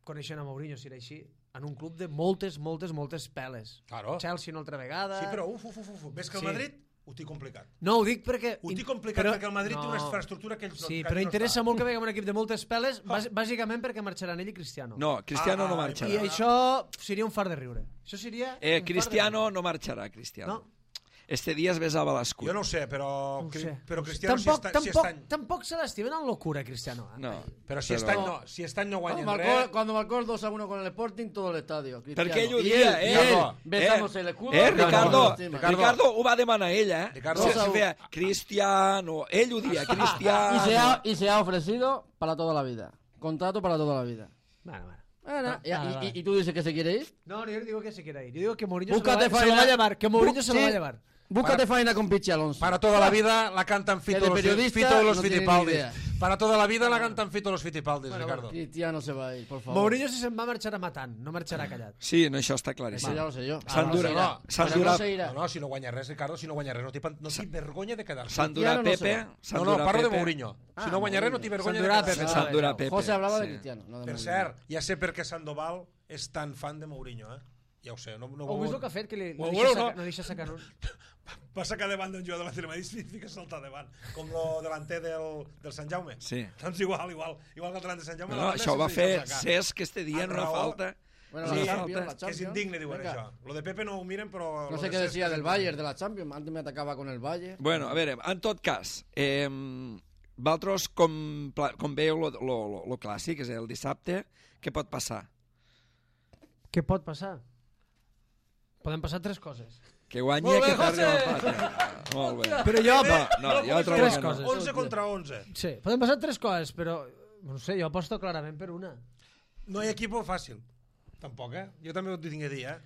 [SPEAKER 3] coneixent a Mourinho, si era així, en un club de moltes, moltes, moltes peles.
[SPEAKER 4] Claro.
[SPEAKER 3] Chelsea una altra vegada...
[SPEAKER 4] Sí, però uf, uf, uf, uf. Ves que el
[SPEAKER 3] Sí.
[SPEAKER 4] Madrid ho té complicat.
[SPEAKER 3] No, ho dic perquè...
[SPEAKER 4] Ho té complicat
[SPEAKER 3] però-
[SPEAKER 4] perquè el Madrid té una
[SPEAKER 3] no.
[SPEAKER 4] infraestructura que ells no
[SPEAKER 3] Sí,
[SPEAKER 4] que
[SPEAKER 3] però
[SPEAKER 4] aquí no
[SPEAKER 3] interessa
[SPEAKER 4] està.
[SPEAKER 3] molt que vegem un equip de moltes peles, bàs- bàsicament perquè marxaran ell i Cristiano.
[SPEAKER 1] No, Cristiano
[SPEAKER 4] Ah,
[SPEAKER 1] no
[SPEAKER 4] ah,
[SPEAKER 1] marxarà.
[SPEAKER 3] I això seria un far de riure. Això seria...
[SPEAKER 1] Eh,
[SPEAKER 3] un far de
[SPEAKER 1] Cristiano
[SPEAKER 3] riure.
[SPEAKER 1] no marxarà, Cristiano.
[SPEAKER 3] No.
[SPEAKER 1] Este dia es besava l'escut.
[SPEAKER 4] Jo no ho sé, però,
[SPEAKER 3] No ho sé.
[SPEAKER 4] però Cristiano
[SPEAKER 3] tampoc,
[SPEAKER 4] si, està, si
[SPEAKER 3] tampoc,
[SPEAKER 4] està any...
[SPEAKER 3] tampoc se l'estimen en locura, Cristiano. eh?
[SPEAKER 1] No.
[SPEAKER 4] Però si està any no, si està any no
[SPEAKER 2] Cuando
[SPEAKER 4] guanyen
[SPEAKER 2] marcó,
[SPEAKER 4] res...
[SPEAKER 2] cuando marcó el dos a uno con el Sporting, todo el estadio. Cristiano.
[SPEAKER 1] Perquè ell ho
[SPEAKER 2] Y
[SPEAKER 1] dia,
[SPEAKER 2] él,
[SPEAKER 1] eh?
[SPEAKER 2] y él,
[SPEAKER 4] Ricardo,
[SPEAKER 2] besándose
[SPEAKER 1] eh,
[SPEAKER 2] el escudo.
[SPEAKER 1] Eh,
[SPEAKER 2] no,
[SPEAKER 1] Ricardo,
[SPEAKER 2] no, no,
[SPEAKER 1] Ricardo,
[SPEAKER 2] Ricardo.
[SPEAKER 1] ho va demanar ell, eh?
[SPEAKER 4] Ricardo.
[SPEAKER 1] Se, se feia Cristiano, ell ho dia, Cristiano.
[SPEAKER 2] Y se, ha, y se ha ofrecido para toda la vida. Contrato para toda la vida.
[SPEAKER 3] Bueno, bueno.
[SPEAKER 2] Bueno, y,
[SPEAKER 3] vale,
[SPEAKER 2] y-
[SPEAKER 3] vale.
[SPEAKER 2] y- y tú dices que se quiere ir.
[SPEAKER 3] No, yo no digo que se quiera ir. Yo digo que Mourinho
[SPEAKER 2] Búscate
[SPEAKER 3] se, lo va, se lo
[SPEAKER 2] faena.
[SPEAKER 3] va a llevar. Que Mourinho
[SPEAKER 2] Bu-
[SPEAKER 3] se lo va a
[SPEAKER 2] sí.
[SPEAKER 3] llevar.
[SPEAKER 2] Búscate faena con Pichi Alonso.
[SPEAKER 4] Para toda la vida la cantan
[SPEAKER 2] Que de
[SPEAKER 4] Fito los,
[SPEAKER 2] periodista
[SPEAKER 4] Fito los
[SPEAKER 2] no tiene ni
[SPEAKER 4] Fitipaldis.
[SPEAKER 2] idea.
[SPEAKER 4] Para toda la vida la cantan Fito los Fitipaldis,
[SPEAKER 3] Bueno,
[SPEAKER 4] Ricardo.
[SPEAKER 2] Cristiano se va a ir, por favor.
[SPEAKER 3] Mourinho si se'n va marxarà matant, no marxarà callat.
[SPEAKER 1] Sí, no, això està
[SPEAKER 2] Eso
[SPEAKER 1] claríssim.
[SPEAKER 2] ya lo sé yo.
[SPEAKER 1] S'han
[SPEAKER 2] Ah, no se
[SPEAKER 1] durat-
[SPEAKER 2] irá.
[SPEAKER 1] s'han
[SPEAKER 2] Pero no
[SPEAKER 1] durat-
[SPEAKER 2] se irá.
[SPEAKER 4] No, no, si no guanya res, Ricardo, si no guanya res, no té, pan- no té vergonya de quedar-se.
[SPEAKER 1] S'han durat
[SPEAKER 2] Cristiano no se
[SPEAKER 1] Pepe.
[SPEAKER 2] va.
[SPEAKER 1] s'han
[SPEAKER 4] No, no,
[SPEAKER 1] durat
[SPEAKER 4] parlo de
[SPEAKER 1] Pepe.
[SPEAKER 4] Mourinho. Si
[SPEAKER 2] Ah,
[SPEAKER 4] no guanya res, no té
[SPEAKER 2] Mourinho.
[SPEAKER 4] vergonya
[SPEAKER 3] S'han
[SPEAKER 4] de
[SPEAKER 3] durat
[SPEAKER 4] quedar-se.
[SPEAKER 3] Pepe.
[SPEAKER 1] S'han durat Pepe.
[SPEAKER 2] José hablaba de
[SPEAKER 1] sí.
[SPEAKER 2] Cristiano, no de
[SPEAKER 4] Per
[SPEAKER 2] Mourinho.
[SPEAKER 4] cert, ja sé per què Sandoval és tan fan de Mourinho, eh? Ja ho sé. No, no,
[SPEAKER 3] Heu vist el que ha fet? Que li, no,
[SPEAKER 4] Ho
[SPEAKER 3] deixa
[SPEAKER 4] veus,
[SPEAKER 3] sacar,
[SPEAKER 4] no?
[SPEAKER 3] no deixa sacar un...
[SPEAKER 4] Va sacar davant d'un jugador de l'Atlètic de Madrid i fica saltar davant, com el delanter del, del Sant Jaume.
[SPEAKER 1] Sí.
[SPEAKER 4] Doncs igual, igual. Igual que el delanter de Sant Jaume.
[SPEAKER 1] No,
[SPEAKER 4] la
[SPEAKER 1] no,
[SPEAKER 4] banda
[SPEAKER 1] això ho va
[SPEAKER 4] sense
[SPEAKER 1] fer
[SPEAKER 4] deixar sacar.
[SPEAKER 1] Cesc este dia en
[SPEAKER 4] Amb
[SPEAKER 1] una
[SPEAKER 4] raó.
[SPEAKER 1] falta.
[SPEAKER 2] Bueno,
[SPEAKER 1] Sí,
[SPEAKER 2] la
[SPEAKER 1] sí,
[SPEAKER 2] Champions, la
[SPEAKER 4] Que és
[SPEAKER 2] Champions.
[SPEAKER 4] indigne, diuen
[SPEAKER 2] Venga.
[SPEAKER 4] això. Lo de Pepe no ho miren, però...
[SPEAKER 2] No
[SPEAKER 4] lo
[SPEAKER 2] sé
[SPEAKER 4] de
[SPEAKER 2] qué
[SPEAKER 4] Cesc
[SPEAKER 2] decía
[SPEAKER 4] és
[SPEAKER 2] del
[SPEAKER 4] indigne.
[SPEAKER 2] Bayern, de la Champions. Antes me atacaba con el Bayern.
[SPEAKER 1] Bueno, a veure, en tot cas, eh, vosaltres com, pla- com veieu lo, lo, lo, lo clàssic, és el dissabte, què pot passar?
[SPEAKER 3] Què pot passar? Poden passar tres coses.
[SPEAKER 1] Que guanyi
[SPEAKER 4] Molt bé,
[SPEAKER 1] que perdi
[SPEAKER 4] José!
[SPEAKER 1] l'empat. Molt bé.
[SPEAKER 3] Però jo...
[SPEAKER 1] No, no,
[SPEAKER 4] No,
[SPEAKER 1] jo
[SPEAKER 4] no,
[SPEAKER 1] trobo
[SPEAKER 3] tres
[SPEAKER 1] que no.
[SPEAKER 3] coses.
[SPEAKER 4] onze contra onze.
[SPEAKER 3] Sí, poden passar tres coses, però... No sé, jo aposto clarament per una.
[SPEAKER 4] No hi ha equip fàcil. Tampoc, eh? Jo també ho tinc a dir, eh?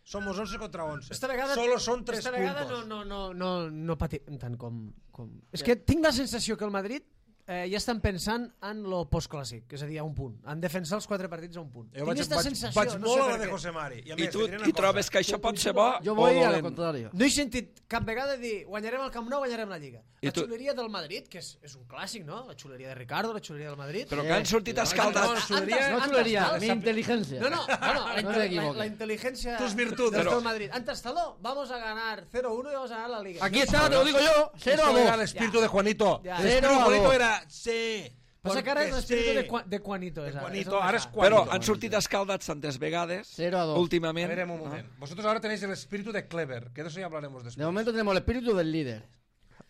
[SPEAKER 4] Somos once contra once.
[SPEAKER 3] Esta vegada,
[SPEAKER 4] Solo són tres
[SPEAKER 3] esta vegada
[SPEAKER 4] puntos.
[SPEAKER 3] no, no, no, no, no patim tant com, com... És que tinc la sensació que el Madrid eh, ja estan pensant en lo postclàssic, és a dir, a un punt. En defensar els quatre partits a un punt.
[SPEAKER 4] Jo
[SPEAKER 3] tinc
[SPEAKER 4] vaig,
[SPEAKER 3] esta
[SPEAKER 4] vaig,
[SPEAKER 3] sensació,
[SPEAKER 4] vaig
[SPEAKER 3] no
[SPEAKER 4] molt
[SPEAKER 3] sé
[SPEAKER 4] a
[SPEAKER 3] per
[SPEAKER 4] la de
[SPEAKER 3] què.
[SPEAKER 4] José Mari. I, a
[SPEAKER 1] I
[SPEAKER 4] més,
[SPEAKER 1] tu,
[SPEAKER 4] et diré una
[SPEAKER 1] i
[SPEAKER 4] cosa.
[SPEAKER 1] trobes que això pot ser bo
[SPEAKER 2] Jo
[SPEAKER 1] o
[SPEAKER 2] voy a lo
[SPEAKER 1] dolent?
[SPEAKER 2] contrario.
[SPEAKER 3] No he sentit cap vegada dir guanyarem el Camp Nou, guanyarem la Lliga.
[SPEAKER 1] I
[SPEAKER 3] La
[SPEAKER 1] tu-
[SPEAKER 3] xuleria del Madrid, que és, és un clàssic, no? La xuleria de Ricardo, la xuleria del Madrid.
[SPEAKER 1] Però que han sortit
[SPEAKER 4] No,
[SPEAKER 1] escaldats.
[SPEAKER 4] xuleria-
[SPEAKER 2] No
[SPEAKER 3] Antes-
[SPEAKER 2] chulería,
[SPEAKER 3] antes-
[SPEAKER 2] mi inteligencia.
[SPEAKER 3] No, no, no, no, la,
[SPEAKER 2] No
[SPEAKER 3] inte-
[SPEAKER 2] te
[SPEAKER 3] la,
[SPEAKER 2] equivoques.
[SPEAKER 3] la inteligencia
[SPEAKER 4] Tus virtudes.
[SPEAKER 3] del
[SPEAKER 1] Pero-
[SPEAKER 3] Madrid. Antes Taló, vamos a ganar cero uno y vamos a ganar la Liga.
[SPEAKER 2] Aquí está, te lo digo yo. cero a
[SPEAKER 4] Esto era el
[SPEAKER 2] dos.
[SPEAKER 4] espíritu de Juanito.
[SPEAKER 3] Ya.
[SPEAKER 4] El espíritu
[SPEAKER 2] Cero
[SPEAKER 4] de
[SPEAKER 2] a
[SPEAKER 4] Juanito
[SPEAKER 2] dos.
[SPEAKER 4] era... Sí.
[SPEAKER 3] Passa que ara és
[SPEAKER 4] porque
[SPEAKER 3] l'espíritu
[SPEAKER 4] sí.
[SPEAKER 3] de, Juan- de Juanito.
[SPEAKER 4] De
[SPEAKER 3] És,
[SPEAKER 4] Juanito,
[SPEAKER 3] és
[SPEAKER 4] ara és
[SPEAKER 3] el
[SPEAKER 4] Juanito.
[SPEAKER 1] Però han sortit escaldats tantes vegades,
[SPEAKER 2] cero a dos.
[SPEAKER 4] A
[SPEAKER 1] últimament.
[SPEAKER 4] ver, un momento. Vosotros ahora tenéis el espíritu de Clever, que de eso ya hablaremos después.
[SPEAKER 2] De momento tenemos el espíritu del líder.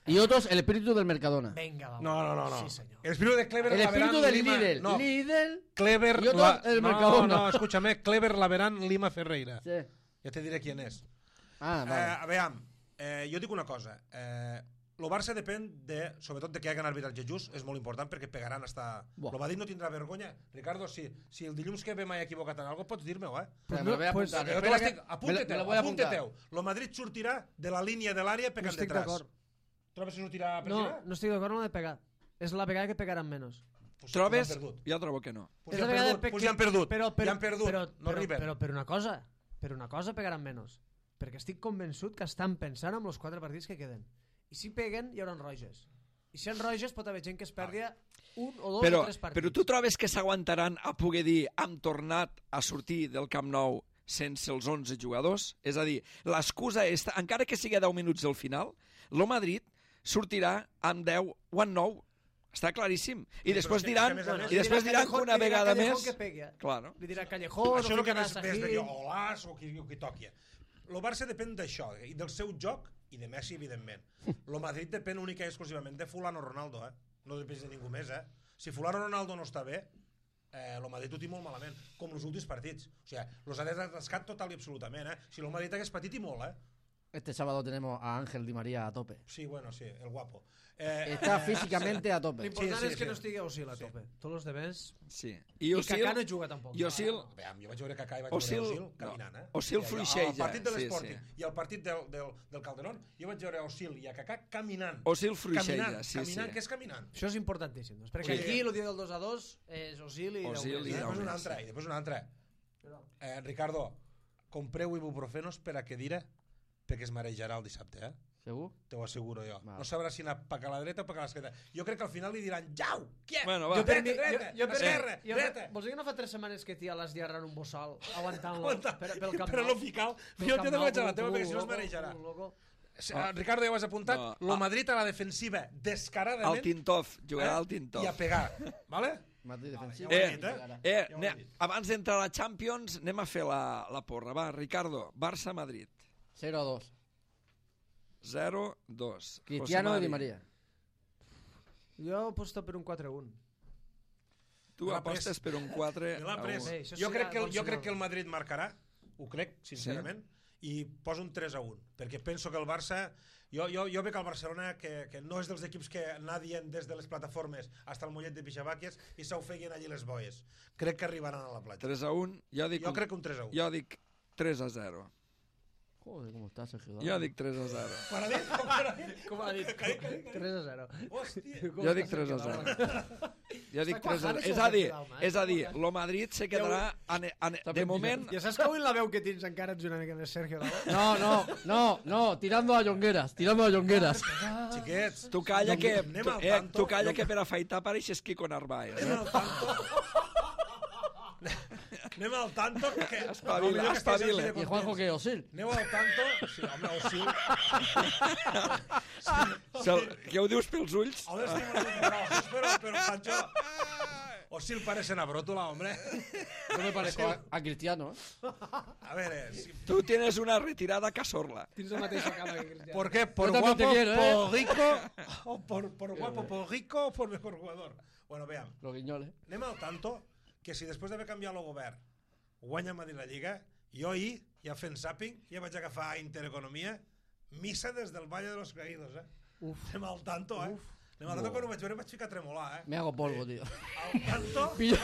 [SPEAKER 2] Y otros el espíritu del Mercadona.
[SPEAKER 3] Venga, vamos.
[SPEAKER 4] No, no, no, no.
[SPEAKER 3] Sí, señor.
[SPEAKER 4] El espíritu de Clever
[SPEAKER 2] El
[SPEAKER 4] la
[SPEAKER 2] espíritu
[SPEAKER 4] verán
[SPEAKER 2] del
[SPEAKER 4] Lima...
[SPEAKER 2] líder.
[SPEAKER 4] No,
[SPEAKER 2] Líder.
[SPEAKER 4] Clever
[SPEAKER 2] Y otros
[SPEAKER 4] la...
[SPEAKER 2] el
[SPEAKER 4] no,
[SPEAKER 2] Mercadona.
[SPEAKER 4] no, escúchame. Clever la verán Lima Ferreira.
[SPEAKER 2] Sí.
[SPEAKER 4] Ja te diré quién és.
[SPEAKER 2] Ah,
[SPEAKER 4] Eh,
[SPEAKER 2] vale.
[SPEAKER 4] a veure, eh, jo dic una cosa. Eh, el Barça depèn de, sobretot de que hi hagi un arbitratge just, és molt important perquè pegaran hasta...
[SPEAKER 2] Buah.
[SPEAKER 4] El Madrid no tindrà vergonya. Ricardo, si, si el dilluns que ve m'he equivocat en alguna cosa, pots dir-me-ho, eh?
[SPEAKER 2] Pues me lo voy a
[SPEAKER 3] pues-
[SPEAKER 2] apuntar.
[SPEAKER 4] Jo te
[SPEAKER 2] Espera
[SPEAKER 4] l'estic...
[SPEAKER 2] que- me lo-
[SPEAKER 4] Apunte-teu,
[SPEAKER 2] me lo voy a apuntar.
[SPEAKER 4] apunte-teu. El Madrid sortirà de la línia de l'àrea
[SPEAKER 3] No
[SPEAKER 4] pegant
[SPEAKER 3] estic
[SPEAKER 4] detrás.
[SPEAKER 3] d'acord.
[SPEAKER 4] Trobes que sortirà per
[SPEAKER 3] No,
[SPEAKER 4] girar?
[SPEAKER 3] no estic d'acord amb la de pegar. És la vegada que pegaran menys.
[SPEAKER 4] Pues,
[SPEAKER 1] Trobes?
[SPEAKER 4] Pues han perdut.
[SPEAKER 1] Jo trobo que no.
[SPEAKER 4] Pues
[SPEAKER 3] És
[SPEAKER 4] ja
[SPEAKER 3] la
[SPEAKER 4] han
[SPEAKER 3] vegada
[SPEAKER 4] perdut.
[SPEAKER 3] pe-
[SPEAKER 4] Pues ja han perdut.
[SPEAKER 3] Però, però,
[SPEAKER 4] ja han perdut.
[SPEAKER 3] Però,
[SPEAKER 4] no
[SPEAKER 3] però,
[SPEAKER 4] arriben.
[SPEAKER 3] però, per una cosa, per una cosa pegaran menys. Perquè estic convençut que estan pensant en els quatre partits que queden. I si peguen, hi haurà roges. I si hi ha roges, pot haver gent que es perdia un o dos
[SPEAKER 1] Però,
[SPEAKER 3] o tres partits.
[SPEAKER 1] però tu trobes que s'aguantaran a poder dir hem tornat a sortir del Camp Nou sense els onze jugadors? És a dir, l'excusa és, encara que sigui deu minuts al final, el Madrid sortirà amb deu o amb nou. Està claríssim. I
[SPEAKER 4] però
[SPEAKER 1] després
[SPEAKER 4] és que-
[SPEAKER 1] diran,
[SPEAKER 4] és que a més a més-
[SPEAKER 1] i després
[SPEAKER 3] Li dirà
[SPEAKER 1] diran que
[SPEAKER 3] Callejón-
[SPEAKER 1] una
[SPEAKER 3] li dirà
[SPEAKER 1] vegada
[SPEAKER 3] Callejón
[SPEAKER 1] més...
[SPEAKER 3] que pegui, eh?
[SPEAKER 1] Claro.
[SPEAKER 3] Li dirà Callejón,
[SPEAKER 4] Això és el que
[SPEAKER 3] ficarà
[SPEAKER 4] més, més
[SPEAKER 3] Sahil.
[SPEAKER 4] de Olàs o qui, o qui toqui. El Barça depèn d'això, i del seu joc, i de Messi, evidentment. El Madrid depèn única i exclusivament de Fulano Ronaldo, eh? No depèn de ningú més, eh? Si Fulano Ronaldo no està bé, eh, el Madrid ho té molt malament, com els últims partits. O sigui, los ha desgascat total i absolutament, eh? Si el Madrid hagués patit i molt, eh?
[SPEAKER 2] Este sábado tenemos a Ángel Di María a tope.
[SPEAKER 4] Sí, bueno, sí, el guapo. Eh,
[SPEAKER 2] Está físicamente a tope.
[SPEAKER 3] L'important
[SPEAKER 4] Sí, sí,
[SPEAKER 3] és que
[SPEAKER 4] sí.
[SPEAKER 3] no estigui Osil a
[SPEAKER 4] Sí.
[SPEAKER 3] tope. Tots els demés...
[SPEAKER 1] Sí.
[SPEAKER 3] I,
[SPEAKER 1] I Osil,
[SPEAKER 3] Kaká no juga tampoc.
[SPEAKER 1] i Osil,
[SPEAKER 4] Veam, jo vaig veure Kaká i vaig
[SPEAKER 1] Osil-
[SPEAKER 4] veure Osil
[SPEAKER 1] no.
[SPEAKER 4] caminant, eh?
[SPEAKER 1] Osil
[SPEAKER 4] I allò,
[SPEAKER 1] fluixeja,
[SPEAKER 4] Al partit de
[SPEAKER 1] sí,
[SPEAKER 4] l'Sporting
[SPEAKER 1] sí.
[SPEAKER 4] i al partit del, del, del Calderón, jo vaig veure Osil i a Kaká caminant.
[SPEAKER 1] Osil fluixeja,
[SPEAKER 4] caminant,
[SPEAKER 1] sí,
[SPEAKER 4] caminant,
[SPEAKER 1] sí.
[SPEAKER 4] què és caminant?
[SPEAKER 3] Això és importantíssim. Doncs, perquè
[SPEAKER 4] Sí.
[SPEAKER 3] aquí el dia del dos a dos és Osil i...
[SPEAKER 1] Osil
[SPEAKER 3] deu
[SPEAKER 1] i
[SPEAKER 4] I
[SPEAKER 3] més,
[SPEAKER 1] deu
[SPEAKER 4] després un
[SPEAKER 1] més,
[SPEAKER 4] altre,
[SPEAKER 1] sí.
[SPEAKER 4] i després un altre. Eh, Ricardo, compreu ibuprofenos per a que dire perquè es marejarà el dissabte, eh?
[SPEAKER 2] ¿Seguro?
[SPEAKER 4] Te ho asseguro jo.
[SPEAKER 2] Vale.
[SPEAKER 4] No sabrà si anar cap a la dreta o cap a l'esquerra. Jo crec que al final li diran jau, què?
[SPEAKER 1] Bueno, va.
[SPEAKER 3] Jo per mi,
[SPEAKER 4] dreta,
[SPEAKER 3] jo,
[SPEAKER 4] dreta,
[SPEAKER 3] jo per
[SPEAKER 4] esquerra,
[SPEAKER 3] mi, jo,
[SPEAKER 4] dreta.
[SPEAKER 3] vols dir que no fa tres setmanes que tia l'esllarra en un bossal aguantant-lo
[SPEAKER 4] Aguanta,
[SPEAKER 3] per, pel Camp
[SPEAKER 4] però
[SPEAKER 3] Nou?
[SPEAKER 4] no fical.
[SPEAKER 3] Pel
[SPEAKER 4] Jo
[SPEAKER 3] Camp
[SPEAKER 4] t'he de
[SPEAKER 3] Nou,
[SPEAKER 4] vaig a la
[SPEAKER 3] com-
[SPEAKER 4] teva
[SPEAKER 3] com
[SPEAKER 4] perquè si no es
[SPEAKER 3] un loco,
[SPEAKER 4] marejarà.
[SPEAKER 3] com un loco.
[SPEAKER 4] Ah. Ricardo, ja ho has apuntat.
[SPEAKER 1] No,
[SPEAKER 4] Lo
[SPEAKER 1] ah.
[SPEAKER 4] Madrid a la defensiva, descaradament.
[SPEAKER 1] al Tintov, jugarà al
[SPEAKER 4] I a
[SPEAKER 1] Tintov.
[SPEAKER 4] pegar, vale?
[SPEAKER 2] Madrid defensivo.
[SPEAKER 4] ja ho he
[SPEAKER 1] Eh,
[SPEAKER 4] dit, eh?
[SPEAKER 1] eh,
[SPEAKER 4] Ja ho he
[SPEAKER 1] anem,
[SPEAKER 4] dit.
[SPEAKER 1] abans d'entrar a la Champions, anem a fer la, la porra. Va, Ricardo, Barça-Madrid.
[SPEAKER 2] cero a dos.
[SPEAKER 1] zero dos.
[SPEAKER 2] Cristiano y Di María.
[SPEAKER 3] Jo aposto per un quatre un.
[SPEAKER 1] Tu
[SPEAKER 4] Me l'ha
[SPEAKER 1] apostes
[SPEAKER 4] pres.
[SPEAKER 1] per un quatre
[SPEAKER 4] Me l'ha
[SPEAKER 1] a
[SPEAKER 4] pres.
[SPEAKER 1] un.
[SPEAKER 3] Bé, això
[SPEAKER 4] Jo
[SPEAKER 3] serà
[SPEAKER 4] crec que, el,
[SPEAKER 3] bon
[SPEAKER 4] jo crec
[SPEAKER 3] senyal.
[SPEAKER 4] que el Madrid marcarà, ho crec, sincerament, i poso un tres a un, perquè penso que el Barça... Jo, jo, jo veig el Barcelona que, que no és dels equips que nadien des de les plataformes hasta el mollet de Pixabàquies i s'ofeguen allí les boies. Crec que arribaran a la platja.
[SPEAKER 1] tres a un. Jo dic,
[SPEAKER 4] Jo
[SPEAKER 1] un-
[SPEAKER 4] crec que un tres a un.
[SPEAKER 1] jo dic tres a zero.
[SPEAKER 2] Joder, ¿cómo está Sergio?
[SPEAKER 1] Jo dic tres a zero.
[SPEAKER 4] Quan ha dit? Com que ha dit?
[SPEAKER 3] Com ha dit? tres a zero.
[SPEAKER 4] Hòstia.
[SPEAKER 1] Jo dic tres a zero. Jo dic
[SPEAKER 3] Està
[SPEAKER 1] tres a
[SPEAKER 3] quajant
[SPEAKER 1] zero.
[SPEAKER 3] això
[SPEAKER 1] És a dir,
[SPEAKER 3] de Vidal, eh?
[SPEAKER 1] és a dir, lo Madrid se quedarà en, en, de moment
[SPEAKER 3] Ja saps que avui la veu que tens encara ets una mica més Sergio Daló?
[SPEAKER 2] No, no, no, no, tirando a Jongueras, tirando a Jongueras.
[SPEAKER 4] Xiquets,
[SPEAKER 1] tu calla que,
[SPEAKER 4] anem
[SPEAKER 1] tu,
[SPEAKER 4] al
[SPEAKER 1] eh,
[SPEAKER 4] tanto.
[SPEAKER 1] tu calla que per afaitar pareixes Kiko Narváez.
[SPEAKER 4] Anem
[SPEAKER 1] Eh?
[SPEAKER 4] al tanto. Anem al tanto que...
[SPEAKER 1] Espavila,
[SPEAKER 4] millor que estigués
[SPEAKER 1] espavila.
[SPEAKER 4] així de
[SPEAKER 2] ¿Y Juanjo
[SPEAKER 4] contents.
[SPEAKER 2] qué? ¿Osil?
[SPEAKER 4] Aneu al tanto... Sí, home, Osil...
[SPEAKER 1] Se'l- Què ho dius pels ulls?
[SPEAKER 4] Ahora estic una mica grossos, però, però, Pancho... Osil parece una brótula, hombre.
[SPEAKER 2] Yo me parezco a, a Cristiano, ¿eh?
[SPEAKER 4] A ver, eh, si-
[SPEAKER 1] Tu tienes una retirada casorla.
[SPEAKER 3] Tens la mateixa cama que Cristiano.
[SPEAKER 4] ¿por qué? ¿Por
[SPEAKER 2] Yo también
[SPEAKER 4] guapo,
[SPEAKER 2] te quiero, ¿eh?
[SPEAKER 4] por rico? ¿O por, por guapo, por rico o por mejor jugador? Bueno, veam,
[SPEAKER 2] Los guiñoles.
[SPEAKER 4] anem al tanto que si després d'haver canviat el govern guanya Madrid la Lliga, jo ahir, ja fent zàping, ja vaig agafar Intereconomia, missa des del Valle de los Caídos, eh?
[SPEAKER 3] Uf.
[SPEAKER 4] Anem al tanto, eh? No, l'altre quan ho vaig veure vaig ficar a tremolar, eh?
[SPEAKER 2] Me hago polvo, tío.
[SPEAKER 4] Al tanto...
[SPEAKER 2] Pillo,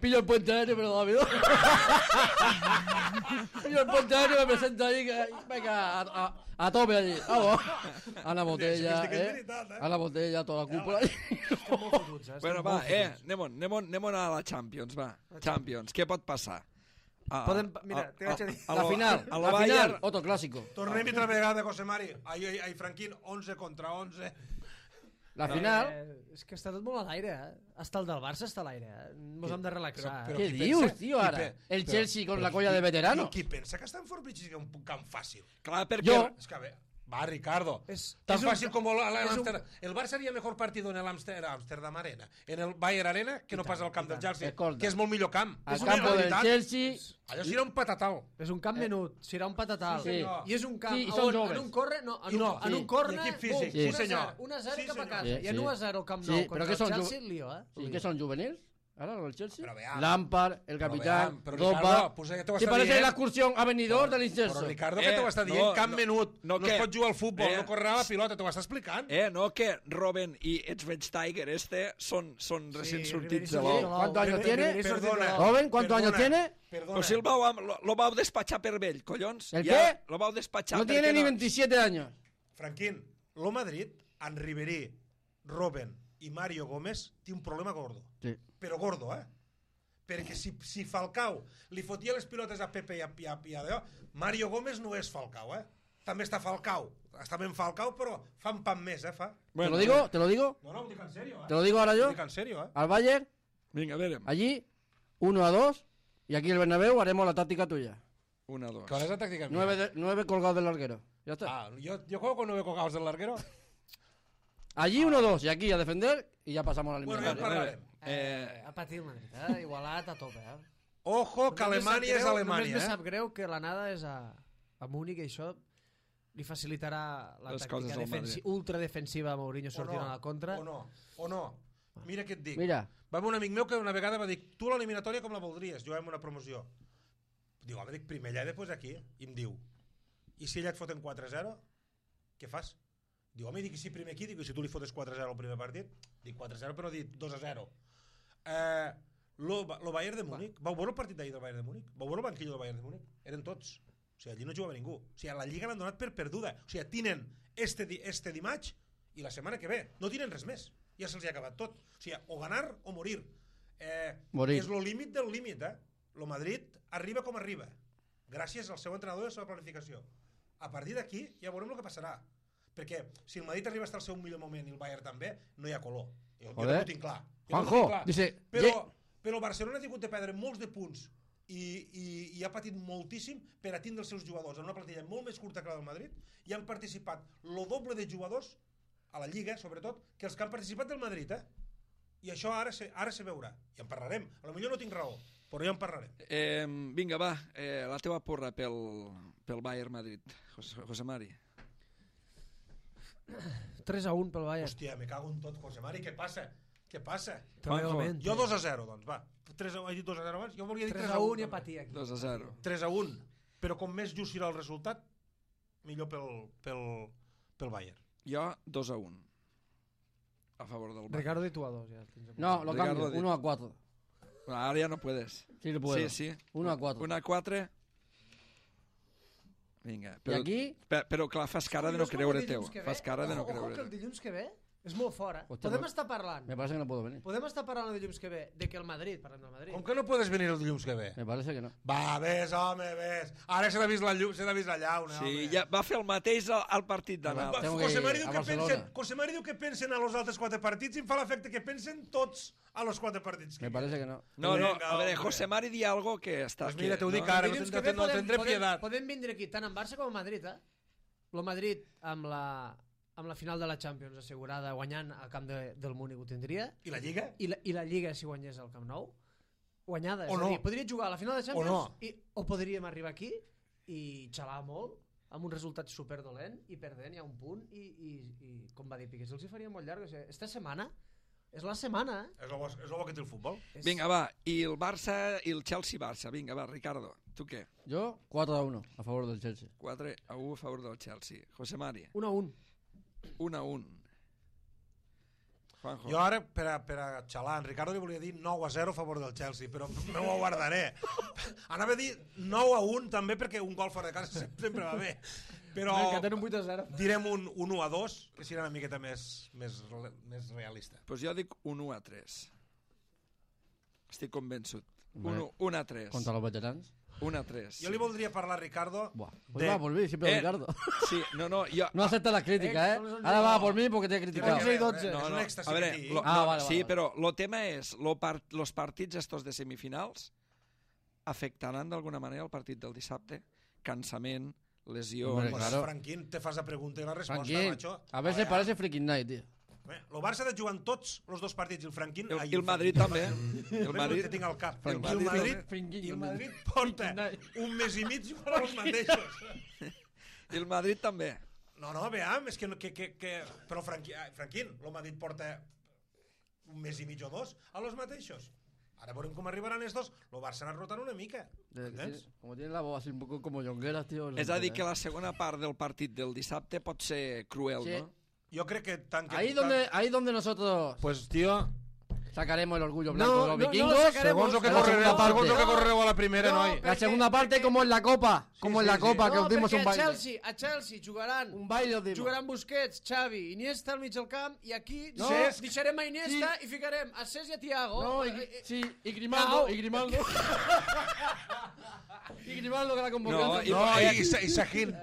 [SPEAKER 2] pillo el puente aéreo, pero rápido. Pillo el puente aéreo, me presento ahí, que, venga, a, a, a tope allí. Vamos. A la botella,
[SPEAKER 4] Sí, sí que és
[SPEAKER 2] eh?
[SPEAKER 4] veritat, eh?
[SPEAKER 2] A la botella, toda la cúpula.
[SPEAKER 3] Estem molt fotuts, eh?
[SPEAKER 1] Bueno, va, eh, anem-on, anem-on, anem-on a la Champions, va. Champions, què pot passar? A,
[SPEAKER 3] Podem- mira, t'ho vaig a dir.
[SPEAKER 2] La final,
[SPEAKER 1] a
[SPEAKER 2] la
[SPEAKER 1] Bayern-
[SPEAKER 2] final, otro clásico.
[SPEAKER 4] Tornem altra vegada, José Mari. Ai, ai, ai, Franquín, onze contra onze.
[SPEAKER 2] La final...
[SPEAKER 3] Eh, és que està tot molt a l'aire, eh? Hasta el del Barça està a l'aire, eh? Ens hem de relaxar.
[SPEAKER 4] Però-
[SPEAKER 3] eh?
[SPEAKER 4] però-
[SPEAKER 2] ¿Qué
[SPEAKER 4] qui
[SPEAKER 2] dius,
[SPEAKER 4] pensa-
[SPEAKER 2] tío,
[SPEAKER 4] qui
[SPEAKER 2] ara?
[SPEAKER 4] pe-
[SPEAKER 2] El
[SPEAKER 4] però-
[SPEAKER 2] Chelsea con
[SPEAKER 4] però
[SPEAKER 2] la colla
[SPEAKER 4] qui-
[SPEAKER 2] de veteranos.
[SPEAKER 4] Qui, qui pensa que Stamford Bridge és un camp fàcil?
[SPEAKER 1] Clar, perquè...
[SPEAKER 2] Jo-
[SPEAKER 4] És que, a veure, va, Ricardo.
[SPEAKER 3] És-
[SPEAKER 4] Tan
[SPEAKER 3] és un-
[SPEAKER 4] fàcil com el, el,
[SPEAKER 3] és un-
[SPEAKER 4] Amsterdam. El Barça haría mejor partido en el Amsterdam, Amsterdam Arena, en el Bayern Arena, que no
[SPEAKER 3] tant,
[SPEAKER 4] pas al camp
[SPEAKER 3] i
[SPEAKER 4] del
[SPEAKER 3] tant.
[SPEAKER 4] Chelsea,
[SPEAKER 2] Escolta.
[SPEAKER 4] que és molt millor camp.
[SPEAKER 2] Al
[SPEAKER 4] És una
[SPEAKER 2] campo del
[SPEAKER 4] realitat.
[SPEAKER 2] Chelsea...
[SPEAKER 4] Allò serà un patatal.
[SPEAKER 3] És un camp menut, serà un patatal.
[SPEAKER 4] Sí, senyor.
[SPEAKER 3] I és un camp
[SPEAKER 2] Sí, i
[SPEAKER 3] on
[SPEAKER 2] són joves.
[SPEAKER 3] en un corre, no, en
[SPEAKER 4] I
[SPEAKER 3] un,
[SPEAKER 4] no,
[SPEAKER 3] en
[SPEAKER 2] sí.
[SPEAKER 3] un corre,
[SPEAKER 4] I equip físic,
[SPEAKER 2] sí,
[SPEAKER 4] senyor.
[SPEAKER 3] un a zero
[SPEAKER 4] Sí,
[SPEAKER 3] cap a
[SPEAKER 4] senyor.
[SPEAKER 3] casa.
[SPEAKER 2] Sí,
[SPEAKER 3] I en
[SPEAKER 2] sí.
[SPEAKER 3] un a zero al Camp
[SPEAKER 2] Sí,
[SPEAKER 3] Nou
[SPEAKER 2] però
[SPEAKER 3] contra
[SPEAKER 2] que
[SPEAKER 3] el
[SPEAKER 2] són
[SPEAKER 3] Chelsea,
[SPEAKER 2] ju-
[SPEAKER 3] lío, eh?
[SPEAKER 2] Sí, que son juveniles. Ahora los del Chelsea.
[SPEAKER 4] Pero veamos.
[SPEAKER 2] Lampard, el
[SPEAKER 4] Pero
[SPEAKER 2] capitán,
[SPEAKER 4] veamos, pero
[SPEAKER 2] Drogba.
[SPEAKER 4] Ricardo, pues ja t'ho
[SPEAKER 2] ¿Te
[SPEAKER 4] està
[SPEAKER 2] parece
[SPEAKER 4] dient.
[SPEAKER 2] la excursión a venidor del
[SPEAKER 4] Però
[SPEAKER 2] incenso?
[SPEAKER 4] Ricardo,
[SPEAKER 1] Eh,
[SPEAKER 4] que t'ho està dient?
[SPEAKER 1] no,
[SPEAKER 4] Camp
[SPEAKER 1] no,
[SPEAKER 4] menut.
[SPEAKER 1] no,
[SPEAKER 4] No
[SPEAKER 1] què?
[SPEAKER 4] es pot jugar al futbol,
[SPEAKER 1] Eh,
[SPEAKER 4] no correrà la pilota, t'ho està explicant.
[SPEAKER 1] Eh, no, que Robben i Schweinsteiger este són, són recient sortits de
[SPEAKER 3] Ribéry
[SPEAKER 1] l'ou.
[SPEAKER 3] sortit
[SPEAKER 2] ¿Cuántos años tiene?
[SPEAKER 4] Perdona.
[SPEAKER 2] Joven, ¿cuántos años
[SPEAKER 4] Perdona.
[SPEAKER 2] tiene?
[SPEAKER 4] Perdona.
[SPEAKER 1] Pues si el vau, lo, lo vau despatxar per vell, collons.
[SPEAKER 2] ¿El
[SPEAKER 1] Ja
[SPEAKER 2] qué?
[SPEAKER 1] Lo vau despatxar
[SPEAKER 2] No
[SPEAKER 1] perquè
[SPEAKER 2] tiene ni veintisiete años.
[SPEAKER 4] Franquín, lo Madrid, en Ribéry, Robben i Mario Gómez, té un problema gordo.
[SPEAKER 2] Sí.
[SPEAKER 4] Però gordo, eh? Perquè si, si Falcao li fotia les pilotes a Pepe i a, i a, i a Deo, Mario Gómez no és Falcao, eh? També està Falcao. Està ben Falcao, però fa un pan més, eh? Fa.
[SPEAKER 2] ¿Te lo digo? ¿Te lo digo?
[SPEAKER 4] No, no, ho dic en sèrio, eh?
[SPEAKER 2] ¿Te lo digo ahora
[SPEAKER 4] Ho
[SPEAKER 2] yo?
[SPEAKER 4] dic en sèrio, eh?
[SPEAKER 2] Al Bayern,
[SPEAKER 1] Vinga, verem.
[SPEAKER 2] allí, uno a dos. Y aquí el Bernabéu haremos la táctica tuya.
[SPEAKER 1] Una, dos.
[SPEAKER 4] ¿Cuál es la táctica mía?
[SPEAKER 2] Nueve, de- nueve colgados del larguero. Ya está.
[SPEAKER 4] Ah, yo, yo juego con nueve colgados del larguero.
[SPEAKER 2] Allí uno a dos. Y aquí a defender. Y ya pasamos a la
[SPEAKER 4] Bueno, ja en
[SPEAKER 2] eliminatoria.
[SPEAKER 4] parlarem.
[SPEAKER 3] Eh, ha patit el Madrid, eh? Igualat a tope, eh?
[SPEAKER 4] Ojo, que
[SPEAKER 3] Només me sap
[SPEAKER 4] Alemanya és
[SPEAKER 3] greu- Només
[SPEAKER 4] Alemanya,
[SPEAKER 3] me
[SPEAKER 4] eh?
[SPEAKER 3] sap greu que l'anada és a, a Múnich i això li facilitarà la
[SPEAKER 1] Les coses
[SPEAKER 3] tàctica
[SPEAKER 1] al
[SPEAKER 3] defensi
[SPEAKER 1] Madrid.
[SPEAKER 3] ultradefensiva a Mourinho sortint a la contra.
[SPEAKER 4] O no, o no. Mira què et dic.
[SPEAKER 2] Mira.
[SPEAKER 4] Va haver un amic meu que una vegada va dir tu l'eliminatòria com la voldries? Juguem una promoció. Diu, home, dic, primer allà i després aquí. I em diu, i si ella et foten quatre a zero, què fas? Diu, home, dic, i si primer aquí? Dic, i si tu li fotes quatre a zero al primer partit? Dic, quatre a zero, però dic dos a zero. Eh, lo, lo Bayern de Múnich, vau veure el partit d'ahir del Bayern de Múnich? Vau veure el banquillo del Bayern de Múnich? Eren tots. O sigui, allí no jugava ningú. O sigui, a la Lliga l'han donat per perduda. O sigui, tenen este, di- este dimarts i la setmana que ve. No tenen res més. Ja se'ls ha acabat tot. O sigui, o ganar o morir. Eh,
[SPEAKER 2] Morir.
[SPEAKER 4] És lo límit del límit, eh? Lo Madrid arriba com arriba. Gràcies al seu entrenador i a la seva planificació. A partir d'aquí ja veurem el que passarà. Perquè si el Madrid arriba a estar al seu millor moment i el Bayern també, no hi ha color. Jo, jo
[SPEAKER 2] Joder.
[SPEAKER 4] també ho tinc clar. Jo també ho
[SPEAKER 2] Juanjo,
[SPEAKER 4] tinc clar.
[SPEAKER 2] dice,
[SPEAKER 4] Però,
[SPEAKER 2] ye-
[SPEAKER 4] però el Barcelona ha tingut de perdre molts de punts i, i, i ha patit moltíssim per a tindre els seus jugadors en una plantilla molt més curta que la del Madrid i han participat lo doble de jugadors a la Lliga, sobretot, que els que han participat del Madrid, eh? I això ara se, ara se veurà. I en parlarem. A lo millor no tinc raó, però ja en parlarem.
[SPEAKER 1] Eh, vinga, va, eh, la teva porra pel, pel Bayern Madrid, José, José Mari.
[SPEAKER 3] tres a un pel Bayern.
[SPEAKER 4] Hòstia, me cago en tot, José Mari, què passa? Què passa?
[SPEAKER 3] Treballadament.
[SPEAKER 4] Jo dos a zero, doncs, va. tres a, he dit dos a zero abans? Jo volia dir
[SPEAKER 3] tres
[SPEAKER 4] tres
[SPEAKER 3] a un i
[SPEAKER 4] també.
[SPEAKER 3] apatia aquí.
[SPEAKER 1] dos a zero.
[SPEAKER 4] tres a un. Però com més just serà el resultat, millor pel, pel, pel Bayern.
[SPEAKER 1] Jo dos a un. A favor del Bayern.
[SPEAKER 3] Ricardo i tu a dos. Ja. tens apuntat.
[SPEAKER 2] No, lo
[SPEAKER 1] Ricardo
[SPEAKER 2] cambio.
[SPEAKER 1] di-
[SPEAKER 2] Uno a cuatro.
[SPEAKER 1] Ara ja no puedes.
[SPEAKER 2] Sí, lo puedo.
[SPEAKER 1] Sí, sí.
[SPEAKER 2] Uno a cuatro.
[SPEAKER 1] Una a quatre. Vinga.
[SPEAKER 2] Y
[SPEAKER 1] Però,
[SPEAKER 2] aquí,
[SPEAKER 1] però, però clar, fas cara de no
[SPEAKER 3] És com el
[SPEAKER 1] creure
[SPEAKER 3] dilluns
[SPEAKER 1] teu.
[SPEAKER 3] que ve.
[SPEAKER 1] Fas cara de no
[SPEAKER 3] Ojo, ojo, que
[SPEAKER 1] creure
[SPEAKER 3] el
[SPEAKER 1] teu.
[SPEAKER 3] dilluns que ve és molt fora.
[SPEAKER 2] Hòstia,
[SPEAKER 3] Podem
[SPEAKER 2] però-
[SPEAKER 3] estar parlant.
[SPEAKER 2] me parece que no puedo venir.
[SPEAKER 3] Podem estar parlant el dilluns que ve de que el Madrid, parlem del Madrid.
[SPEAKER 4] Com que no podes venir el dilluns que ve?
[SPEAKER 2] Me parece que no.
[SPEAKER 4] Va, ves, home, ves. Ara s'ha de vist la llum, s'ha de vist la llauna,
[SPEAKER 1] Sí,
[SPEAKER 4] home.
[SPEAKER 1] ja va fer el mateix al, al partit d'anar.
[SPEAKER 4] Va,
[SPEAKER 2] Tengo que
[SPEAKER 4] José
[SPEAKER 2] ir
[SPEAKER 4] Mari diu
[SPEAKER 2] a
[SPEAKER 4] que
[SPEAKER 2] Barcelona.
[SPEAKER 4] pensen, José Mari diu que pensen a los altres quatre partits i em fa l'efecte que pensen tots a los quatre partits.
[SPEAKER 2] Me parece que no.
[SPEAKER 1] No, no,
[SPEAKER 4] Vinga,
[SPEAKER 1] a veure,
[SPEAKER 4] hombre.
[SPEAKER 1] José Mari di algo que està...
[SPEAKER 4] Pues mira,
[SPEAKER 1] que,
[SPEAKER 4] t'ho dic
[SPEAKER 1] no?
[SPEAKER 4] ara,
[SPEAKER 3] El
[SPEAKER 4] no
[SPEAKER 3] dilluns
[SPEAKER 4] tindré,
[SPEAKER 3] que ve
[SPEAKER 4] no tindré
[SPEAKER 3] podem,
[SPEAKER 4] piedat.
[SPEAKER 3] podem vindre aquí tant en Barça com en Madrid, eh? El Madrid amb la, amb la final de la Champions assegurada guanyant al camp de, del Múnich ho tindria
[SPEAKER 4] I la Lliga?
[SPEAKER 3] i la, i la Lliga si guanyés al Camp Nou guanyada, és
[SPEAKER 4] O
[SPEAKER 3] a
[SPEAKER 4] no.
[SPEAKER 3] dir, podria jugar a la final de Champions
[SPEAKER 4] no.
[SPEAKER 3] i, o podríem arribar aquí i xalar molt amb un resultat superdolent i perdent ja un punt i, i, i com va dir Piqué, els hi faria molt llarg o sigui, esta setmana és la setmana eh?
[SPEAKER 4] És el bo, és el bo que té el futbol.
[SPEAKER 3] És...
[SPEAKER 1] Vinga, va, i el Barça i el Chelsea-Barça. Vinga, va, Ricardo, tu què?
[SPEAKER 2] Yo, cuatro a uno a favor del Chelsea.
[SPEAKER 1] quatre a u a favor del Chelsea. José Mari,
[SPEAKER 3] un a un
[SPEAKER 1] un a un. Juanjo.
[SPEAKER 4] Jo ara, per a, per a xalar, en Ricardo li volia dir nou a zero a favor del Chelsea, però no ho guardaré. Anava a dir nou a un també, perquè un gol fora de casa sempre va bé. Però
[SPEAKER 3] que tenen un vuit a zero.
[SPEAKER 4] direm un, un u a dos, que serà una miqueta més, més, més realista.
[SPEAKER 1] Pues jo dic un u a tres. Estic convençut.
[SPEAKER 2] Bé.
[SPEAKER 1] un a tres.
[SPEAKER 2] Contra los veterans.
[SPEAKER 1] un a tres.
[SPEAKER 4] Jo li voldria parlar, Ricardo,
[SPEAKER 2] Buah. Pues
[SPEAKER 4] de...
[SPEAKER 2] va por mí, siempre
[SPEAKER 1] Eh,
[SPEAKER 2] Ricardo.
[SPEAKER 1] Sí, no, no, jo...
[SPEAKER 2] No acepta las críticas,
[SPEAKER 3] Eh,
[SPEAKER 2] ¿eh?
[SPEAKER 3] son los
[SPEAKER 2] Ahora va
[SPEAKER 3] únicos-
[SPEAKER 2] por mí porque te he criticado.
[SPEAKER 3] once i dotze.
[SPEAKER 4] És
[SPEAKER 1] No,
[SPEAKER 4] un
[SPEAKER 1] no,
[SPEAKER 4] èxtasi
[SPEAKER 1] a veure,
[SPEAKER 4] aquí.
[SPEAKER 1] lo,
[SPEAKER 2] Ah,
[SPEAKER 1] no,
[SPEAKER 2] vale,
[SPEAKER 1] sí,
[SPEAKER 2] vale.
[SPEAKER 1] però el tema és, lo part, los partits estos de semifinals afectaran d'alguna manera el partit del dissabte? Cansament, lesió...
[SPEAKER 2] Hombre,
[SPEAKER 4] Pues,
[SPEAKER 2] claro.
[SPEAKER 4] Franquín, te fas la pregunta i la resposta,
[SPEAKER 2] Franquín,
[SPEAKER 4] macho.
[SPEAKER 2] a veces
[SPEAKER 4] veure,
[SPEAKER 2] parece freaking night, tío.
[SPEAKER 4] Bé, el Barça ha de jugar en tots els dos partits i el Franquín...
[SPEAKER 1] El,
[SPEAKER 4] ai,
[SPEAKER 1] I el Madrid també. El
[SPEAKER 4] Madrid...
[SPEAKER 1] Madrid...
[SPEAKER 4] que tinc al cap.
[SPEAKER 1] El
[SPEAKER 4] El,
[SPEAKER 1] Madrid
[SPEAKER 4] el Madrid,
[SPEAKER 2] també.
[SPEAKER 4] i el Madrid porta un mes i mig jugant els mateixos.
[SPEAKER 1] I el Madrid també.
[SPEAKER 4] No, no, veam, és que... que, que, que... Però Franquín, Franquín, el Madrid porta un mes i mig o dos a los mateixos. Ara veurem com arribaran els dos. El Barça ha anat rotant una mica.
[SPEAKER 2] De-
[SPEAKER 4] Entens?
[SPEAKER 2] tiene- Como tiene la voz así un poco como Jongueras, tío.
[SPEAKER 1] És a dir, que la segona part del partit del dissabte pot ser cruel,
[SPEAKER 2] Sí.
[SPEAKER 1] no?
[SPEAKER 4] Jo crec que tant que...
[SPEAKER 2] Ahí
[SPEAKER 4] tant-
[SPEAKER 2] donde, ahí donde nosotros
[SPEAKER 5] Pues, tío,
[SPEAKER 2] sacaremos el orgullo blanco
[SPEAKER 3] No,
[SPEAKER 2] de los
[SPEAKER 3] no, no
[SPEAKER 2] vikingos.
[SPEAKER 3] lo sacaremos.
[SPEAKER 5] segons el que
[SPEAKER 2] En la
[SPEAKER 5] correreu,
[SPEAKER 2] segunda
[SPEAKER 5] segons el
[SPEAKER 2] parte.
[SPEAKER 5] que correreu a la primera,
[SPEAKER 3] No,
[SPEAKER 5] noi.
[SPEAKER 2] La segunda parte como en la copa, como en
[SPEAKER 4] sí,
[SPEAKER 2] la
[SPEAKER 4] sí.
[SPEAKER 2] copa, que
[SPEAKER 3] No,
[SPEAKER 2] os dimos
[SPEAKER 3] perquè
[SPEAKER 2] un
[SPEAKER 3] a
[SPEAKER 2] baile.
[SPEAKER 3] Chelsea, a Chelsea jugaran
[SPEAKER 2] Un baile os dimos.
[SPEAKER 3] jugaran Busquets, Xavi, Iniesta al mig del camp i aquí
[SPEAKER 2] No,
[SPEAKER 3] Cesc, deixarem a Iniesta
[SPEAKER 2] sí.
[SPEAKER 3] i ficarem a Cesc i a Thiago.
[SPEAKER 2] No, y,
[SPEAKER 3] Eh, eh,
[SPEAKER 2] sí, y Grimaldo,
[SPEAKER 3] Cao.
[SPEAKER 2] y Grimaldo. y Grimaldo que la convocó.
[SPEAKER 1] No, i-
[SPEAKER 5] No, i, i, i Sahin,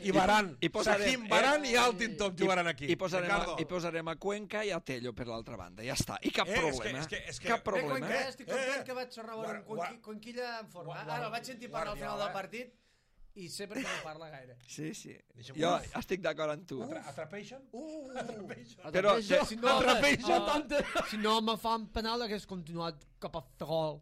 [SPEAKER 5] i Baran.
[SPEAKER 1] i posarem-
[SPEAKER 5] Sahin, Baran i Altintop jugaran aquí.
[SPEAKER 1] I posarem, a,
[SPEAKER 4] Ricardo.
[SPEAKER 1] I posarem a Cuenca i a Tello per l'altra banda. Ja està. I cap
[SPEAKER 4] Eh, és que-
[SPEAKER 1] problema.
[SPEAKER 4] és que- és que-
[SPEAKER 1] Cap
[SPEAKER 3] Bé,
[SPEAKER 1] problema.
[SPEAKER 3] Cuenca,
[SPEAKER 4] eh?
[SPEAKER 3] estic content
[SPEAKER 4] Eh,
[SPEAKER 3] que vaig xerrar
[SPEAKER 4] guar-
[SPEAKER 3] amb
[SPEAKER 4] guar-
[SPEAKER 3] Conqui- Conquilla en forma.
[SPEAKER 4] guar-
[SPEAKER 3] Ara el vaig sentir parlar al final del
[SPEAKER 4] guardià, eh?
[SPEAKER 3] partit i sé per què no parla gaire.
[SPEAKER 1] Sí, sí.
[SPEAKER 4] Deixa'm
[SPEAKER 1] Jo
[SPEAKER 4] veure.
[SPEAKER 1] estic d'acord amb tu.
[SPEAKER 4] Atra- Atrapation?
[SPEAKER 3] Uh,
[SPEAKER 1] Però
[SPEAKER 2] Atrapeixo,
[SPEAKER 1] te-
[SPEAKER 3] si no,
[SPEAKER 2] atrapeixo
[SPEAKER 3] ah,
[SPEAKER 2] tante.
[SPEAKER 3] si no me fan penal hagués continuat cap a fer gol.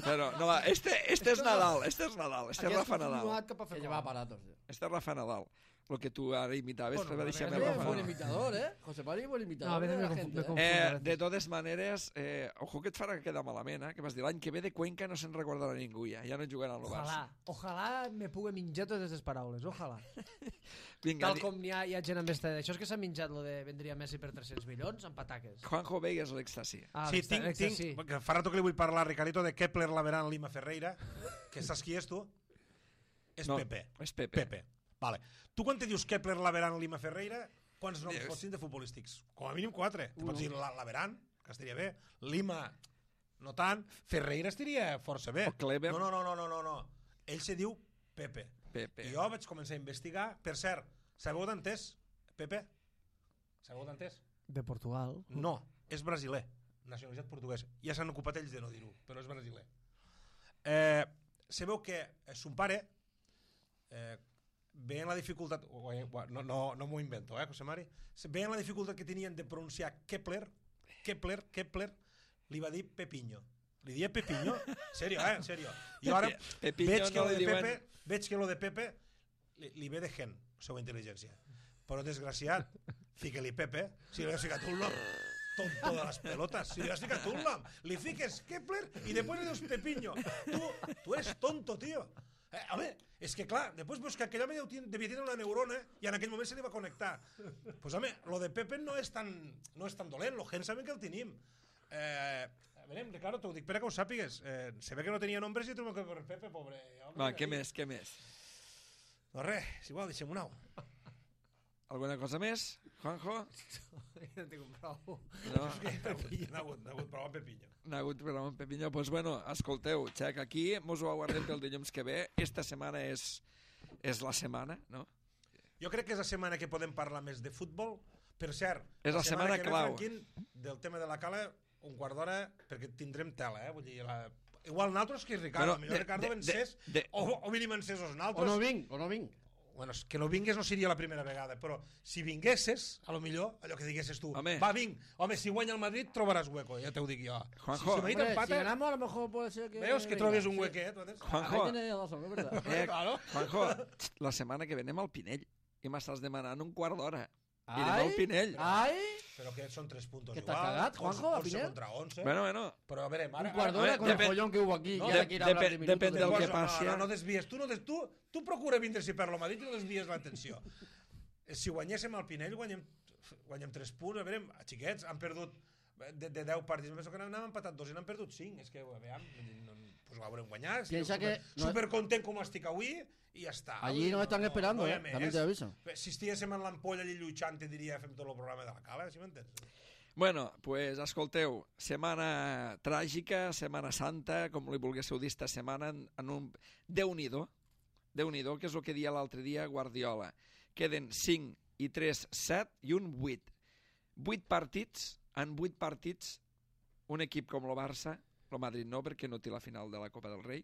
[SPEAKER 1] Però, no, va, este, este és Nadal, este és Nadal, este és
[SPEAKER 3] Hagués
[SPEAKER 1] Rafa Nadal.
[SPEAKER 3] continuat cap a fer
[SPEAKER 2] Que
[SPEAKER 3] gol.
[SPEAKER 2] lleva aparatos. tío.
[SPEAKER 1] Este és Rafa Nadal. El que tu ara imitaves,
[SPEAKER 3] Bueno,
[SPEAKER 1] bueno, deixa'm
[SPEAKER 3] a
[SPEAKER 2] Eh,
[SPEAKER 3] veure,
[SPEAKER 1] Rafa
[SPEAKER 2] buen
[SPEAKER 1] Nadal.
[SPEAKER 2] imitador, ¿eh? José Mari, buen imitador.
[SPEAKER 3] No, a veces
[SPEAKER 2] de
[SPEAKER 3] me
[SPEAKER 2] la
[SPEAKER 3] confu-
[SPEAKER 2] gente,
[SPEAKER 3] me
[SPEAKER 2] ¿eh?
[SPEAKER 3] confu-
[SPEAKER 1] Eh, de totes maneres, eh, ojo que et farà quedar malament, eh? Que vas dir l'any que ve de Cuenca no se'n recordarà ningú ja, ja no jugarà al Barça.
[SPEAKER 3] Ojalà, ojalà me pugui menjar totes les paraules, ojalà.
[SPEAKER 1] Vinga,
[SPEAKER 3] Tal
[SPEAKER 1] di-
[SPEAKER 3] com hi ha, hi ha gent amb esta... Això és que s'ha menjat lo de vendria Messi per tres-cents milions amb pataques.
[SPEAKER 1] Juanjo Vegas l'èxtasi.
[SPEAKER 3] Ah,
[SPEAKER 4] Sí,
[SPEAKER 3] l'extra-
[SPEAKER 4] tinc,
[SPEAKER 3] l'extra-
[SPEAKER 4] tinc, perquè fa rato que li vull parlar, Ricardito, de Kepler, Laveran, Lima, Ferreira, que saps qui és tu? És
[SPEAKER 1] No,
[SPEAKER 4] Pepe.
[SPEAKER 1] és Pepe.
[SPEAKER 4] Pepe. Vale. Tu quan te dius Kepler, Laveran, Lima, Ferreira, quants noms
[SPEAKER 1] Dius.
[SPEAKER 4] pots dir de futbolístics? Com a mínim quatre. Te pots dir la, Laveran, que estaria bé, Lima, no tant, Ferreira estaria força bé.
[SPEAKER 1] O Kleber.
[SPEAKER 4] No, no, no, no, no, no, no. Ell se diu Pepe.
[SPEAKER 1] Pepe.
[SPEAKER 4] I jo vaig començar a investigar. Per cert, sabeu d'entès, Pepe? Sabeu d'entès?
[SPEAKER 3] De Portugal.
[SPEAKER 4] No, és brasiler, nacionalitat portuguesa. Ja s'han ocupat ells de no dir-ho, però és brasiler. Eh, sabeu que eh, son pare, eh, veient la dificultat, no, no, no m'ho invento, eh, José Mari, veient la dificultat que tenien de pronunciar Kepler, Kepler, Kepler, li va dir Pepiño. Li dia Pepiño? Serio, eh? Serio. I ara
[SPEAKER 1] Pepiño
[SPEAKER 4] veig que
[SPEAKER 1] no
[SPEAKER 4] lo de
[SPEAKER 1] li diuen-
[SPEAKER 4] Pepe, veig que lo de Pepe li, li ve de gen, la seva intel·ligència. Però desgraciat, fica-li Pepe, si li has ficat un nom, tonto de les pelotes, si li has ficat un nom, li fiques Kepler i després li dius Pepiño. Tu, tu eres tonto, tío. Eh, home, és que clar, després veus que aquell home deu ten- devia tenir una neurona i en aquell moment se li va connectar. Doncs pues, home, lo de Pepe no és tan, no és tan dolent, lo gent sabem que el tenim. Eh, a veure, Ricardo, t'ho dic per a que ho sàpigues. Eh, se ve que no tenia nombres i trobo que per Pepe, pobre. Home,
[SPEAKER 1] Va, què
[SPEAKER 4] ahí.
[SPEAKER 1] més, què més?
[SPEAKER 4] No res, és igual, deixem un au.
[SPEAKER 1] Alguna cosa més, Juanjo?
[SPEAKER 3] No tinc prou.
[SPEAKER 1] No?
[SPEAKER 4] N'ha hagut, n'ha hagut prou amb Pepiño.
[SPEAKER 1] N'ha hagut programa amb Pepiño. Doncs pues bueno, escolteu, xec, aquí mos ho aguardem pel dilluns que ve. Esta setmana és, és la setmana, no?
[SPEAKER 4] Jo crec que és la setmana que podem parlar més de futbol. Per cert,
[SPEAKER 1] És la setmana
[SPEAKER 4] que ve,
[SPEAKER 1] clau.
[SPEAKER 4] Franquín, del tema de la cala, un quart d'hora, perquè tindrem tela, eh? Vull dir, la... igual nosaltres que Ricardo,
[SPEAKER 1] Bueno,
[SPEAKER 4] millor
[SPEAKER 1] de-
[SPEAKER 4] Ricardo
[SPEAKER 1] de-
[SPEAKER 4] vencés,
[SPEAKER 1] de- de-
[SPEAKER 4] o, o mínim vencés els
[SPEAKER 2] O
[SPEAKER 4] nosaltres.
[SPEAKER 2] no vinc, o no vinc.
[SPEAKER 4] Bueno, és que no vingués no seria la primera vegada, però si vinguesses, a lo millor, allò que diguesses tu,
[SPEAKER 1] Home.
[SPEAKER 4] va, vinc, home, si guanya el Madrid trobaràs hueco, ja t'ho dic jo.
[SPEAKER 1] Juanjo.
[SPEAKER 4] Si, si Madrid
[SPEAKER 2] Hombre, si
[SPEAKER 4] empata,
[SPEAKER 2] ganamos, a lo mejor puede ser que...
[SPEAKER 4] veus que
[SPEAKER 2] venga,
[SPEAKER 4] trobes un
[SPEAKER 2] sí.
[SPEAKER 4] huequet, ¿no?
[SPEAKER 1] Juanjo,
[SPEAKER 2] Ahí tenéis razón, es verdad.
[SPEAKER 1] eh,
[SPEAKER 4] Claro.
[SPEAKER 1] Juanjo, la setmana que ve anem al Pinell i m'estàs demanant un quart d'hora. I anem
[SPEAKER 2] Ai,
[SPEAKER 1] al Pinell.
[SPEAKER 2] ai,
[SPEAKER 4] Però que són tres puntos
[SPEAKER 2] Que
[SPEAKER 4] igual.
[SPEAKER 2] t'has cagat, Juanjo, a
[SPEAKER 4] onze
[SPEAKER 2] Pinell?
[SPEAKER 4] contra onze.
[SPEAKER 1] Bueno, bueno,
[SPEAKER 4] Però a veure, ara...
[SPEAKER 2] un cuarto de
[SPEAKER 1] a
[SPEAKER 2] hora
[SPEAKER 1] ver,
[SPEAKER 2] con el
[SPEAKER 1] depende-
[SPEAKER 2] follón que hubo aquí.
[SPEAKER 4] no,
[SPEAKER 2] y ahora quiere hablar
[SPEAKER 1] depe-
[SPEAKER 2] de minutos
[SPEAKER 1] depende
[SPEAKER 2] de-
[SPEAKER 1] del que
[SPEAKER 4] no,
[SPEAKER 1] passi.
[SPEAKER 4] No, no, no desvies. Tu, no des, tu, tu procura vindre si per lo Madrid i no desvies l'atenció. Si guanyéssim el Pinell, guanyem... guanyem tres punts, a veure, xiquets, han perdut de, de deu partits, penso que n'han empatat dos i n'han perdut cinc, és que, a veure, no, pues ho haurem guanyat,
[SPEAKER 2] Piensa
[SPEAKER 4] super,
[SPEAKER 2] que no-
[SPEAKER 4] super content com estic avui, i ja està.
[SPEAKER 2] Allí
[SPEAKER 4] Vull dir,
[SPEAKER 2] nos están esperando,
[SPEAKER 4] hi ha
[SPEAKER 2] eh,
[SPEAKER 4] més.
[SPEAKER 2] también te aviso.
[SPEAKER 4] Si estiguéssim en l'ampolla allí lluitant, te diria, fem tot el programa de la cala, si m'entens?
[SPEAKER 1] Bueno, pues escolteu, setmana tràgica, setmana santa, com li volguéssiu dir esta setmana, en, en un... Déu-n'hi-do, Déu-n'hi-do, que és el que dia l'altre dia Guardiola. Queden cinc i tres, set i un vuit. vuit partits, en vuit partits, un equip com el Barça, el Madrid no, perquè no té la final de la Copa del Rei,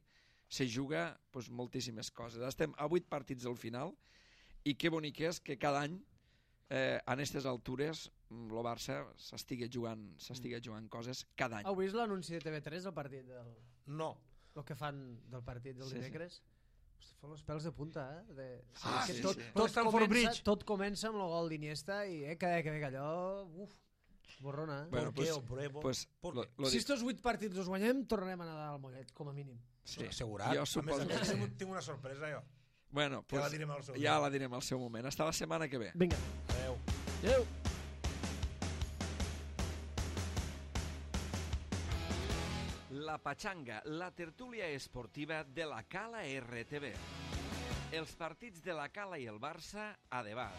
[SPEAKER 1] se juga pues, moltíssimes coses. Estem a vuit partits al final i que bonic és que cada any eh, en aquestes altures el Barça s'estigui jugant, s'estigui jugant coses cada any.
[SPEAKER 3] Heu vist l'anunci de T V tres del partit? Del...
[SPEAKER 4] No.
[SPEAKER 3] El que fan del partit del
[SPEAKER 1] Sí, sí.
[SPEAKER 3] dimecres? Hosti, fa els pèls de punta, eh? De...
[SPEAKER 4] Ah,
[SPEAKER 3] que
[SPEAKER 4] sí,
[SPEAKER 3] tot,
[SPEAKER 1] sí.
[SPEAKER 3] tot,
[SPEAKER 4] Stamford
[SPEAKER 3] comença,
[SPEAKER 4] Bridge.
[SPEAKER 3] tot comença amb el gol d'Iniesta i eh, que, que, que allò... Uf, borrona, eh?
[SPEAKER 1] Bueno,
[SPEAKER 4] ¿Por qué,
[SPEAKER 1] pues-
[SPEAKER 4] hombre? ¿Por-
[SPEAKER 1] Pues,
[SPEAKER 4] por
[SPEAKER 1] lo,
[SPEAKER 4] qué?
[SPEAKER 1] lo
[SPEAKER 3] si
[SPEAKER 1] dic.
[SPEAKER 3] estos vuit partits els guanyem, tornarem a nedar al Mollet, com a mínim.
[SPEAKER 1] Sí.
[SPEAKER 4] Assegurat.
[SPEAKER 1] Jo
[SPEAKER 4] A més,
[SPEAKER 1] suposo
[SPEAKER 4] a
[SPEAKER 1] que
[SPEAKER 4] més,
[SPEAKER 1] sí.
[SPEAKER 4] tinc, tinc una sorpresa, jo.
[SPEAKER 1] Bueno,
[SPEAKER 4] Ja la
[SPEAKER 1] pues,
[SPEAKER 4] direm al seu
[SPEAKER 1] ja
[SPEAKER 4] dia.
[SPEAKER 1] la direm al seu moment. Hasta la setmana que ve.
[SPEAKER 3] Vinga.
[SPEAKER 4] Adéu.
[SPEAKER 2] Adéu.
[SPEAKER 1] La Pachanga, la tertúlia esportiva de la Cala R T V. Els partits de la Cala i el Barça a debat.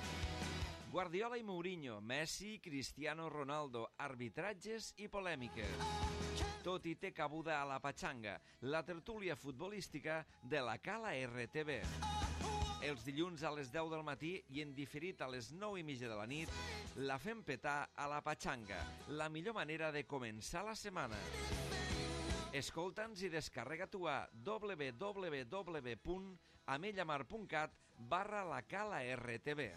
[SPEAKER 1] Guardiola i Mourinho, Messi, Cristiano Ronaldo, arbitratges i polèmiques. Tot hi té cabuda a la Pachanga, la tertúlia futbolística de la Cala R T V. Els dilluns a les deu del matí i en diferit a les nou i mitja de la nit, la fem petar a la Pachanga, la millor manera de començar la setmana. Escolta'ns i descarrega tu a w w w punt amellamar punt cat barra la Cala R T V.